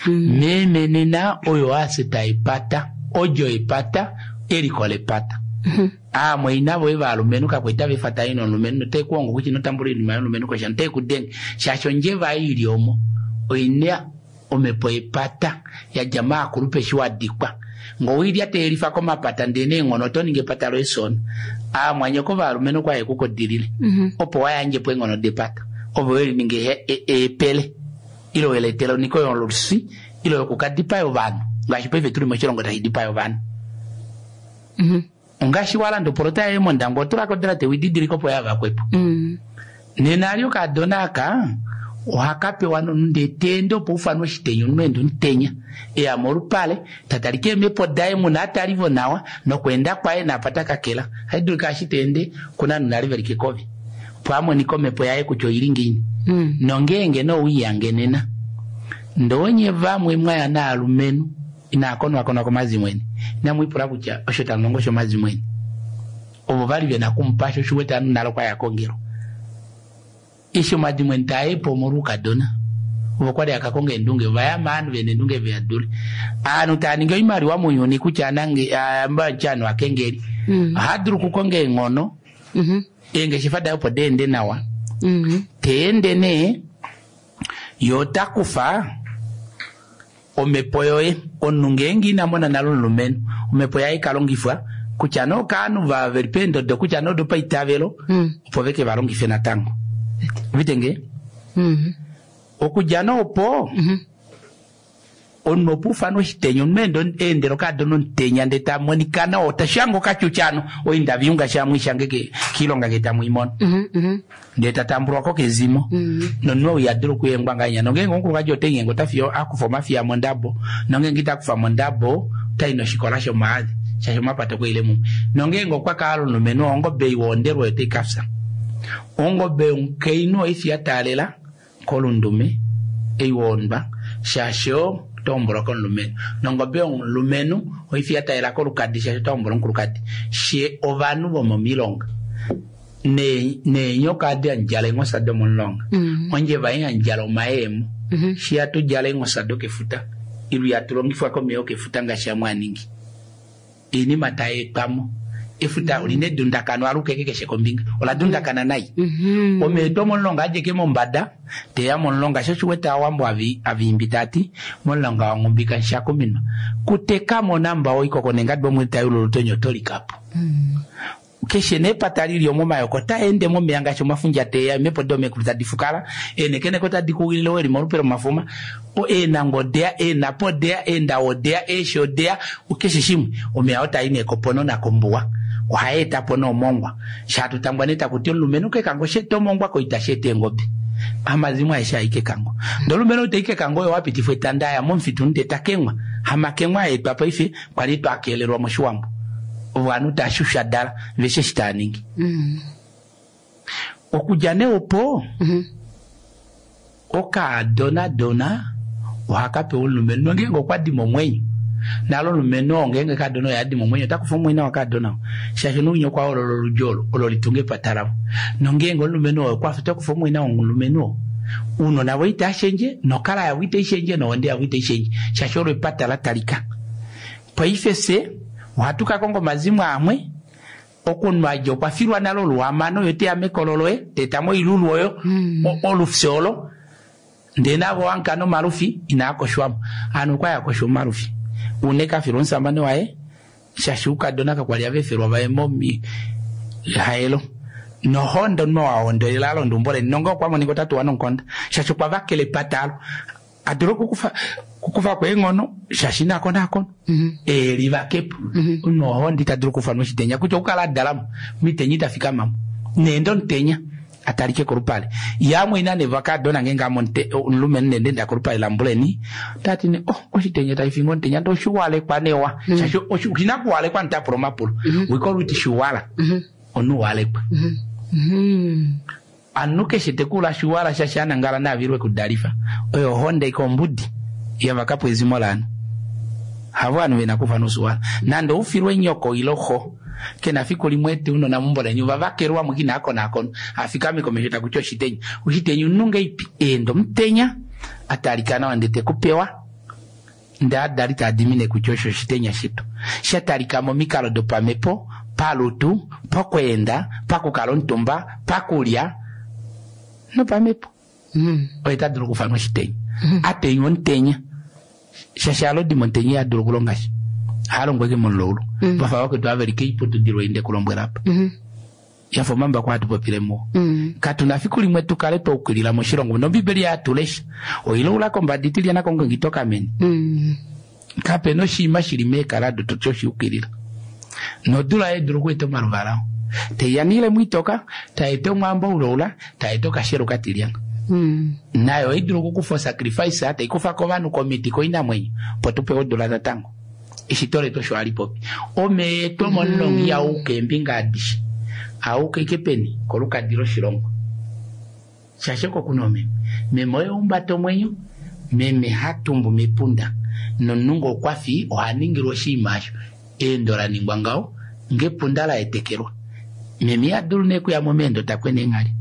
mm. Meme nena oyo aseta epata odjo epata eliko lepata mm -hmm. Aamwaina voye valumenhu kakwaita vefata ino omulumenhu noteekuhongo kutya inotambula oinima yomulumenhu kosha noteekudenge shaashi ondjeva ei ili omo oina omhepo yepata yadja maakulupe eshi wadikwa ngowilya teyelifa komapata ndee neenghono oto ningi epata loye sona aamwanyoko valumenhu kwa yekukodilile mm -hmm. Opo wayandjepo eenghono depata ovo welininga eepele ile weletela oniko yolusi ile yokukadipaya ovanhu ngaashi paife tuli moshilongo tashi dipaya ovanhu mm -hmm. Ongaashi walanda opolota yaye mondango otulako dala tewididilika opo yavakwepo mm. Nena ali okaadona aka ohakapewa nonu ndee teende opo ufanwe oshitenya omunhu ende omutenya eya molupale tatalika eemhepo daye muna atalivo nawa nokweenda kwaye naapa takakela haidulika ashi teende kuna anu nale veli kekovi opo amonika omhepo yaye kutya oili ngiini mm. Nongeenge nouiyange nena ndowonye vamwe mwaya naalumenhu inaakonwakonwa komazimo eni inamwipula kutya osho tamulongo shomazimo eni ovo vali vena kumupasha oshiwete anu nalo kwaya kongelo eshi omadimo eni taayepo omolwoukadona ovo kwali akakonga eendunge ovayama ovanhu vena eendunge veyadule aanhu taaningi oimaliwa mounyuni kutya anange amba anu akengeli mm. Ohadulu okukonga eenghono mm -hmm. Eengeshefa daye opo deende nawa mm -hmm. Teende nee yo otakufa omhepo yoye omunhu ngeenge ina mona nale omulumenhu omhepo yaye ikalongifwa kutya nee okaanhu veli peendodo kutya nee odopaitavelo mm. Opo veke valongife natango Vitenge Mhm. okudja noopo omunhu opo ufana oshitenya omunhu eendela okaadona omutenya ndee tamonika nawa otashange okatyutyano oindaviunga shamwishange kiilonga ngee tamwiimono Mhm. Mhm. ndee tatambulwako kezimo nomunhu ou yadula okuyengwa ngahenya nongeenge omukulukadi otenyengo otafiyo akufa omafiya mondabo nongeenge itakufa mondabo otai noshikola shomaadi shaashi omapato okwaile mumwe nongeenge okwa kala omulumenhu ongobe iwoondelwa oyo taikafya ongobe yomukainhu oifi ya taalela kolundume eiwoondwa shaashi otohombolwa komulumenhu nongobe yomulumenhu oifi ya taalela kolukadi shaashi otohombola omukulukadi she ovanhu vomomilonga Ne- neenyoka adi handjala eenghosa domomulonga Mhm. ondjeva ei handjala omayemo Mhm. shi hatudjala eenghosa dokefuta ilu yatulongifwa komeya okefuta ngaashi amwe aningi iinima tayeetwamo efuta olina edundakano alukeke keshe kombinga ola dundakana nai Mhm. omeya etu omomulonga adjeke mombada teya momulonga sho oshiwete aawambo avi- aviimbi tati momulonga wangumbika nshakuminwa kutekamo namba oikoko nengadi omwedi tayulula otonya otolikapo keshe nepata lili omomayoko otaende momeya ngaashi omafundja teya eemhepo domekulu tadi fukala eenekeneke otadi kuwilile weli molupe lomafuma o eenango odeya eenapo odeya eendawo odeya eeshi odeya keshe shimwe omeya otai neekopono nakombuwa ohayeetapo noomongwa shaatutangwa nee takuti omulumenhu kekango sheeta omongwa koita sheeta eengobe amazimo aeshe ai kekango ndee omulumenhu ou tai kekango oyo wapitifwa etanda aya momufitu ndee takengwa hamakengwa aetwa paife kwali twakelelwa moshiwambo ovanhu tashushadala veshe eshi taaningi Mhm. okudja nee opo Mhm. okaadonadona ohakapewa omulumenhu nongeenge okwa dima omwenyo nalo omulumenhu oo ngeenge kaadona oyo adima omwenyo otakufa omwenyo wakaadona oo shaashi nounya okwa hoolola oludji olo olo litunga epata lavo nongeenge omulumenhu oo okwafa otakufa omwenyo womulumenhu oo uunona vo itaashendje nokala yavo itaishendje nohonde yavo itaishendje shaashi olo epata la talika paife fye ohatu ka konga omazimo amwe okunwadja okwa filwa nale oluhamano yo teya mekolo loye teetamo oilulu oyo o- olufye olo ndee navo wanka nomalufi inaa koshwamo anu okwaya koshwa omalufi une kafilwa omusamane waye shaashi ukadona kakwali avefelwa vaye momi haelo nohondo no wahondelela alonda umbo leni nonga okwa monika otatuwa nonkonda shaashi okwa vakela epata alo adula okukufa kukufa kweenghono shaashi nakonakono elivakepo nohondo ita dulu okufa noshitenya kutya okukala adalamo mitenya itafikamamo neende omutenya atalike kolupale yamwe ina nevakadona ngeenge amo omulumenhu nende nda kolupale lambuleni tati ne oh oshitenya taifinga omutenya nde oshiwalekwa newa shaashi oshi- oshina kuwalekwa nitapula omapulo wikoluti shiwala omunhu walekwa Mhm. anu keshe tekula shiwala shaashi anangala navilwe kudalifa oyo ohonde iko ombudi yavakapo ezimo lanu havo anu vena kufa nusuwala nande ufilwe nyoko ilo xo kena fiku limwe eti unona mumbo lenyu vavakelwa mwikina akonakono afikame komesho takuti oshitenya oshitenya ununge ipi eenda omutenya atalika nawa ndee tekupewa ndee adali taadimine kutya osho oshitenya shetu shatalika momikalo dopamepo palutu pokweenda pakukala omutumba pakulya nopamepo Mhm. oye tadulu okufanwa oshitenya atenywa omutenya shaashi alodima omutenya ihadulu okulonga sha halongo eke momulaulu vafa vakwetu aveli keiputudilo inde kulombwela apa Mhm. yafa omambako hatu popile muwo Mhm. katuna fiku limwe tukale twaukilila moshilongo nombibeli yatulesha oilaula kombada itilyana kongongi tokamene Mhm. kapena oshiima shili meekalado toti oshiukilila nodula yedulu okueta omaluvala teiyanile mwitoka taeta omwambo uloula taeta okashelo katilyana Mhm. nayo oidulu okukufa osacrifice taikufa kovanhu komiti koinamwenyo opo tupewe odula natango eshito letu osho hali popi omeya etu omomulongi auka eembinga adishe auka ike peni kolukadi loshilongo shaashi oko kuna omeme meme oye umbata omwenyo meme hatumbu mepunda nomunhu ngee okwafi oha ningilwa oshinima osho eendo la ningwa ngaho ngepunda la etekelwa meme ihadulu nee okuya meendo takwena eenghali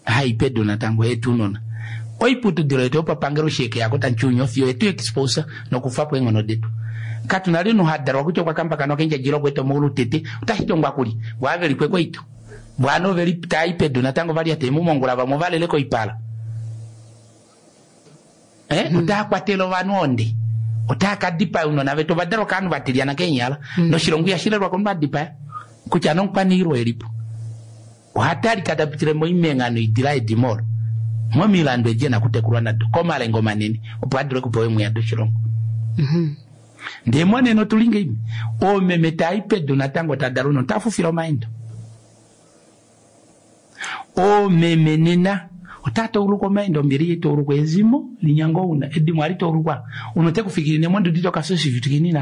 hai pedu natango yetu unona oiputudilo yetu yopapangelo sheke yako tanchunya fiyo yetu expose nokufa po eenghono detu katuna lino hadalwa kutya okwakambakana kendjadjila okweta omaulu tete otashitongwa kuli bwavelikwe koito bwana oveli tai pedu natango vali ate mumongula vamwe ovalele koipala eh mm. otakwatela ovanhu onde otakadipaya unona vetu ovadalwa kaanhu vatilyana keenyala mm. noshilongo ihashilelwa komunhu adipaya kutya nomukwaniilwa elipo Ohatalika tapitile moimengano idila edimo olo momilando edi ena kutekulwa nado komalenga manene opo adule kupewa emwiya doshilongo. Ndee monene otuli ngeimi oomeme tai pedu natango tadala unene otafufila omaendo. Oomeme nena otaa tauluka omaendo ombili itaulukwa ezimo linyango una edimo ali taulukwa uno tekufikirine mondudu tokasoshivitukini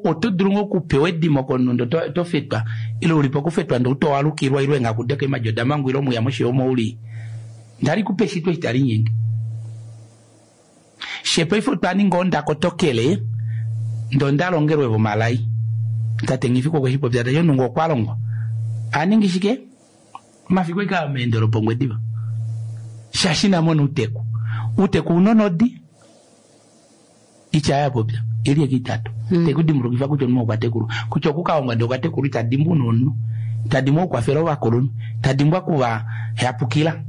oto dulu ngoo okupewa edimo komunhu to fetwa ile ulipo okufetwa ndee utowalukilwa ile engakudeka emajoda mangu ile omuya moshiyomo uli ndali kupe eshito itali nyenge. Shepaife otwa ninga ondakotokele ndo ndalongelwe vomalai tate ngifiko kweshipopya tate nungu okwa longwa aningi shike mafiku ika meendelo pongwediva shashina mona uteku uteku unonodi ichaya popya ili ekitatu mm. Tekudimulukifa kutya omunhu okwatekulu kutya okukaonga ndi okwatekulu itadimbu nomunhu itadimbwa okukwafela ovakulunhu itadimbwa kuva yapukila.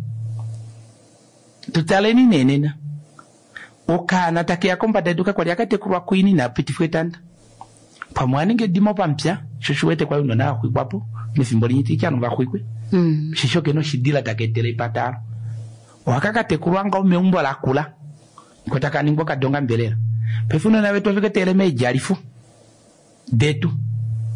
Tutaleni nenena okaana takeya kombada yedu kakwali akatekulwa kuini napitifwa etanda pamwe aninga edimo pamupya sho shiwete kwali unona axwikwapo mefimbo linye tikyanu vaxwikwe mm. Shisho kena oshidila takeetela epatalo ohakakatekulwa nga meumbo lakula ko takaningwa kadonga mbelela paife unona vetu oveketele meedjalifu detu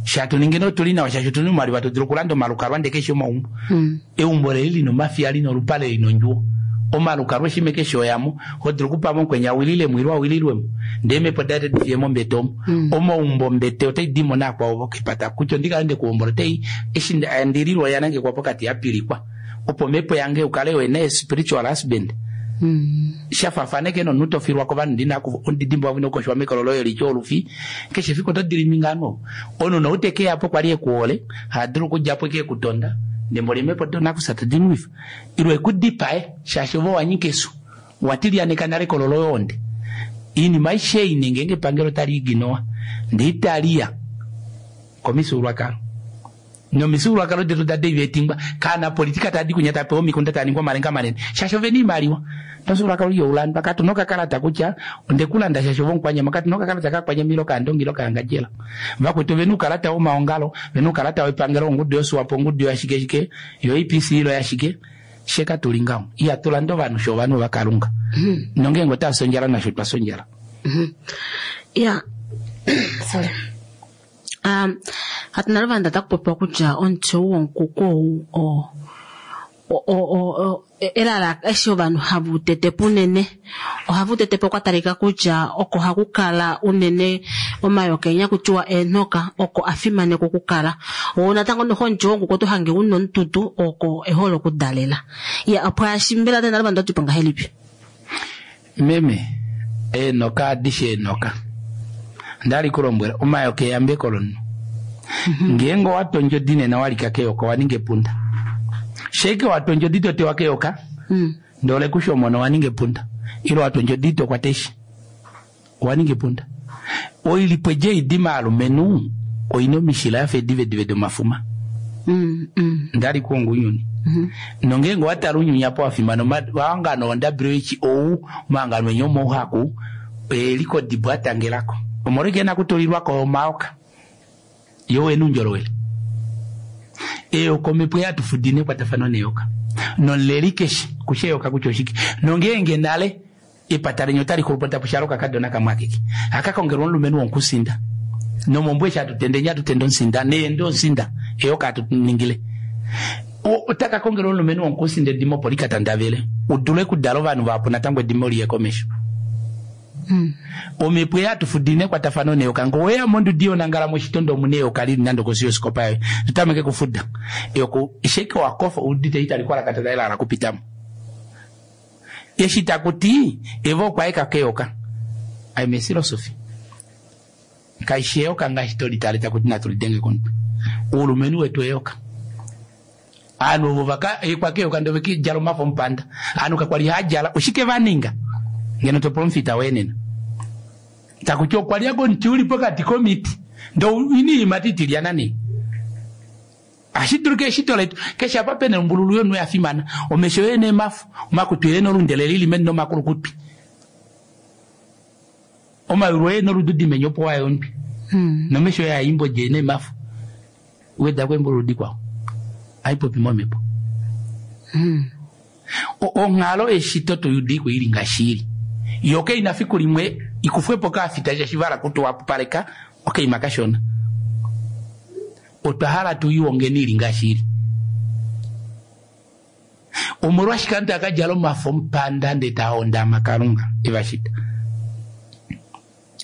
shatuninge notuli nawa shasho tuni omaliwa todulu okulanda omalukalwa ndee keshe omaumbo mm. Eumbo leli lina omafiya lina olupale lina ondjuwo omalukalwa eshime keshe oyamo hodulu okupama omukwenya awililemo ile awililwemo ndee mepo date difiyemo ombete omo mm. Omaumbo ombete otaidimo nakwao vokepata kutya ondikale ndekuhombola otai eshi ndililwa yanangekwa pokati yapilikwa opo mepo yange ukale wena spiritual husband mm. Shafafaneke nomunhu tofilwa kovanhu ndina ondidimbo wavina okoshwa mekolo loye lityo olufi keshe fiku oto dilimingano omunhu noutekeyapo kwali ekuhole hadulu okudjapo eke ekutonda ndembo limepo donakusa tadinwifa ilwe ekudipae shaashi ovo wanyika esu watilyaneka nale kololo yonde iinima aishe ei nengenge epangelo tali iginowa ndee italiya komifyuululwakalo nomifyuululwakalo detu dade etingwa kana politika tadi kunya tapewa omikunda taningwa omalenga manene shaashi ovena iimaliwa nomufyuululwakalo iyoulandwa katuna okakalata kutya ondekulanda shaashi ovo omukwanyama katuna okakalata kakwanyama ile okaandongi ile okaangadjela vakwetu ovena uukalata womaongalo vena uukalata wepangelo ongudu yoSWAPO ongudu yashike yo A P C ilo yashike sheka tuli ngaho ihatulanda ovanhu sho ovanhu vakalunga mm. Nongeenge otasondjala nasho twasondjala mm -hmm. Yeah. Sorry. Um, hatu naluvanda takupopiwa kutya omuti ou wonkuku ou o o elala eshi ovanhu hava tetepo unene ohava tetepo kwa talika kutya oko hakukala unene omayoka enya kutiwa eenhoka oko afimanekwa okukala oo natango noho omuti wonkuku oto hange una omututu oko ehole okudalela ya opo ashimbela tena naluvanda otipo ngahelipi meme eenhoka adishe eenhoka ndali kulombwela omayoka eyambeko lomunhu ngeenge owatwa ondjodi nena walika keyoka owaninga epunda sheke watwa ondjodi totewa keyoka mm. Ndole kushomona owaninga epunda ile watwa ondjodi tokwata eshi owaninga epunda oilipo eje maalumenhu oina omishila yafa edivedive domafuma mm, mm. Ndali kuonga unyuni mm -hmm. Nongeenge owatala unyuni apo wafimana omahangano o W H O omahangano enye omouhaku eliko dibwa atangelako omolweke nakutulilwako omaoka yo wena undjolowele eyoka omhepo yatufudine ekwatafano neyoka nomuleli keshe kusha eyoka kutya oshike nongeenge nale epata lenye otali xulupo tapushalo kakadona kamwe akeke akakongelwa omulumenhu wonkusinda nomombwe eshi atutende enye atutende omusinda neende omusinda eyoka atuningile otakakongelwa omulumenhu wonkusinda edimo opo likatandavele udule okudala ovanhu vahapu natango edimo liye komesho. Mm. Omhepo yatufudine ekwatafano neyoka ngo weya mondudi yonangala moshitondo omuna eyoka lili nande kosi yosikopa yoye tutameke kufuda eyoko sheke wakofa udite itali kwalakata elala kupitamo eshi takuti evo okwaeka keyoka I'm a philosophy kaishi eyoka ngaashi tolitale takuti natulidenge komutwe uulumenhu wetu eyoka anu ovo vaka ekwa keyoka ndo vekidjala omafo omupanda anu kakwali hadjala oshike vaninga ngeno topula omufita wenena takuti okwalyako omuti uli pokati komiti ndo ini iimati itilyana nee ashiduluka eshito letu keshe apa pena ombululu yonhu yafimana omesho yene emafu omakutu yene olundele lili meni nomakulukutwi omayulu yene olududi menyo opo wayondwi mm. Nomesho yaimbo jene emafu wedako embululu dikwao Aipopi momhepo. Onghalo eshito toyudiko ili ngaashi ili. Yo keina fiku limwe ikufwepo kaafita shashivala kutuwapaleka okaima kashona. Otwa hala tuiwongeni ili ngaashi ili. Omolwashike aantu akadjala omafo omupanda ndee taahondama Kalunga evashita.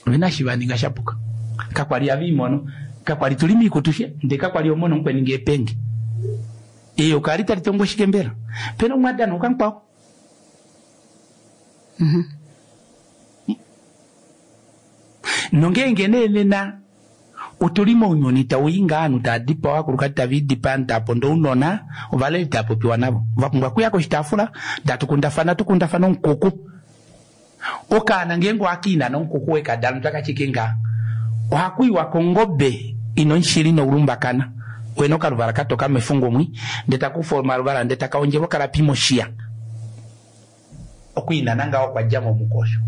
Ovena shi vaninga shapuka. Kakwali avimono, kakwali tuli miikutu she, ndee kakwali omono mukweninga epenge. Eyo kali tali tongo shike mbela. Pena omwadano okankwao. Nongeenge nee nena otuli mounyuni tau inga ovanhu tava dipawa, ovakulukadi tava idipa, ovanhu tava ponda ounona, ovaleli tava popiwa navo. Vapumbwa okuya koshitaafula, tatukundafana tukundafana omukuku. Okaana ngeenge ohakiina nomukuku wekadala otakashike ngaa. Ohakuiwa kongobe ina omushili noulumbakana. Wena okaluvala katoka mefungumwi, ndee takufa omaluvala ndee takaondjelwa okalapi moshiya. Okwiinana ngaho okwa dja momukosho.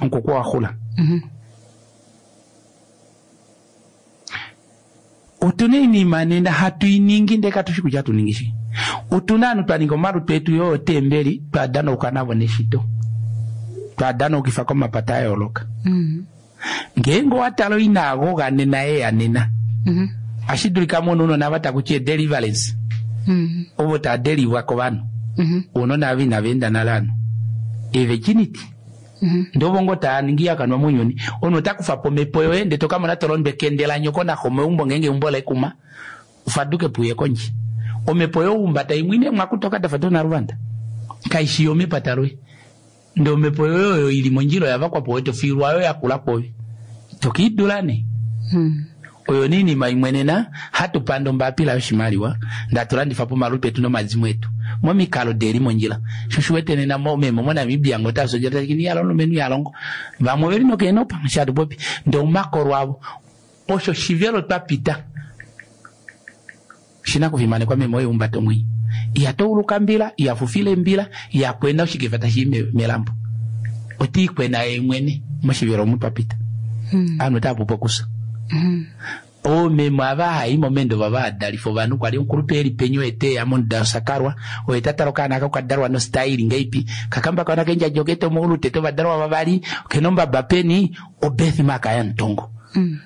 Omukuku owa xula. Otuna oinima nena hatu iningi ndee katushi kutya hatu ningi shike. Otuna ovanhu twa ninga omalutu etu yoo oteembeli twa danauka navo neshito. Twa danaukifa komapata a yooloka. Ngeenge owa tala oinaagoga nena yeya nena. Ohashi dulika mono ounona ava takuti deliverance. Ovo tava delivwa kovanhu. Ounona ava inava enda nale ovanhu. E-virginity. Ndee ovo ngoo tava ningi ihakanwa mounyuni. Omunhu ota kufa po omhepo yoye ndee tokamona tolondwa ekende lanyoko naxo meumbo ngeenge eumbo lekuma. Ufaduke po uye kondje. Omhepo youmbata imwe ine mwakutoka dafa donaluvanda. Kaishi yomepata loye. Ndee omhepo yoye oyo ili mondjila oya vakwa po tofiilwa yo yakula kwoove. Tokiidula nee. Oyo niinima imwe nena hatu panda ombapila yoshimaliwa ndatulandifa pomalutu etu nomazimo etu momikalo deli mondjila. Sho shiwete nena meme moNamibia ngo tasoja tashikini yalo omulumenhu yalongo. Vamwe oveli nokeenopa shatupopi ndee omakolo avo osho shivelo twapita shina kufimanekwa meme oye umbata omwenyo. Ihatouluka mbila, ihafufile mbila, ihakwena oshikefa tashi melambo. Otiikwena ye mwene moshivelo omu twapita. Ovanhu otava pupu okusa. Oomeme ava hai momendo vava adalifa ovanhu kwali omukulupe eli penyo eteya monduda yosakalwa oye tatala okaana ako kadalwa nostyle ngeipi kakamba kaona kendjadja oketa omaulu tete ovadalwa vavali okena ombaba peni obirthmark yamutongo.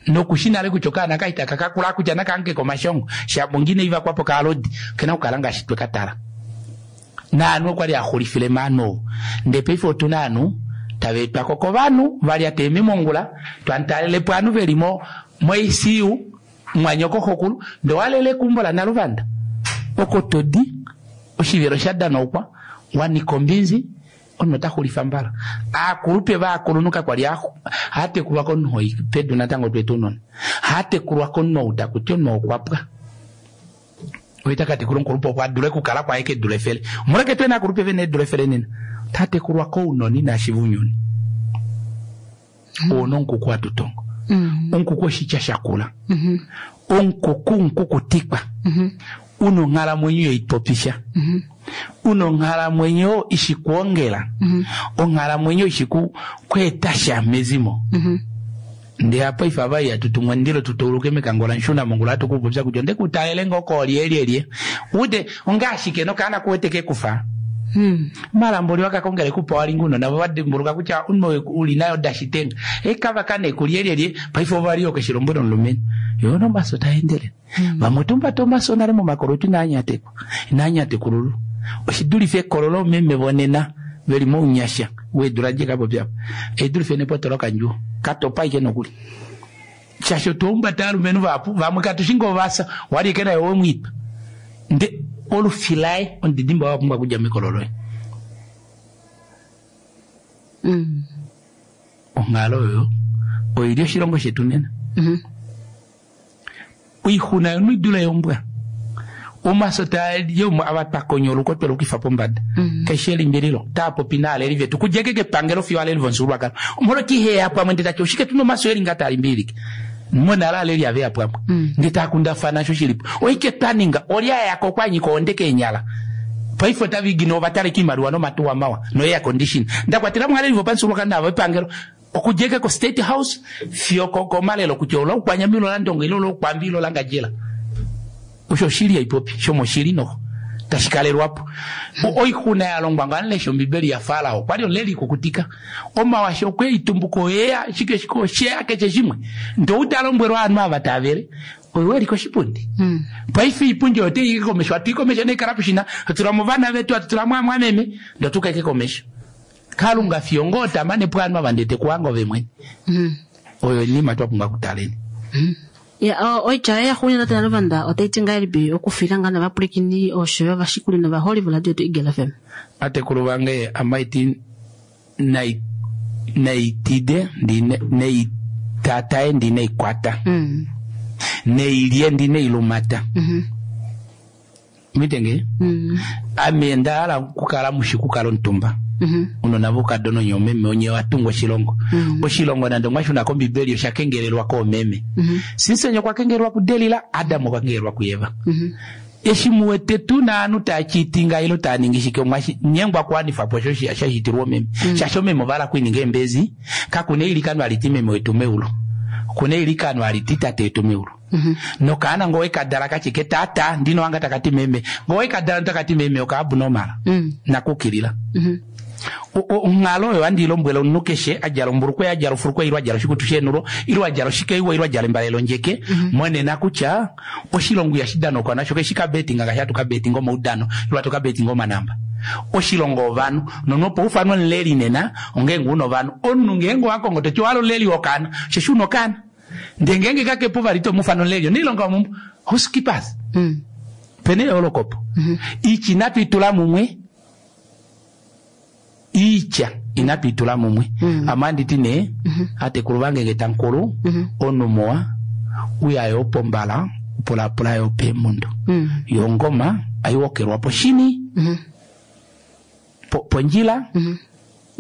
Nokushi nale kutya okaana kaitaka kakula kutya nakaange komashongo shapo ngine ivakwapo kaalodi okena okukala ngaashi twekatala. Naanhu okwali axulifile maanhu ndee paife otuna ovanhu tava etwako kovanhu valya teeme mongula twamutalelepo ovanhu veli mo mo I C U mwanyoko xokulu ndee owalele ekumbo lanaluvanda oko todi oshivelo sha danaukwa wanika ombinzi omunhu ota xulifa mbala. Aakulupe vaakulunhu kakwali hatekulwa komunhu oi pedu natango twetu unona hatekulwa komunhu ou takuti omunhu okwapwa oye takatekula omukulupe opo adule okukala kwaye kedula efele. Omolweke twena aakulupe vena eedula efele nena tatekulwa kounona inashi vunyuni. Ouna omukuku hatutongo. Omukuku oshitya shakula. Omukuku omukukutikwa. Una onghalamwenyo yoipopisha. Una onghalamwenyo ishikuongela. Onghalamwenyo ishiku kweetasha mezimo. Ndee apa ifa vai atutumwa ndilo tutouluke mekangola nshuna mongula atukupopya kutya nde kutaele ngoko olyelyelye. Ude ongashike nokaana kuwete kekufa. Malambo liwakakongele kupa walinguno navo vadimbuluka kutya uno uli nayo dashitenga ekava kane kulyelyelye paife ovaliyo keshilombwelo omulumenhu yona omaso taendele. Vamwe otumbata omaso nale momakolo etu inaanyatekwa inaanyatekululwa. Oshidulife ekololo meme vonena veli mounyasha weedula djekapopya apa edulife nepoto lokandjuwo katopa ike nokuli shaashi otuumbata alumenhu vahapu vamwe katushinga ovasa wali ike naye wemwiipa nde olufilaye omudidimba wapumbwa okudja mekolo loye. Onghalo oyo oili oshilongo shetu nena. Oixuna yomunhu idule yombwa. Omaso taa ava twakonyoluka twelukifa pombada. Keshe elimbililo taapopi naaleli vetu kudja keke epangelo fiyo aleli vomufyuululwakalo. Omolweki iheya pamwe ndee tati oshike tuna omaso eli nga taalimbililike. Monale aleli aveya pamwe ndee taakundafana sho shilipo. Oike twaninga olya yako kwanyika onde keenyala. Paife otavigina ovataleka oimaliwa nomatuwa mawa no air condition. Ndakwatela mwaleli vopamufyuululwakalo navo epangelo okudja ko State House fiyo komalelo kutya ola ukwanyamilo la ndongo ilo la ukwambi ilo la ngajela. Osho oshili haipopi shomoshili noho tashi kalelwapo. Oixuna ya longwa nga lesha ombibeli ya Farao kwali omuleli kukutika omawasho okwe itumbuko eya shike shike osheya keshe shimwe ndo utalombwelwa ovanhu ava tavele oyo eli koshipundi. Mm. Paife ipundi oyo teike komesho atu ikomesho neikala pushina atula ovana vetu atutula mwamwameme ndo tukaike komesho. Kalunga fiongo tamane pwanhu ava ndete kuwanga ove mwene. Mm. Oyo nima twapumbwa kutaleni. Mm. Ya oitya ya xunya tate Naluvanda otai ti ngahelipi okufila ngaa novapwilikini osho yo ovashikuli novaholi voradio yetu Eagle F M. Atekulu vange amaiti nai naitide ndi neitatae ndi neikwata. Mm. Neilye ndi neilumata. Mm -hmm. Mitenge? Mm. Ame ndahala kukala mushikukala omutumba. Mm -hmm. Unona vokadono nyomeme onye watunga oshilongo. Mm -hmm. Oshilongo nande mwashuna kombibeli oshakengelelwa koomeme. Mm -hmm. Sinsenyo kwakengelelwa kuDelila, Adamu okwakengelelwa kuEva. Mm -hmm. Eshi muwete tu naanhu taachitinga ilo taaningishike omwashi nyengwa kuwanifa po osho shashitilwa omeme. Mm -hmm. Shasho omeme ovala kuininga embezi, kakuna eilikano aliti meme wetu meulu. Kuna eilikano aliti tate wetu meulu. Mm -hmm. Nokaana ngowe kadala kachike tata ndino wanga takati meme. Ngowe kadala takati meme okaabnormal. Mm. Nakukilila. Mm -hmm. Onghalo oyo andilombwela omunhu keshe adjala ombulukwe adjala ofulukwe ilo adjala oshikutu shenulo ilo adjala oshikeiwa ilo adjala embalelo ndjeke. Mm -hmm. Monena kutya oshilongo ihashi danwa nasho keshi kabetinga ngaashi hatu kabetinga omaudano ilo hatu kabetinga omanamba. Oshilongo ovanhu nonopo ufanwa omuleli nena ongeenge una ovanhu omunhu ngeenge owakongo toti ohala omuleli wokaana sheshe una okaana ndee ngeenge kakepo vali tomufana omuleli oneilonga womumbo housekeepers. Mm. Pene eolokopo. Mm -hmm. Ichi inatu itula mumwe iitya inatu itula mumwe. Mm. Amanditi ne mm -hmm. atekulu vange ngetankulu mm -hmm. onumowa uya yo pombala pulapula yo pemundo. Mm. Yongoma aiwokelwa poshini. Mm -hmm. Po, ponjila. Mm -hmm.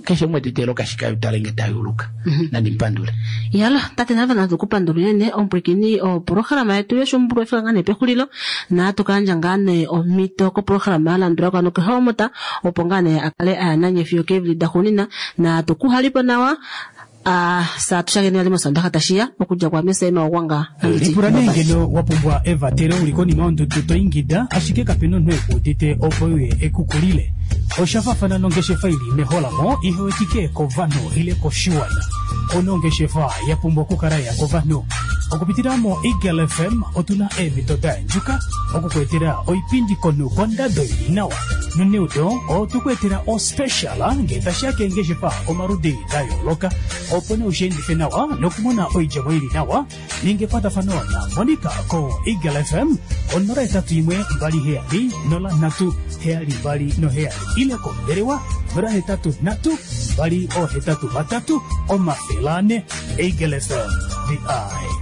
Keshe umwe titelo kashika utalenge tayuluka. Mm -hmm. Nandi mpandule. Yalo tate Naluvanda tukupandula unene omupwilikini oprograma yetu yoshumbulwa efika ngaa nee pexulilo na tukayandja ngaa nee omhito koprograma yalandulako ano kehomota opo ngaa nee akale ayananye fiyo keevili daxuunina na tukuhalipo nawa a saa tushakeni vali mosondaxa tashiya okudja kwa Mesema Ogwanga. Lipula nee ngeno wa pumbwa evatelo uli konima yondudu to ingida ashike kapena omunhu ekuudite opo uye ekukulile. Oshafafana nongeshefa ili meholamo ihewetike kovanhu ile koshiwana. Ono ongeshefa ya pumbwa okukala ya kovanhu. Okupitila mo Eagle F M otuna eemhito daendjuka okukuetela oipindi konu kondado ili nawa. Noneudo otukuetela ospecial ngee tashiya keengeshefa omaludi da yooloka opo nee ushiendife nawa nokumona oidjemo ili nawa. Ninga ekwatafano na Monica ko Eagle F M onola etatu imwe mbali heyali nola nhatu heyali mbali noheyali ile kombelewa nola hetatu nhatu mbali ohetatu vatatu omafele ane. Eagle F M, the eye.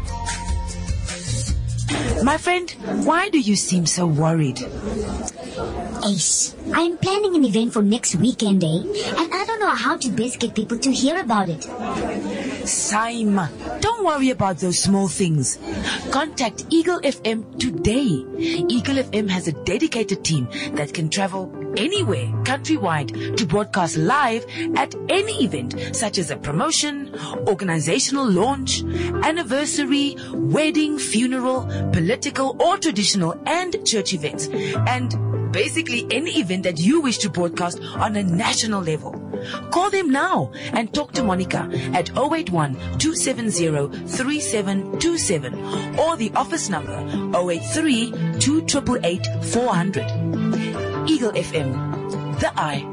My friend, why do you seem so worried? Ace, I'm planning an event for next weekend, eh? And I don't know how to best get people to hear about it. Saima, don't worry about those small things. Contact Eagle F M today. Eagle F M has a dedicated team that can travel anywhere, countrywide, to broadcast live at any event, such as a promotion, organizational launch, anniversary, wedding, funeral, political or traditional and church events, and basically any event that you wish to broadcast on a national level. Call them now and talk to Monica at oh eight one, two seven zero, three seven two seven or the office number oh eight three, two eight eight, four hundred. Eagle F M, the eye.